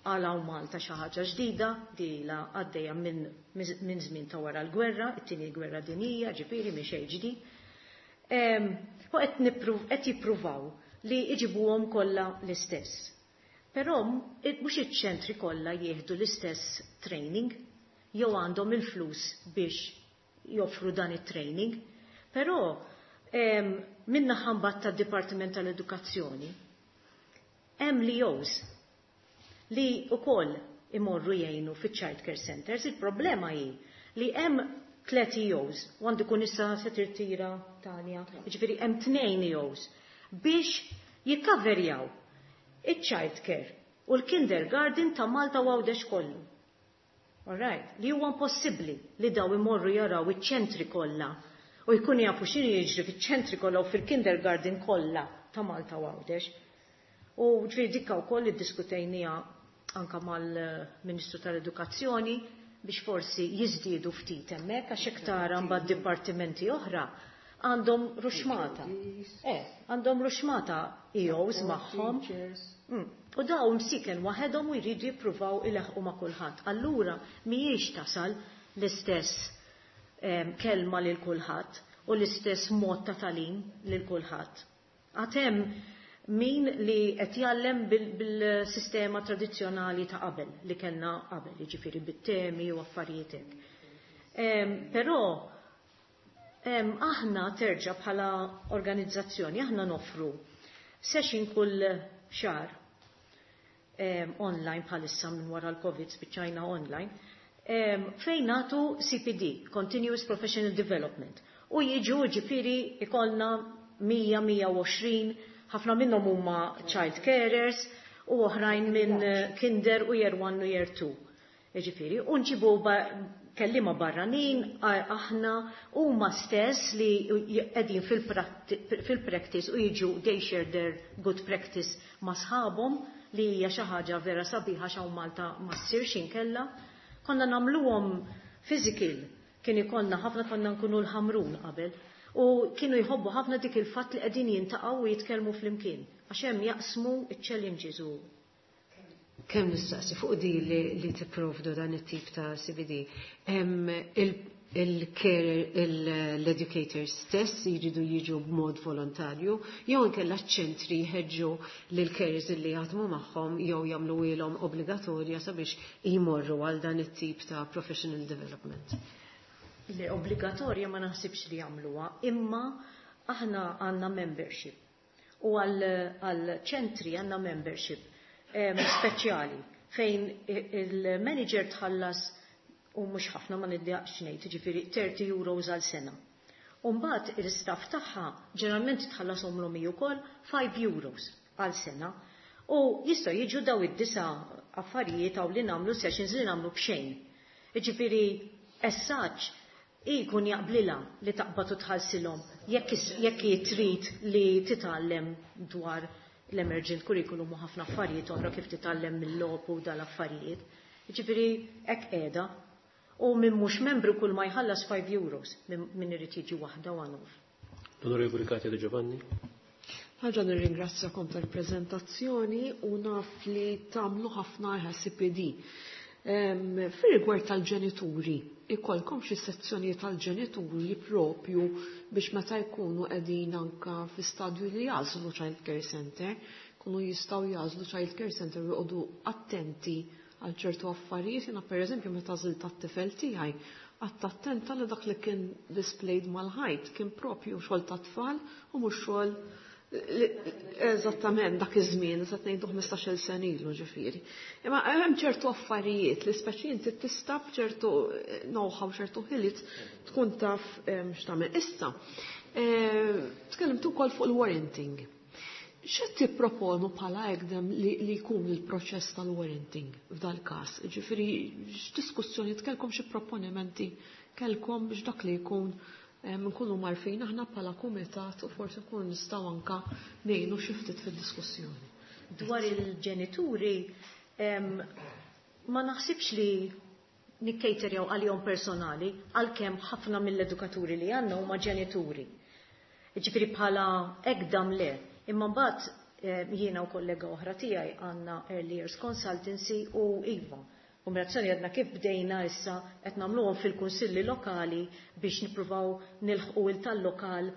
għal Malta xi ħaġa ġdida, di la għaddejja minn min żmien ta' wara l-gwerra, it-tieni gwerra dinjija, ġifieri minn xejn ġdid. U qed jippruvaw li iġibuhom kollha l-istess. Però mhux iċ-ċentri kollha jieħdu l-istess training jew għandhom il-flus biex joffru dan it-training. Però minna ħambat tad-Dipartiment tal-Edukazzjoni hemm L E Os li wkoll imorru jgħinu fi child care centers. Il-problema hi li hemm tliet E Os, u għandu kun issa se tirtira Tanja, jiġifieri hemm tnejn E Os biex jikkaverjaw iċ-child care u l-kindergarten ta' Malta u Għawdex kollu. All right, li huwa impossibbli li daw imorru jaraw iċ-ċentri kollha. U jkunu jafu x'inhu jiġri fiċ-ċentri kollha u fil-kindergarten kollha ta' Malta u Għawdex. U ġifieri dikka wkoll iddiskutejniha anka mal-Ministru tal-Edukazzjoni biex forsi jiżdiedu ftit hemmhekk, għax hekk tara mbagħad dipartimenti oħra għandhom ruxmata. Eh, għandhom ruxmata E Os magħhom. Mm. U dawn msiken waħedhom u jridu jippruvaw ilaħqu ma' kulħadd. Allura mhijiex tasal l-istess kelma lil kulħadd u l-istess mod ta' tagħlim lil kulħadd. Għad hemm min li qed jgħallem bil-sistema tradizzjonali ta' qabel li kellna qabel, jiġifieri bit-temi u affarijiet hekk. Però aħna terġa' bħala organizzazzjoni aħna noffru session kull xahar online bħalissa, minn wara l-Covid spiċċajna online, fejn nagħtu C P D, Continuous Professional Development. U jiġu, ġifieri ikollna mija, mija u għoxrin, ħafna minnhom huma child carers u oħrajn minn kinder u year one u year two. Ġifieri, u nġibu kellima barranin, aħna huma stess li qegħdin fil-practice u jiġu, they share their good practice ma' sħabhom, li hija xi ħaġa vera sabiħa x'hawn Malta ma ssirx inkella. Konna nagħmluhom physical, kien ikollna ħafna, konna nkunu l-Ħamrun qabel. U kienu jħobbu ħafna dik il-fatt li qegħdin jiltaqgħu u jitkellmu flimkien. Għax hemm jaqsmu iċ-challenges u Kemm nistaqsi fuq di li, li tipprovdu dan it-tip ta' C P D. Il-care, l-educators stess jridu jiġu b'mod volontarju, jew inkella ċentri jħeġġu lil carers li jaħdmu magħhom jew jagħmlu ilhom obbligatorja sabiex jmorru għal dan it-tip ta' professional development? Le, obbligatorja ma naħsibx li jagħmluha, imma aħna għandna membership. U għal ċentri għandna membership speċjali fejn il-manager tħallas, u mhux ħafna, ma niddejjaqx ngħid, ġifieri thirty euros għal sena. U mbagħad il-staff tagħha ġeneralment tħallashom l ukoll five euros għal sena. U jistgħu jiġu daw id-disa affarijiet għaw li nagħmlu, sessions li nagħmlu b'xejn. Ġifieri as such ikun jaqblila li taqbad u tħallsilhom jekk jekk trid li titgħallem dwar l-emergent curriculum u ħafna affarijiet oħra, kif titgħallem mill-logħob u dal-affarijiet. Ġifieri hekk qiegħda. U minn mhux membru kull ma jħallas five euros minn irid jiġi waħda one off. L-Onorevoli Katia De Giovanni. Ħaġa, nirringrazzjakom tal-prezentazzjoni u naf li tagħmlu ħafna C P D. Fir-rigward tal-ġenituri, ikolkom xi sezzjoni tal-ġenituri propju biex meta jkunu qegħdin anka fi stadju li jagħżlu child care center, kunu jistgħu jagħżlu child care center u joqogħdu attenti għal ċertu affarijiet? Jiena, pereżempju, meta għażilt tat-tifel tiegħi, qgħadt attenta li dak li kien displayed mal-ħajt kien propju xogħol ta' tfal u mhux xogħol. Eżattament dak iż-żmien, eżatt ngħidu ħmistax-il sena ilu, ġifieri. Imma hemm ċertu affarijiet li speċi inti tista' b'ċertu know-how, ċertu ħiliet tkun taf x'tagħmel. Issa, tkellimtu wkoll fuq il-warranting. X'qed tipproponu bħala ECDEM li jkun il-proċess tal-warranting f'dal każ? Ġifieri x'diskussjoni kellkom, xi proponimenti kellkom biex dak li jkun nkunu mgħarrfin aħna bħala kumitat u forsi nkunu nistgħu anka ngħinu xi ftit fid-diskussjoni. Dwar il-ġenituri, ma naħsibx li nikkejterjaw għalihom personali, għalkemm ħafna mill-edukaturi li għandna huma ġenituri. Ġifieri bħala ECDAM le, imma mbagħad jiena u kollega oħra tiegħi għandna Early Years Consultancy u iva. Kombinazzjoni għadna kif bdejna issa qed nagħmluhom fil-kunsilli lokali biex nippruvaw nilħqu il tal-lokal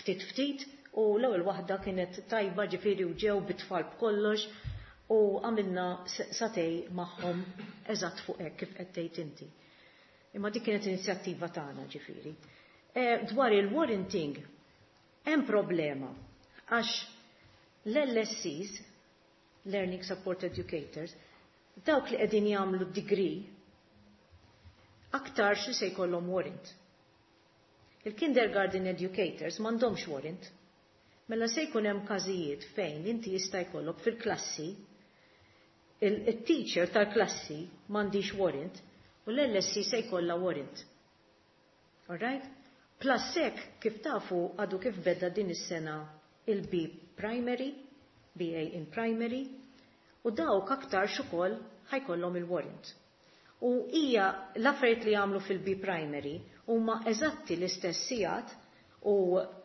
ftit ftit, u l-ewwel waħda kienet tajba, ġifieri u ġew bit-tfal b'kollox u għamilna sagħtejn magħhom eżatt fuq hekk kif qed tgħid inti. Imma dik kienet inizjattiva tagħna, ġifieri. Dwar il-warranting hemm problema għax l-L S Es, Learning Support Educators, dawk li qegħdin jagħmlu degree aktar xi se jkollhom warrant. Il-kindergarten educators m'għandhomx warrant. Mela se jkun hemm każijiet fejn inti jista' jkollok fil-klassi il-teacher tal-klassi m'għandix warrant u l-L S E se jkollha warrant. Alright? Plus hekk, kif tafu, għadu kif beda din is-sena il-B Primary, B A in Primary, u dawk aktar ukoll ħa jkollhom il-warrant. U hija l-affarijiet li jagħmlu fil-B Primary huma eżatti l-istess sigħat u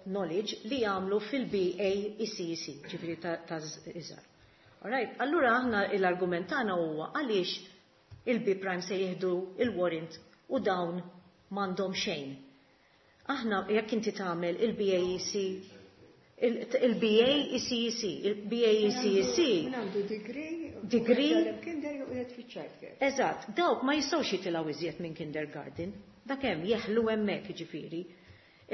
knowledge li jagħmlu fil-B A E C E C, ġifieri ta' iżgħar. Alright, allura aħna l-argument tagħna huwa għaliex il-B Prime se jieħdu il-warrant u dawn m'għandhom xejn. Aħna jekk inti tagħmel il-B A E C, il-B A E C E C, il-B A E C E C. Għandu degree. Degree. Kinder u qiegħed fiċ-childcare. Eżatt, dawk ma jistgħux jitilgħu iżjed minn kindergarten. Dak hemm jeħlu hemmhekk, ġifieri.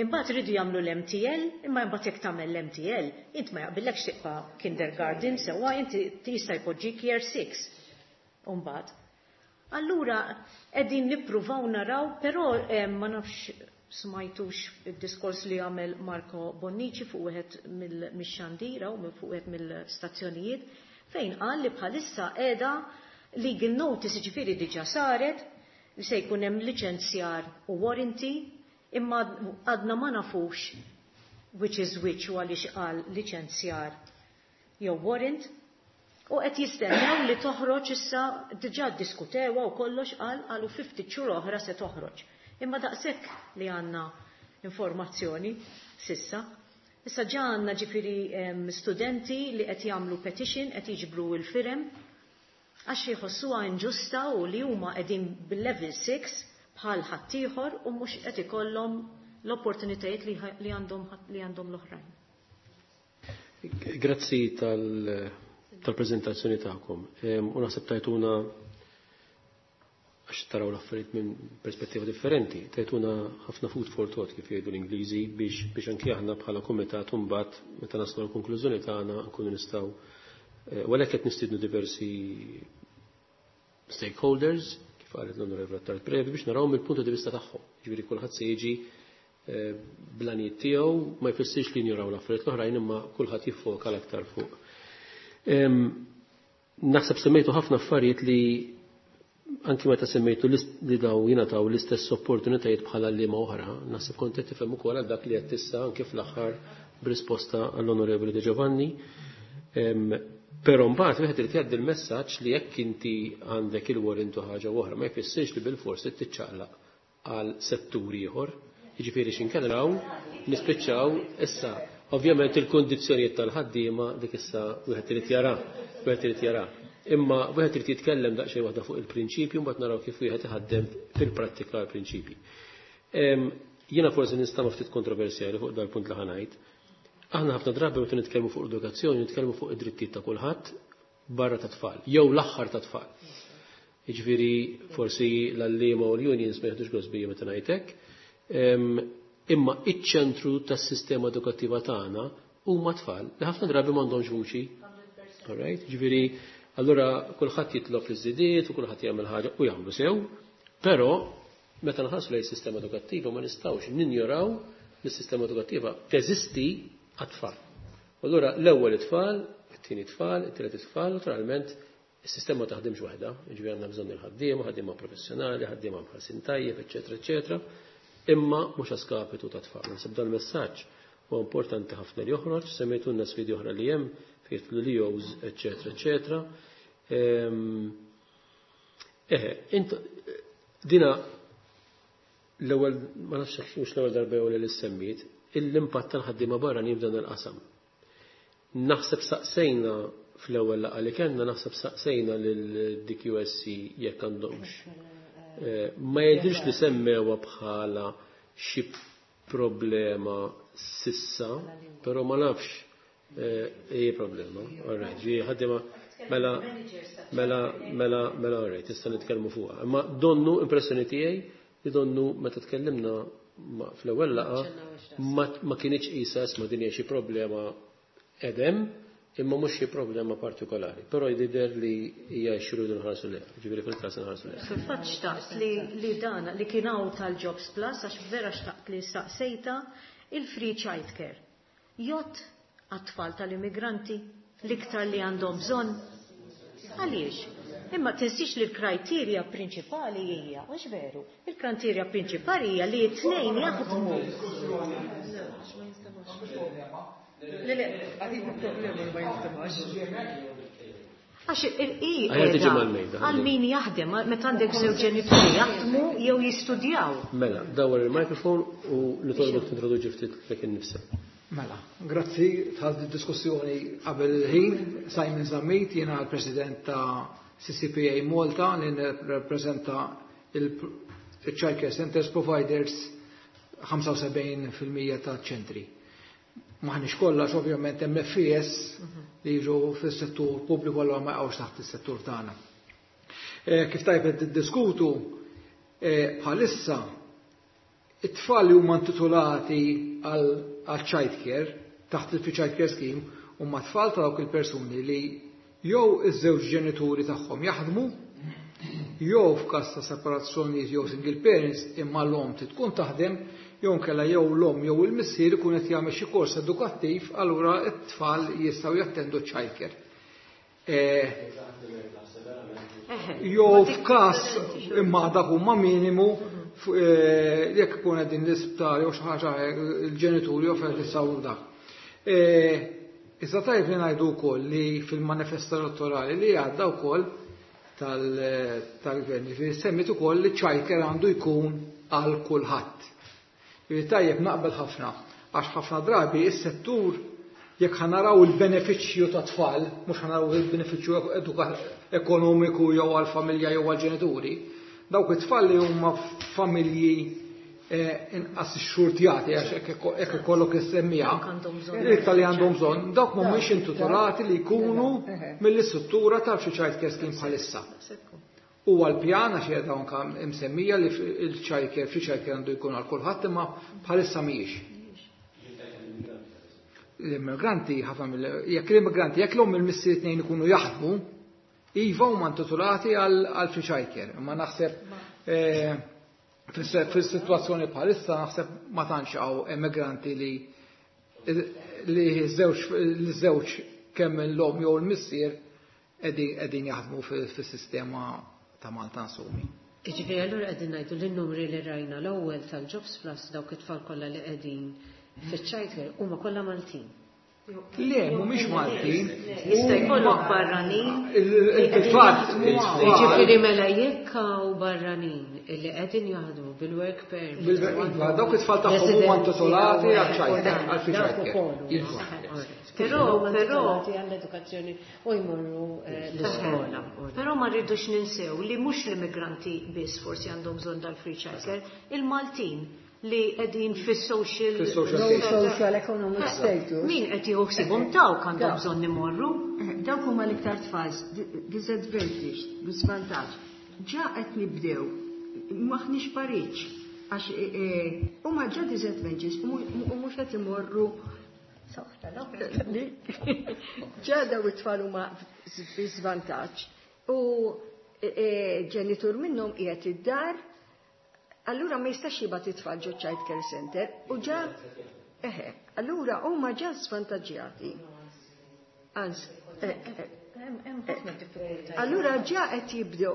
Imbagħad iridu jagħmlu l-M T L, imma imbagħad jekk tagħmel l-M T L, int ma jaqbillekx tibqa' kindergarten sewwa, inti jista' jpoġġik year six. Imbagħad. Allura qegħdin nippruvaw naraw, però eh, ma nafx smajtux id-diskors li għamel Marco Bonnici fuq wieħed mill-xandira u minn fuq wieħed mill-stazzjonijiet, fejn qal li bħalissa qiegħda legal notice, ġifieri diġà saret li se jkun hemm liċenzjar u warranty, imma għadna ma nafux which is which u għaliex qal liċenzjar jew warrant, u qed jistennew li toħroġ issa. Diġà ddiskutewha u kollox, qal qalu ftit xhur oħra se toħroġ. Imma daqshekk li għandna informazzjoni s'issa. Issa ġa għandna, ġifieri, studenti li qed jagħmlu petition, qed jiġbru l-firem għax jħossuha inġusta u li huma qegħdin bil-level six bħal ħaddieħor u mhux qed ikollhom l-opportunitajiet li għandhom li għandhom l-oħrajn. Grazzi tal-prezentazzjoni tagħkom. U naħseb tajtuna, għax taraw l-affarijiet minn perspettiva differenti, tajtuna ħafna food for thought, kif jgħidu l-Ingliżi, biex biex anki aħna bħala kumitat mbagħad meta naslu l-konklużjoni tagħna nkunu nistgħu eh, u għalhekk qed nistiednu diversi stakeholders, kif qalet l-Onorevole Attard Previ, biex naraw mill-punto di vista tagħhom. Ġifieri kulħadd se jiġi eh, bl-għanijiet tiegħu, ma jfissirx li njuraw l-affarijiet l-oħrajn, imma kulħadd jiffoka l-aktar fuq. Naħseb semmejtu ħafna affarijiet li anki meta semmejtu li daw jingħataw l-istess opportunitajiet bħala li ma oħra, naħseb kont qed tifhem ukoll għal dak li qed issa anke fl-aħħar b'risposta għall-Onorevoli De Giovanni. Però mbagħad wieħed irid jgħaddi l-messaġġ li jekk inti għandek il-warrant u ħaġa oħra ma jfissirx li bilfors tiċċaqlaq għal settur ieħor. Jiġifieri x'inkella nispiċċaw issa. Ovvjament il-kondizzjonijiet tal-ħaddiema dik issa wieħed irid jara, wieħed irid jara. Imma wieħed irid jitkellem daqsxejn waħda fuq il-prinċipju, mbagħad naraw kif wieħed iħaddem fil-prattika l-prinċipji. Jiena forsi nista' ftit kontroversjali fuq dal-punt li ħa ngħid. Aħna ħafna drabi meta nitkellmu fuq edukazzjoni, nitkellmu fuq id-drittijiet ta' kulħadd barra ta' tfal, jew l-aħħar ta' tfal. Jiġifieri forsi l-għalliema u l-unions ma jeħdux gost bija meta ngħidlek. Imma iċ-ċentru tas-sistema edukattiva tagħna huma tfal li ħafna drabi m'għandhomx vuċi. Alright? Ġifieri, allura kulħadd jitlob iż-żidiet u kulħadd jagħmel ħaġa u jagħmlu sew, però meta nħarsu lejn sistema edukattiva ma nistgħux ninjoraw li s-sistema edukattiva teżisti għat-tfal. Allura l-ewwel it-tfal, it-tieni tfal, it-tielet it-tfal, naturalment is-sistema taħdimx waħda, jiġifieri għandna bżonn il-ħaddiema, ħaddiema professjonali, ħaddiema mħallsin tajjeb, eċetera, eċetera, imma mhux a skapitu ta' tfal. Naħseb dan il-messaġġ huwa importanti ħafna li joħroġ, semmejtulna sfidi oħra li hemm fejn l-E Os, eċetera, eċetera. Eħe, int dina l-ewwel, ma nafx mhux l-ewwel darba jew li semmit, l-impatt tal-ħaddiema barranin f'dan il-qasam. Naħseb saqsejna fl-ewwel laqgħa li kellna, naħseb saqsejna lil D Q S C jekk għandhomx. Eh, ma jidhirx li semmewha bħala xi problema s'issa, però ma nafx eh, problema. All right, ġi ħaddiema mela mela mela mela all right, issa nitkellmu fuqha. Imma donnu impressjoni tiegħi li donnu meta tkellimna fl-ewwel laqgħa ma kienx qisha ma din hija xi problema edem, imma mhux xi problema partikolari. Però jidher li hija xi nħarsu lejha, ġifieri fil-każ nħarsu lejha. Fil-fatt xtaqt li, li dan li kien hawn tal-Jobs Plus, għax vera xtaqt li saqsejta il-free childcare. Jgħodd għat-tfal tal-immigranti l-iktar li għandhom bżonn. Għaliex? Imma tinsiex li l-kriterja prinċipali hija, mhux veru, il-kriterja prinċipali hija li t-tnejn jaħdmu. Le, le, għadin problema li ma jinstemax. Għax il-i Aħjar tiġi mal-mejda. għal min jaħdem, meta għandek żewġ ġenituri jaħdmu jew jistudjaw. Mela, dawar il-mikrofon u nitolbok tintroduċi ftit lek innifsek. Mela, grazzi tal-diskussjoni qabel il-ħin. Simon Zammit, jiena l-President ta' C C P A Malta li nirrappreżenta il-Child Care Centers Providers, ħamsa u sebgħin fil-mija ta' ċentri. Maħniex kollha, ovvjament hemm F E S li jiġu fis-settur pubbliku, allura ma jaqgħux taħt is-settur tagħna. Eh, Kif tajb qed tiddiskutu, eh, bħalissa it-tfal li huma intitolati għal għal child care taħt il-Free Child Care Scheme huma tfal ta' dawk il-persuni li jew iż-żewġ ġenituri tagħhom jaħdmu, jew f'każ ta' separazzjoni jew single parents imma l-omm trid tkun taħdem, jew nkella jew l-omm jew il-missier ikun qed jagħmel xi kors edukattiv, allura t-tfal jistgħu jattendu child care. Eh, jew f'każ, imma dak huma minimu, f- eh, jekk ikun qegħdin l-isptar jew xi ħaġa hekk, il-ġenituri jew fejn jistgħu dak. Eh, Iżda tajb li ngħidu wkoll li fil-manifest elettorali li għadda wkoll tal-gvern, ġifieri semmit ukoll li child care għandu jkun għal kulħadd. Ġifieri tajjeb, naqbel ħafna, għax ħafna drabi is-settur, jekk ħa naraw il-benefiċċju ta' tfal, mhux ħa naraw il-benefiċċju eduka- ekonomiku jew għal-familja jew għal-ġenituri, dawk it-tfal li huma familji eh, inqas xxurtjati, għax hekk ikollok issemmija, iktar li għandhom bżonn, dawk mhumiex intitolati li jkunu mill-istruttura tal-Free Child Care Scheme bħalissa. U għal-pjan, għax qiegħda anke msemmija li il-child care, free child care għandu jkun għal kulħadd, imma bħalissa mhijiex. L-immigranti, ħafna mill jekk l-immigranti, jekk l-omm il-missier tnejn ikunu jaħdmu, iva, huma intitolati għal free child care. Imma naħseb eh, fis-sitwazzjoni bħalissa naħseb ma tantx hawn immigranti li li żewġ li żewġ kemm l-omm jew il-missier qegħdin jaħdmu fis-sistema ta' Malta nsumi. Ġifieri allura qegħdin ngħidu li n-numri li rajna l-ewwel tal-Jobs Plus, dawk it-tfal kollha li qegħdin fiċ-child care huma kollha Maltin. Le, mhumiex Maltin. Jista' jkollok barranin. Il-fatt. Ġifieri mela jekk hawn barranin illi qegħdin jaħdmu bil-work permit. Bil-iva, dawk it-tfal tagħhom huma intitolati għal child care, għal free child care. Iva. Però, però, għall-edukazzjoni u jmorru eh, l-iskola. Però ma rridux ninsew li mhux l-immigranti biss forsi għandhom bżonn dal-free child care, il-Maltin li qegħdin fis-social Fis-social Social economic status. Min qed jieħu ħsiebhom, dawk għandhom bżonn imorru. Dawk huma l-iktar tfal disadvantage, b'żvantaġġ. Ġa qed nibdew, maħniex pariċ, għax huma ġa disadvantage u mhux qed imorru. Ġa daw it-tfal huma fi żvantaġġ u ġenitur minnhom qiegħed id-dar, allura ma jistax jibgħat it-tfal ġo child care center u ġa eħe, allura huma ġa svantaġġjati. Anzi, allura ġa qed jibdew,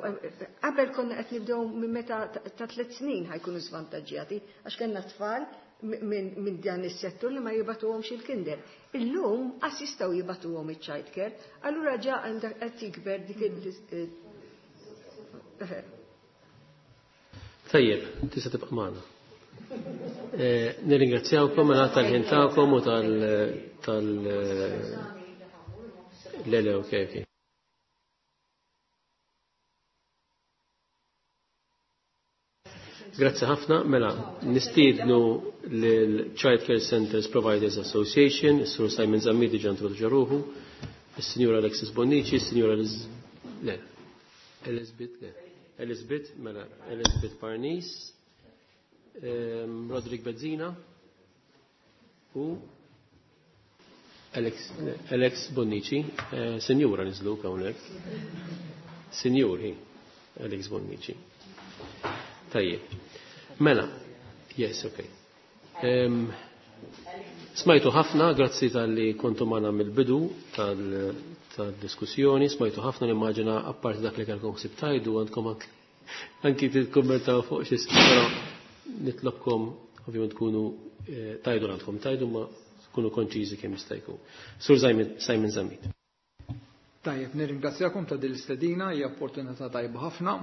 qabel konna qed nibdew minn meta ta' tliet snin ħa jkunu svantaġġjati, għax kellna tfal minn dan is-settur li ma jibagħtuhomx il-kinder. Illum qas jistgħu jibagħtuhom iċ-child care, allura ġa għandek qed jikber dik il Tajjeb, tista' tibqa' magħna. Eh, Nirringrazzjawkom mela tal-ħin tagħkom u tal tal le le, okej, okej. Grazzi ħafna, mela, nistiednu l-Child Care Centers Providers Association, is-Sur Simon Zammit ġa introduċa ruħu, is-Sinjura Alexis Bonnici, is-Sinjura Liz, le, Elizabeth, le, Elizabeth, mela, Elizabeth Parnis, um, Roderick Bezzina u Alex, Alex Bonnici, eh, Sinjura niżlu hawnhekk. Sinjur hi, Alex Bonnici. Tajjeb. Mela, yes, okay. Um, Smajtu ħafna, grazzi talli kontu magħna mill-bidu tal-diskussjoni, smajtu ħafna, nimmaġina apparti dak li kellkom ħsieb tgħidu għandkom anki tikkummentaw fuq xi, però nitlobkom ovvjament tkunu eh, tgħidu għandkom tgħidu, ma tkunu konċiżi kemm jista' jkun. Sur Simon Zammit. Tajjeb, nirringrazzjakom ta' din l-istedina, hija opportunità tajba ħafna.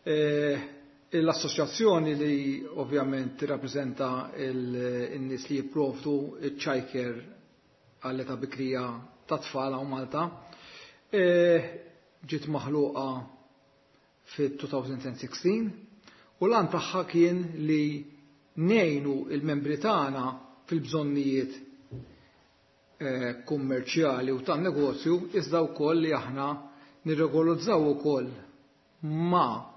Eh, l-assoċjazzjoni li ovvjament tirrappreżenta n-nies li jipprovdu iċ-childcare għall-età bikrija ta' tfal hawn Malta eh, ġiet maħluqa fit-elfejn u sittax u l-għan tagħha kien li ngħinu il-membri tagħna fil-bżonnijiet eh, kummerċjali u tan-negozju, iżda wkoll li aħna nirregolizzaw ukoll ma'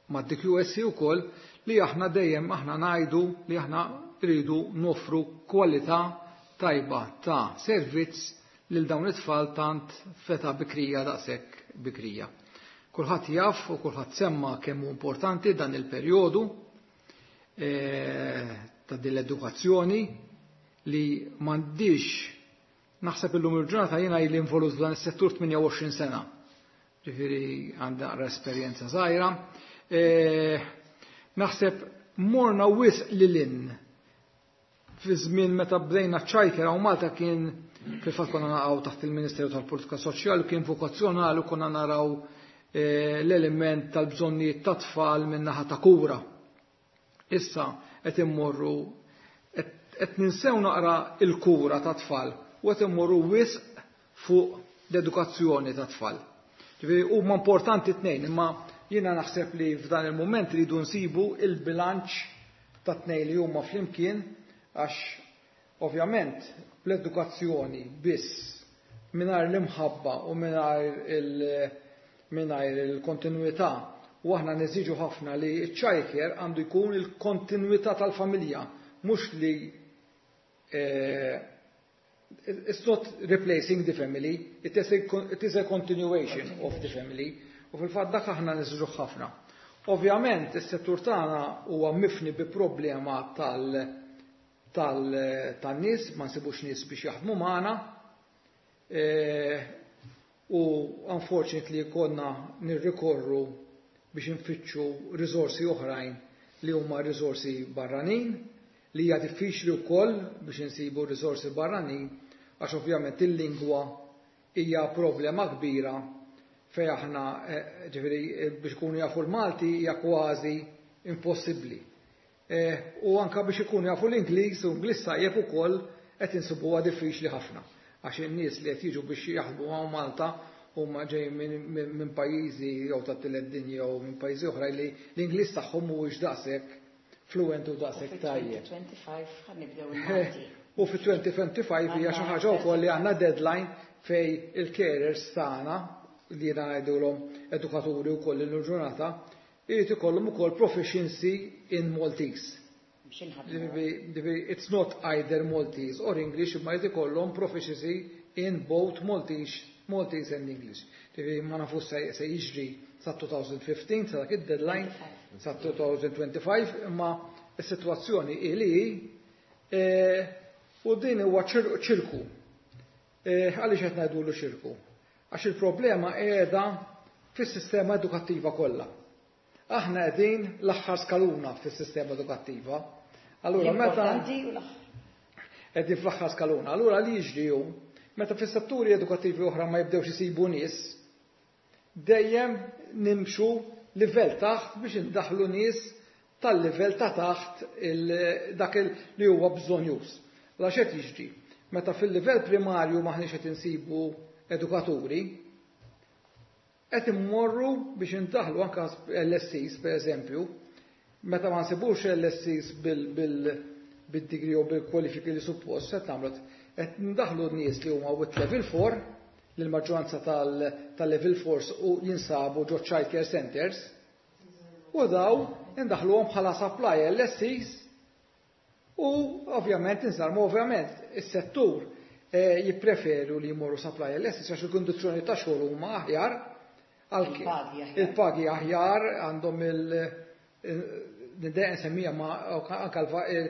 ma' D Q S C ukoll li aħna dejjem aħna ngħidu li aħna rridu nofru kwalità tajba ta' servizz lil dawn it-tfal tant f'età bikrija, daqshekk bikrija. Kulħadd jaf u kulħadd semma kemm hu importanti dan il-perjodu eh, ta' din l-edukazzjoni li m'għandix. Naħseb illum il-ġurnata jiena ili involut f'dan is-settur tmienja u għoxrin sena. Ġifieri għandha esperjenza żgħira. E, naħseb morna wisq lil hinn. Fi żmien meta bdejna childcare hawn Malta kien fil-fatt konna naqgħu taħt il-Ministeru tal-Politika Soċjali, kien vokazzjonali u konna naraw e, l-element tal-bżonnijiet ta' tfal min-naħa ta' kura. Issa qed immorru qed ninsew naqra il-kura ta' tfal u qed immorru wisq fuq l-edukazzjoni ta' tfal. Ġifieri huma importanti tnejn, imma jiena naħseb li f'dan il-moment rridu nsibu il-bilanċ ta' tnejn li huma flimkien, għax ovvjament l-edukazzjoni biss mingħajr l-imħabba u mingħajr il- mingħajr il-kontinuità, u aħna neżiġu ħafna li ċ-childcare għandu jkun il-kontinuità tal-familja, mhux li eh, it's not replacing the family, it is a, it is a continuation of the family. U fil-fatt dak aħna neżiġu ħafna. Ovvjament, is-settur tagħna huwa mifni bi problema tal tal tan-nies, ma nsibux nies biex jaħdmu magħna. E, u unfortunately konna nirrikorru biex nfittxu risorsi oħrajn li huma risorsi barranin, li hija diffiċli wkoll biex insibu risorsi barranin, għax ovvjament il-lingwa hija problema kbira fej aħna eh, ġifieri eh, biex ikunu jafu l-Malti hija kważi impossibbli. Eh, u anka biex ikunu jafu l-Ingliż u Ingliż tajjeb ukoll qed insibuha diffiċli ħafna. Għax in-nies li qed jiġu biex jaħdmu hawn Malta huma ġej minn pajjiżi jew ta' tielet dinja jew minn pajjiżi oħra li l-Ingliż tagħhom mhuwiex daqshekk fluent u daqshekk tajjeb. U ħa nibdew il-Malti. U fi elfejn u ħamsa u għoxrin hija xi ħaġa wkoll li għandna deadline fej il-carers tagħna, li jiena ngħidulhom edukaturi wkoll il-ġurnata, irid ikollhom ukoll proficiency in Maltese. It's not either Maltese or English, imma jrid ikollhom proficiency in both Maltese, Maltese and English. Ġifieri ma nafux se jiġri sa elfejn u ħmistax, sa dak id-deadline sa elfejn u ħamsa u għoxrin, imma s-sitwazzjoni ili e, u din huwa ċirku. E, għaliex qed ngħidulu ċirku? Għax il-problema qiegħda fis-sistema edukattiva kollha. Aħna qegħdin l-aħħar skaluna fis-sistema edukattiva. Allura meta qegħdin fl-aħħar skaluna, allura li jiġri hu meta fis-setturi edukattivi oħra ma jibdewx isibu nies, dejjem nimxu livell taħt biex indaħlu nies tal-livell ta' taħt dak li huwa bżonjuż. La xed jiġri? Meta fil-livell primarju maħniex qed insibu edukaturi, qed immorru biex indaħlu anka L S Cs, per eżempju, meta ma nsibux L S Cs bil-degree u bil-kwalifiki li suppost, qed nagħmlu qed ndaħlu nies li huma with level four, li l-maġġoranza tal-level four u jinsabu ġo child care centers, u daw indaħluhom bħala supply L S Cs u ovvjament insarmu. Ovvjament is-settur eh, jippreferu li jmorru supply L S Cs għax il-kondizzjoni ta' xogħol huma aħjar, il-pagi aħjar għandhom, il niddeq nsemmija, ma anka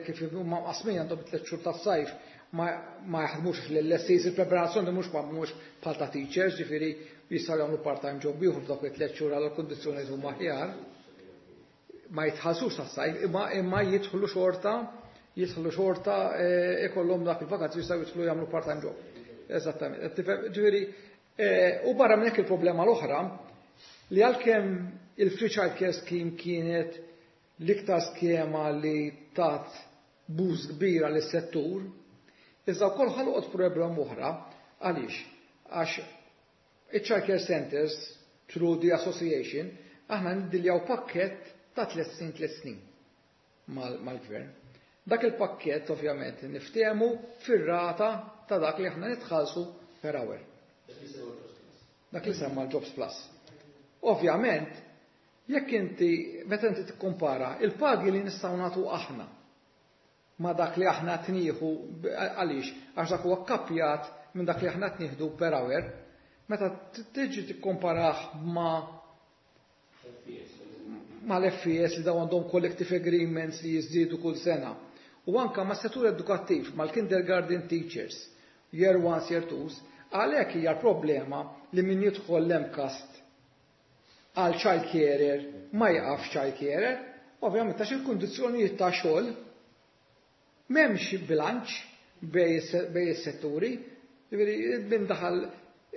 kif huma mqasmin, għandhom tliet xhur tas-sajf, Ma jaħdmux fl-L S Es, il-preparazzjoni mhux mhux bħal ta' teachers, ġifieri jistgħu jagħmlu part-time job ieħor f'dawk it-tliet xhur għal kundizzjonijiet huma aħjar. Ma jitħallsux tas-sajf, imma imma jidħlu xorta, jidħlu xorta eh, ikollhom dak il-vakanzi, jistgħu jidħlu jagħmlu part-time job. Eżattament. Ġifieri, eh, u barra minn hekk il-problema l-oħra li għalkemm il-Free Child Care Scheme kienet l-iktar skema li tat boost kbira lis-settur, iżda wkoll ħolqot problema oħra. Għaliex? Għax il-Child Care Centers through the association aħna niddiljaw pakket ta' tliet snin tliet snin mal-gvern. Dak il-pakket ovvjament niftehmu fir-rata ta' dak li aħna nitħallsu per hour. Dak li semma l-Jobs Plus. Ovvjament, jekk inti, meta inti tikkumpara il-pagi li nistgħu nagħtu aħna ma dak li aħna tnieħu, għaliex għax dak huwa kappjat minn dak li aħna tnieħdu per hour, meta tiġi tikkomparah ma ma l-F E S li daw għandhom collective agreements li jiżdiedu kull sena. U anka ma' settur edukattiv, mal-kindergarten teachers, year one, year two, għalhekk hija problema li min jidħol l-MCAST għal child carer ma jaqaf child carer, ovvjament għax il-kundizzjonijiet ta' xogħol m'hemmx bilanċ bejn is-setturi, min daħal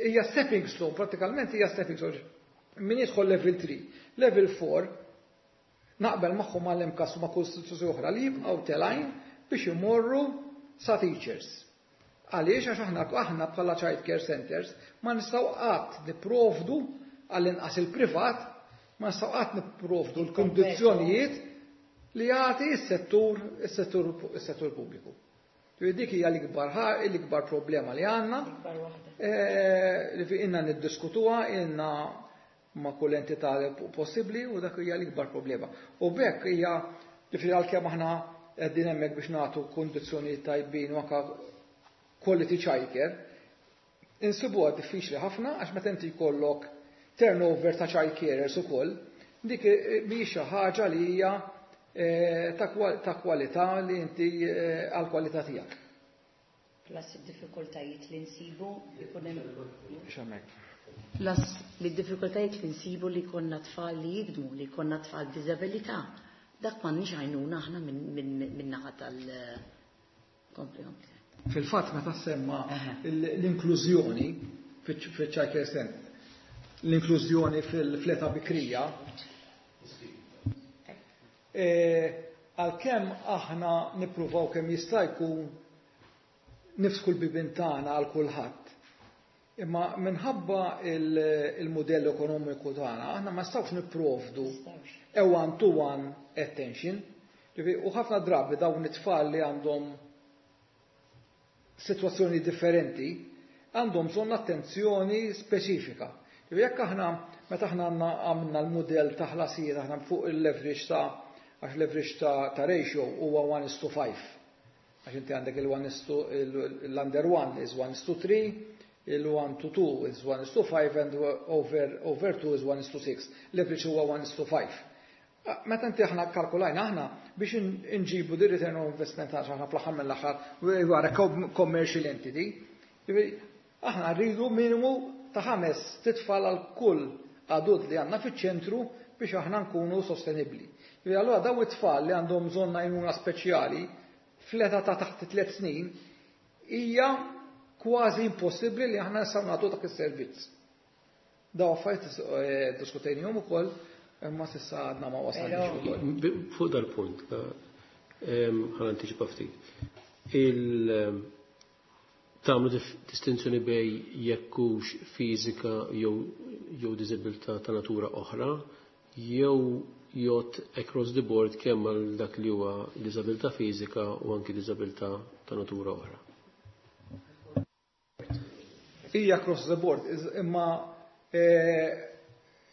hija stepping stone, pratikament hija stepping stone. Min jidħol level three, level four, naqbel magħhom għall-MCAST u ma' kull istituzzjoni oħra li jibqgħu telgħin biex imorru sa teachers. Għaliex? Għax aħna aħna bħala child care centers ma nistgħu qatt nipprovdu, għall-inqas il-privat, ma nistgħu qatt nipprovdu l-kundizzjonijiet li jagħti s-settur is-settur is-settur pubbliku. Dik hija l-ikbar l-ikbar problema li għandna. Eh, li fi inna niddiskutuha, inna ma' kull entità possibbli, u dak hija l-ikbar problema. U b'hekk hija li fi għalkemm aħna qegħdin hemmhekk biex nagħtu kundizzjonijiet tajbin u anke quality childcare, insibuha diffiċli ħafna għax meta inti jkollok turnover ta' child carers ukoll, dik mhijiex xi ħaġa li hija eh, ta' kwalità li inti eh, għal kwalità tiegħek. Plus id-diffikultajiet li nsibu ikun hemm Plus li d-diffikultajiet li nsibu li konna tfal li jikdmu, li konna tfal b'diżabilità. Dak m'għandniex għajnuna aħna minn naħa tal. Kompli, kompli. Fil-fatt meta semma l-inklużjoni fil-child care center, l-inklużjoni fil-età bikrija, e, għalkemm aħna nippruvaw kemm jista' jkun niftħu l-bibien tagħna għal kulħadd. Imma minħabba il-modell ekonomiku tagħna, aħna ma nistgħux nipprovdu a one-to-one attention. U ħafna drabi dawn it-tfal li għandhom situazzjoni differenti għandhom bżonn attenzjoni speċifika. Jekk aħna meta aħna għandna għamilna l-modell ta' ħlasijiet aħna fuq il-leverage ta' għax leverage ta', ta ratio huwa one is to five. Għax inti għandek il-one is to l-under one is one is to three, il-one to two is one is to five and over, over two is one is to six. Leverage huwa one is to five. Meta inti aħna kalkulajna aħna biex nġibu di return on investment, għax aħna fl-aħħar mill-aħħar we are a commercial entity. Aħna rridu minimu ta' ħames titfal għal kull adult li għandna fiċ-ċentru biex aħna nkunu sostenibli. Allura daw it-tfal li għandhom bżonn għajnuna speċjali fl-età ta' taħt tliet snin hija kważi impossibbli li aħna nistgħu nagħtu dak is-servizz. Daw affarijiet eh, diskutejnihom ukoll, imma s'issa għadna ma wasalniex ukoll. Fuq dal-punt, ħa nantiċipa ftit. Il tagħmlu distinzjoni bejn jekk hux fiżika jew jew diżabilità ta' natura oħra, jew jgħodd across the board kemm għal dak li huwa diżabilità fiżika u anki diżabilità ta' natura oħra? Hija across the board, imma eh,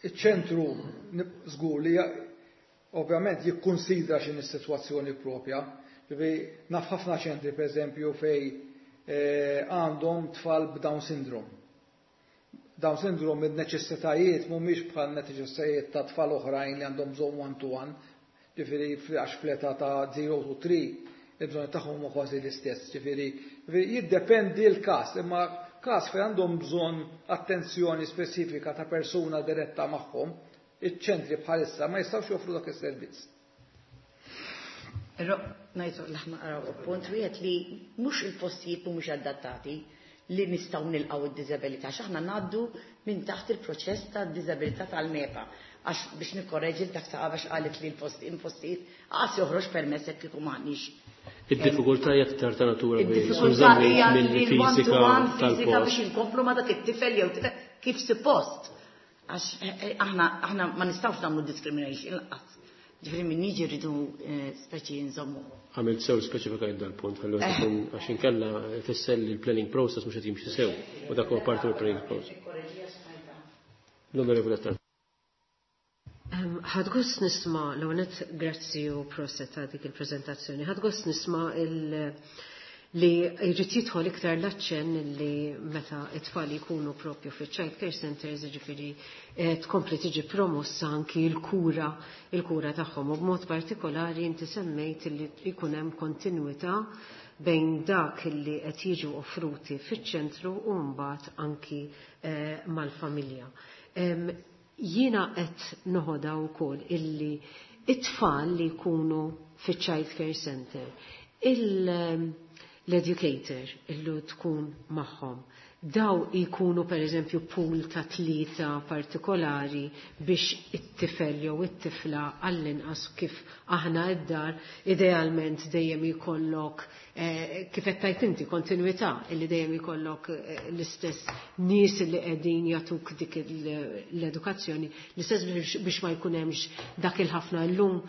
iċ-ċentru żgur li ovvjament jikkonsidra x'in is-sitwazzjoni propja. Ġifieri naf ħafna ċentri, pereżempju, fej eh, għandhom tfal b'Down syndrome. Down syndrome, id-neċessitajiet mhumiex bħal neċessitajiet ta' tfal oħrajn li għandhom bżonn one to one. Ġifieri għax fl-età ta' zero to three il-bżonn tagħhom huma kważi l-istess. Ġifieri Jiddependi l-każ, imma każ fejn għandhom bżonn attenzjoni speċifika ta' persuna diretta magħhom, iċ-ċentri bħalissa ma jistgħux joffru dak is-servizz. Però ngħidu l-aħna qraw punt wieħed li mhux il-postijiet mhumiex adattati li nistgħu nilqgħu id-diżabilità, għax aħna ngħaddu minn taħt il-proċess tad-diżabilità tal-MEPA. Għax biex nikkorreġi dak ta' għax qalet li l-post impostijiet għas joħroġ permess jekk kieku m'aħniex. Id-diffikultà hija aktar ta' natura Id-diffikultà hija milli li fiżika l-one-to-one fiżika tal-post. biex inkomplu ma' dak it-tifel jew tifel kif suppost. Għax eh, eh, aħna aħna ma nistgħux nagħmlu discrimination lanqas. Ġifieri min jiġi rridu eh, speċi nżommu. Għamilt sew speċifikajt dal-punt, ħallu tkun għax inkella fisser li l-planning process mhux qed jimxi sew u dak huwa parti mill-planning process. L-Onorevoli Attard. Ħadt gost nisma', l-għonet grazzi u proset ta' dik il-prezentazzjoni, ħadt gost nisma' il- li jrid jidħol iktar l-aċċenn li meta it-tfal jkunu propju fi child care centers, ġifieri eh, tkompli tiġi promossa anki l-kura il-kura tagħhom, u b'mod partikolari inti semmejt li jkun hemm kontinwità bejn dak li qed jiġu offruti fiċ-ċentru u mbagħad anki eh, mal-familja. Em, Jiena qed noħodha wkoll illi it-tfal li jkunu fiċ-child care center, il- l-educator illu tkun magħhom, daw jkunu per eżempju pool ta' tlieta partikolari biex it-tifel jew it-tifla għall-inqas kif aħna id-dar idealment dejjem jkollok eh, kif qed tajt inti kontinwità illi dejjem jkollok eh, l-istess nies li qegħdin jagħtuk dik l-edukazzjoni, l-istess biex, biex ma jkun hemmx dak il-ħafna llum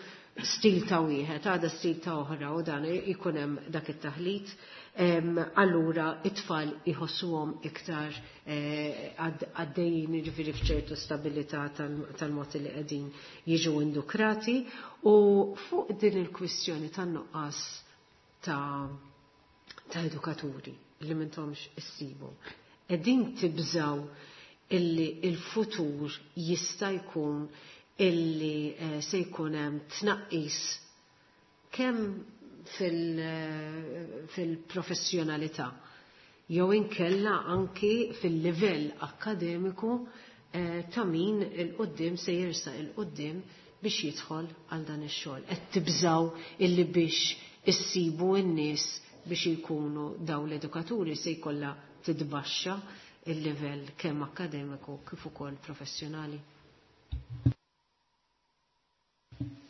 stil ta' wieħed, għada stil ta' oħra u dan ikun hemm dak it-taħlit. Allura it-tfal iħossuhom iktar eh, għaddejjin jiġifieri f'ċertu stabilità tal-mod li qegħdin jiġu indukrati. U fuq din il-kwistjoni tan-nuqqas ta' ta' edukaturi li m'intomx issibu, qegħdin tibżaw illi il-futur jista' jkun illi eh, se jkun hemm tnaqqis kemm fil-professjonalità jew inkella anki fil-livell akkademiku eh, ta' min il-qoddim se jersa il-qoddim biex jidħol għal dan ix-xogħol. Qed tibżaw illi biex issibu n-nies biex jkunu daw l-edukaturi se jkollha titbaxxa il-livell kemm akkademiku kif ukoll professjonali.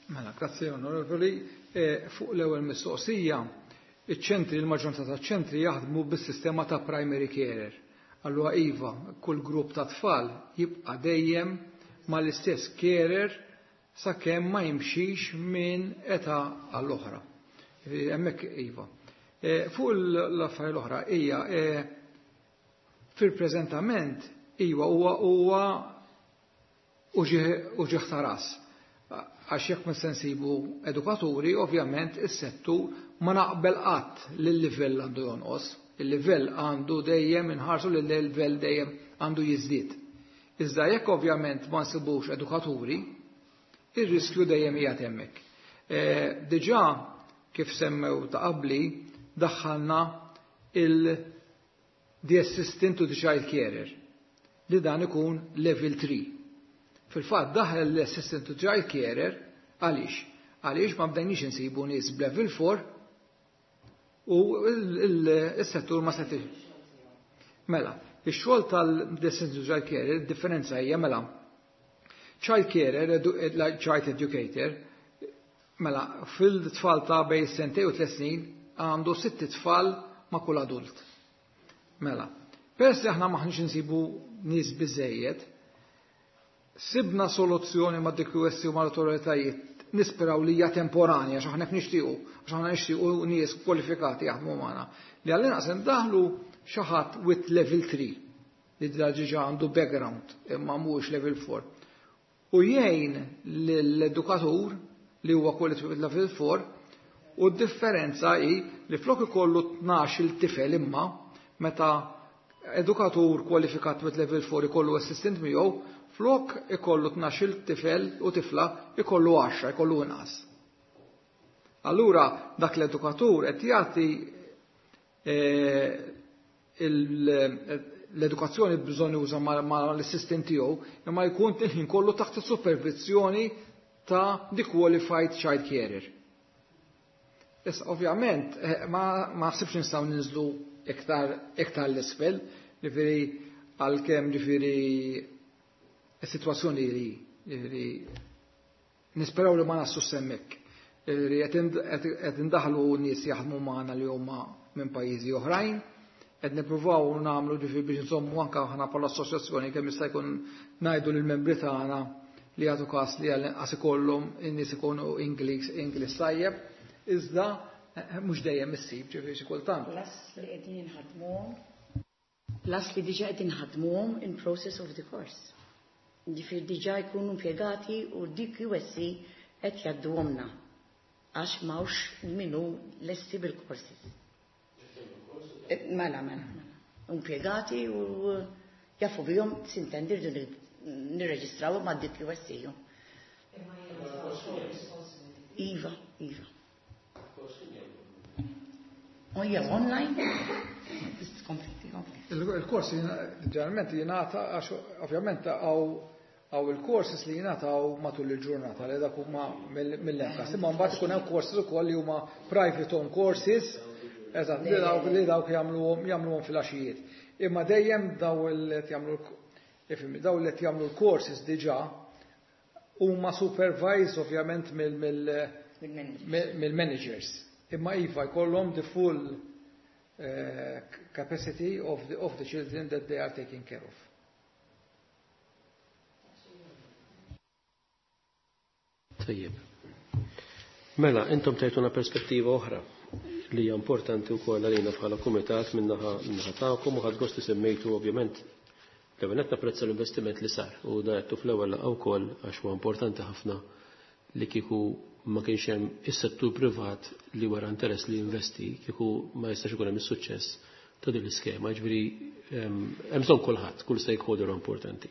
Mela, grazzi onorevoli. E, fuq l-ewwel mistoqsija, iċ-ċentri, il-maġġoranza ta' ċentri jaħdmu bis-sistema ta' primary carer. Allura iva, kull grupp ta' tfal jibqa' dejjem mal-istess carer sakemm ma jimxix minn età għall-oħra. Hemmhekk iva. E, fuq l-affarijiet l-oħra hija e, fil-preżentament iva huwa huwa uġigħ ta' ras. Għax jekk ma nsibu edukaturi, ovvjament is-settur ma naqbel qatt li l-livell għandu jonqos. Il-livell għandu dejjem inħarsu li l-livell dejjem għandu jiżdied. Iżda jekk ovvjament ma nsibux edukaturi, ir-riskju dejjem qiegħed hemmhekk. E, diġà kif semmew ta' qabli daħħalna il the assistant to the child carer li dan ikun level three. Fil-fatt daħal l-assistant to child carer għaliex? Għaliex ma bdejniex insibu nies b'level four u il-settur ma setix. Mela, ix-xogħol tal-assistant to child carer, differenza hija mela child carer, like child educator, mela fil-tfal ta' bej sentej u tliet snin għandu sitt tfal ma' kull adult. Mela, peress li aħna maħniex insibu nies biżejjed, sibna soluzzjoni ma' D Q S u ma' l-autoritajiet, nisperaw li hija temporanja, għax aħna nixtiequ, għax aħna nixtiequ nies kwalifikati jaħdmu magħna. Li għall-inqas ndaħlu xi ħadd with level three li diġà għandu background imma mhuwiex level four. U jgħin l-edukatur li huwa qualified level four, u d-differenza hi li flok ikollu tnax il-tifel imma meta edukatur kwalifikat with level four ikollu assistant miegħu, flok ikollu tnax il-tifel u tifla ikollu għaxra, ikollu inqas. Allura dak l-edukatur qed jagħti L-edukazzjoni bżonn juża mal-assistant tiegħu, imma jkun il-ħin kollu taħt is-supervizjoni ta' the qualified child carer. Issa, ovvjament, ma naħsibx nistgħu ninżlu iktar iktar l-isfel, ġifieri għalkemm ġifieri is-sitwazzjoni li ġifieri nisperaw li ma naslu s'hemmhekk. Ġifieri qed indaħlu nies jaħdmu magħna li huma minn pajjiżi oħrajn, qed nippruvaw nagħmlu ġifieri biex nżommu anke aħna bħala assoċjazzjoni kemm jista' jkun ngħidu lill-membri tagħna li jagħtu każ li għall-inqas ikollhom in-nies ikunu Ingliż Ingliż tajjeb, iżda mhux dejjem issib ġifieri xi kultant. Plus li qegħdin inħadmuhom, plus li diġà qegħdin inħadmuhom in process of the course. Ġifieri diġà jkunu impjegati u D Q S C qed jgħadduhomna għax m'hawnx min hu lesti bil-courses. Mela, mela, mela. Impjegati u jafu bihom, s'intendi, rridu nirreġistraw ma' D Q S C. Iva, iva. Oh, yeah, online? Il-kors ġeneralment jingħata għax ovvjament hawn hawn il-courses li jingħataw matul il-ġurnata li dak huma mill-MCAST. Imma mbagħad ikun hemm courses ukoll li huma private on courses, eżatt, li dawk li dawk jagħmluhom jagħmluhom fil-għaxijiet. Imma dejjem daw il jagħmlu ifhimni, daw li jagħmlu l-courses diġà huma supervised ovvjament mill-managers. Imma iva jkollhom the full uh, capacity of the, of the children that they are taking care of. Tajjeb. Mela, intom tajtuna perspettiva oħra li hija importanti wkoll għalina bħala kumitat min-naħa min-naħa tagħkom u ħadt gost li semmejtu, ovvjament, l-ewwel qed napprezza l-investiment li sar u da għedtu fl-ewwel laqgħa wkoll, għax huwa importanti ħafna li kieku ma kienx hemm is-settur privat li wara interess li jinvesti, kieku ma jistax ikun hemm is-suċċess ta' din l-iskema. Ġifieri hemm bżonn kulħadd, kull stakeholder importanti.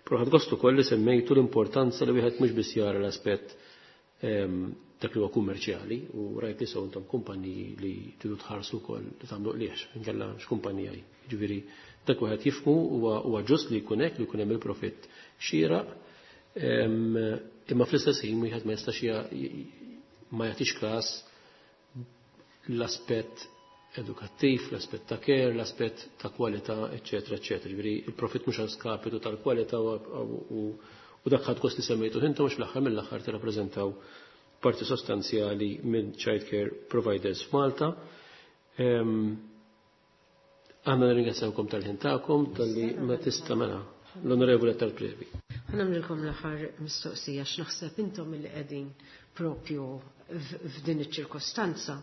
Però ħadt gost ukoll li semmejtu l-importanza li wieħed mhux biss jara l-aspett dak li huwa kummerċjali, u rajt li intom kumpaniji li tridu tħarsu wkoll li tagħmlu qliex, inkella x'kumpanija hi. Ġifieri dak wieħed jifhmu, huwa ġust li jkun hekk, li jkun hemm il-profitt xieraq, imma fl-istess ħin wieħed ma jistax ma jagħtix każ l-aspett edukattiv, l-aspett ta' care, l-aspett ta' kwalità, eċetera, eċetera. Ġifieri il-profit mhux għal skapitu tal-kwalità u u dak ħadt gost li semmejtu intom għax fl-aħħar mill-aħħar tirrappreżentaw parti sostanzjali minn child care providers f'Malta. Għanna nirringrazzjawkom tal-ħin tagħkom, tal-li ma tista' mela l-Onorevoli tal-Previ. Ħa nagħmlilkom l-aħħar mistoqsija x'naħseb intom li qegħdin propju f'din iċ-ċirkostanza.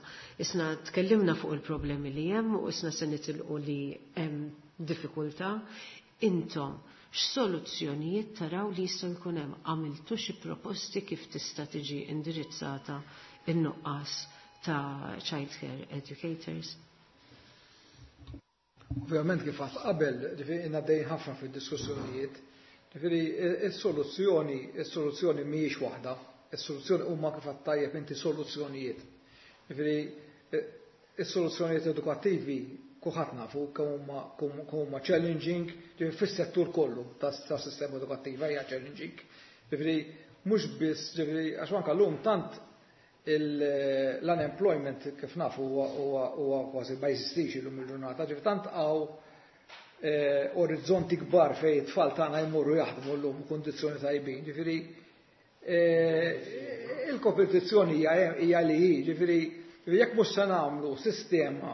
Isna tkellimna fuq il-problemi li hemm u isna se nitilqu li hemm diffikultà. Intom x'soluzzjonijiet taraw li jistgħu jkun hemm? Għamiltu xi proposti kif tista' tiġi indirizzata in-nuqqas ta' child care educators? Ovvjament, kif għedt qabel, ġifieri għaddejjin ħafna fid-diskussjonijiet, ġifieri is-soluzzjoni, is-soluzzjoni mhijiex waħda, is-soluzzjoni huma, kif għedt tajjeb inti, soluzzjonijiet. Ġifieri is-soluzzjonijiet edukattivi kulħadd nafu kemm huma challenging, ġifieri fis-settur kollu tas-sistema edukattiva hija challenging. Ġifieri mhux biss, ġifieri għax anke llum tant l-unemployment, kif nafu, huwa kważi ma jeżistix illum il-ġurnata, ġifieri tant hawn eh, orizzonti kbar fejn it-tfal tagħna jmorru jaħdmu llum kundizzjoni tajbin, ġifieri eh, il-kompetizzjoni hija li hi, ġifieri jekk mhux se nagħmlu sistema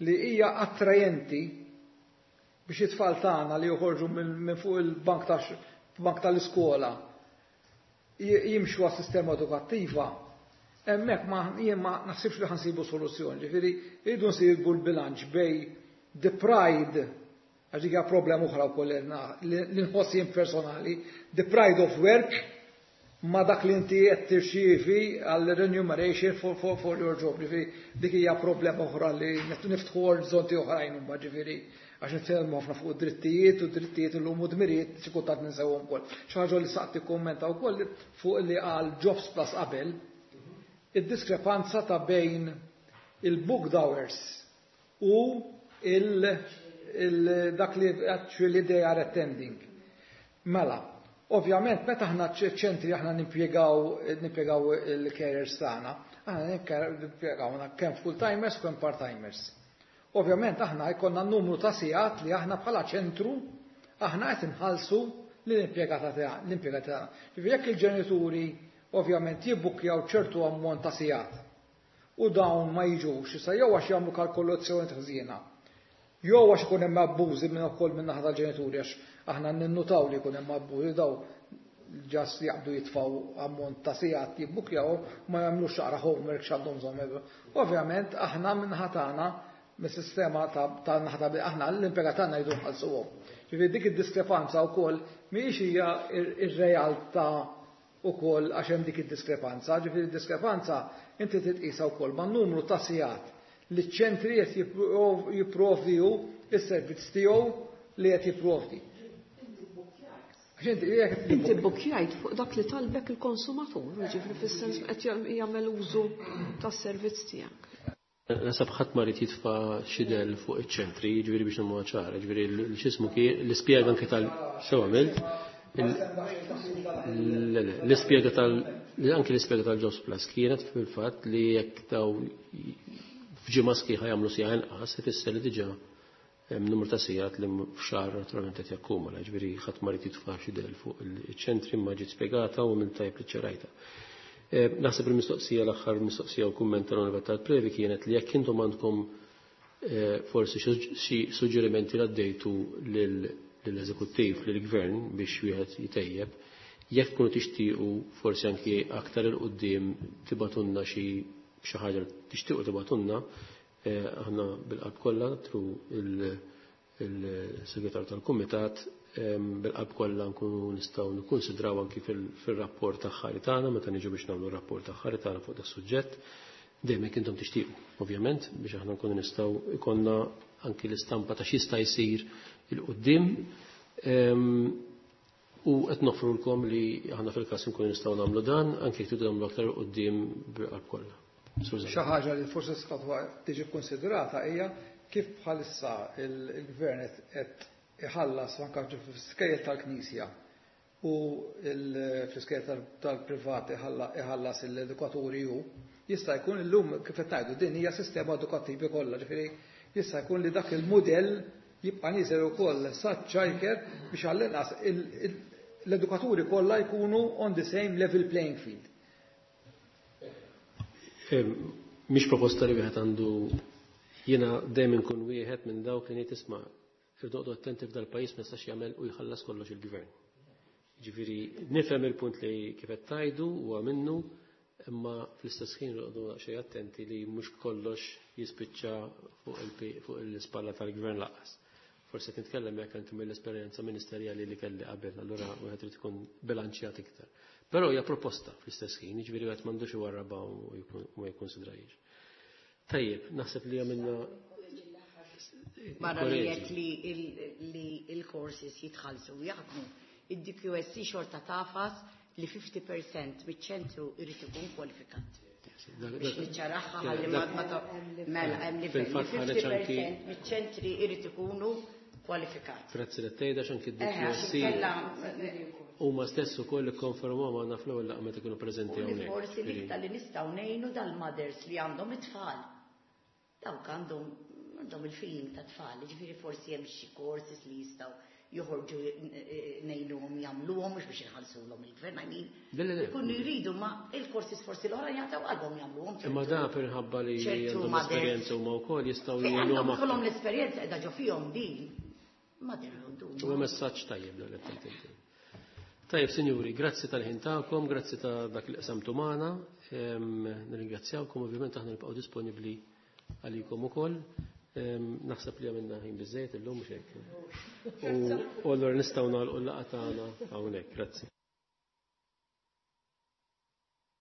li hija attrajenti biex it-tfal tagħna li joħorġu minn fuq il-bank bank tal-iskola jimxu għas-sistema edukattiva, hemmhekk ma jien ma naħsibx li ħa nsibu soluzzjoni. Ġifieri rridu nsibu l-bilanċ bejn the pride, għax dik hija problema oħra wkoll li nħoss jien personali, the pride of work ma dak li inti qed tirċievi għal remuneration for, for, for your job. Ġifieri dik hija problema oħra li niftħu orizzonti oħrajn imbagħad, ġifieri għax nitkellmu ħafna fuq drittijiet u drittijiet illum u dmirijiet xi kultant ninsewhom ukoll. Xi ħaġa li saqt tikkummenta wkoll fuq li għal Jobs Plus qabel, id-diskrepanza ta' bejn il-booked hours u dak li actually they are attending. Mela, ovvjament meta aħna ċentri aħna nimpjegaw nimpjegaw il-carers tagħna, aħna nimpjegaw kemm full-timers kemm part-timers. Ovvjament aħna jkollna numru ta' sigħat li aħna bħala ċentru aħna qed inħallsu l-impjegata l-impjegata tagħna. Ġifieri jekk il-ġenituri ovvjament jibbukjaw ċertu ammont ta' sigħat u dawn ma jiġux, issa jew għax jagħmlu kalkolazzjoni ħżiena, jew għax ikun hemm abbużi minn ukoll minn naħa tal-ġenituri, għax aħna ninnutaw li jkun hemm abbużi, daw ġas jaqbdu jitfaw ammont ta' sigħat jibbukjaw ma jagħmlux xaqra homework x'għandhom bżonn. Ovvjament aħna minn naħa tagħna, mis-sistema ta' naħa aħna l-impjegat tagħna jridu nħallsuhom. Ġifieri dik id-diskrepanza wkoll mhijiex hija ir-realtà ukoll għax hemm dik id-diskrepanza, ġifieri id-diskrepanza inti titqisha wkoll man-numru ta' sigħat li ċ-ċentri qed jipprovdiju is-servizz tiegħu li qed jipprovdi. Inti bbukkjajt fuq dak li talbek il-konsumatur, ġifieri fis-sens qed jagħmel użu tas-servizz tiegħek. Nasab ħadd ma rid jitfa' xi del fuq iċ-ċentri, jiġifieri biex nagħmluha ċara, jiġifieri x'ismu kien l-ispjega anke tal sew għamilt. L-ispjega tal anke l-ispjega tal-Jobs Plus kienet fil-fatt li jekk daw f'ġimgħa sħiħa jagħmlu siegħa inqas, ifisser li diġà hemm numru ta' sigħat li f'xahar naturalment qed jakkumula, jiġifieri ħadd ma rid jitfa' xi del fuq iċ-ċentri imma ġiet spjegata u minn tajb li ċerajta. Naħseb il-mistoqsija, l-aħħar mistoqsija u kumment tal-Onorevoli tal-Previ kienet li jekk intom għandkom forsi xi suġġerimenti li għaddejtu lill-eżekuttiv, lill-gvern biex wieħed jitejjeb, jekk tkunu tixtiequ forsi anki aktar il quddiem tibatunna xi xi ħaġa tixtiequ tibatunna, aħna bil-qalb kollha tru il-segretar tal-kumitat bil-qalb kollha nkunu nistgħu nikkunsidraw anki fil-rapport aħħari tagħna meta niġu biex nagħmlu r-rapport aħħari tagħna fuq das-suġġett, dejjem jekk intom tixtiequ, ovvjament, biex aħna nkunu nistgħu ikollna anki l-istampa ta' x'jista' jsir il-qudiem. U qed nofrulkom li aħna fil-każ nkunu nistgħu nagħmlu dan anki jekk tridu nagħmlu aktar il-qudiem bil-qalb kollha. Xi ħaġa li forsi tista' tiġi kkonsidrata hija kif bħalissa il-gvern qed iħallas anke fl-iskejjel tal-Knisja u fl-iskejjel tal-privat iħallas l-edukaturi hu, jista' jkun illum kif qed ngħidu din hija sistema edukattivi kollha, ġifieri jista' jkun li dak il-mudell jibqa' nieżel ukoll saċ-childcare biex għall-inqas l-edukaturi kollha jkunu on the same level playing field. Mhix proposta li wieħed għandu, jiena dejjem inkun wieħed minn dawk li ngħid isma' irdoqdu attenti f'dal-pajjiż ma jistax jagħmel u jħallas kollox il-gvern. Ġifieri nifhem il-punt li kif qed tgħidu huwa minnu, imma fl-istess ħin irqodu xejn attenti li mhux kollox jispiċċa fuq l-ispalla tal-gvern lanqas. Forsi qed nitkellem jekk anke mill-esperjenza ministerjali li kelli qabel, allura wieħed irid ikun bilanċjat iktar. Però hija proposta fl-istess ħin, jiġifieri wieħed m'għandux iwarrabha u ma jikkonsidrahiex. Tajjeb, naħseb li għamilna Barra li jekk li il-courses jitħallsu u jaħdmu, id-D Q S C xorta tafas li fifty percent miċ-ċentru irid ikun kwalifikat. Biex niċċaraħħa ħalli ma ta' mela hemm livell li fifty percent miċ-ċentri irid ikunu kwalifikat. Grazzi li tgħidha x'anki d-D Q S C huma stess ukoll ikkonfermaw magħna fl-ewwel laqgħa meta kienu preżenti hawnhekk. Forsi l-iktar li nistgħu ngħinu dal-mothers li għandhom it-tfal. Dawk għandhom għandhom il-feeling ta' tfal, ġifieri forsi hemm xi courses li jistgħu joħorġu ngħinuhom jagħmluhom mhux biex inħallsulhom il-gvern, I mean, Le, le, le. ikunu jridu ma il-courses forsi l-oħra jagħtaw qalbhom jagħmluhom. Imma da minħabba li ċertu għandhom mothers. esperjenza huma wkoll jistgħu Fejn jgħinuhom għandhom aktar. ikollhom l-esperjenza qiegħda ġo fihom din. Motherhood huma. Huwa messaġġ tajjeb dan qed tgħid inti. Tajjeb, sinjuri, grazzi tal-ħin tagħkom, grazzi ta' dak li qsamtu magħna. Ehm, nirringrazzjawkom, ovvjament aħna nibqgħu disponibbli għalikom ukoll. Ehm, naħseb li għamilna ħin biżejjed illum mhux hekk. U allura nistgħu nagħlqu l-laqgħa tagħna hawnhekk. Grazzi.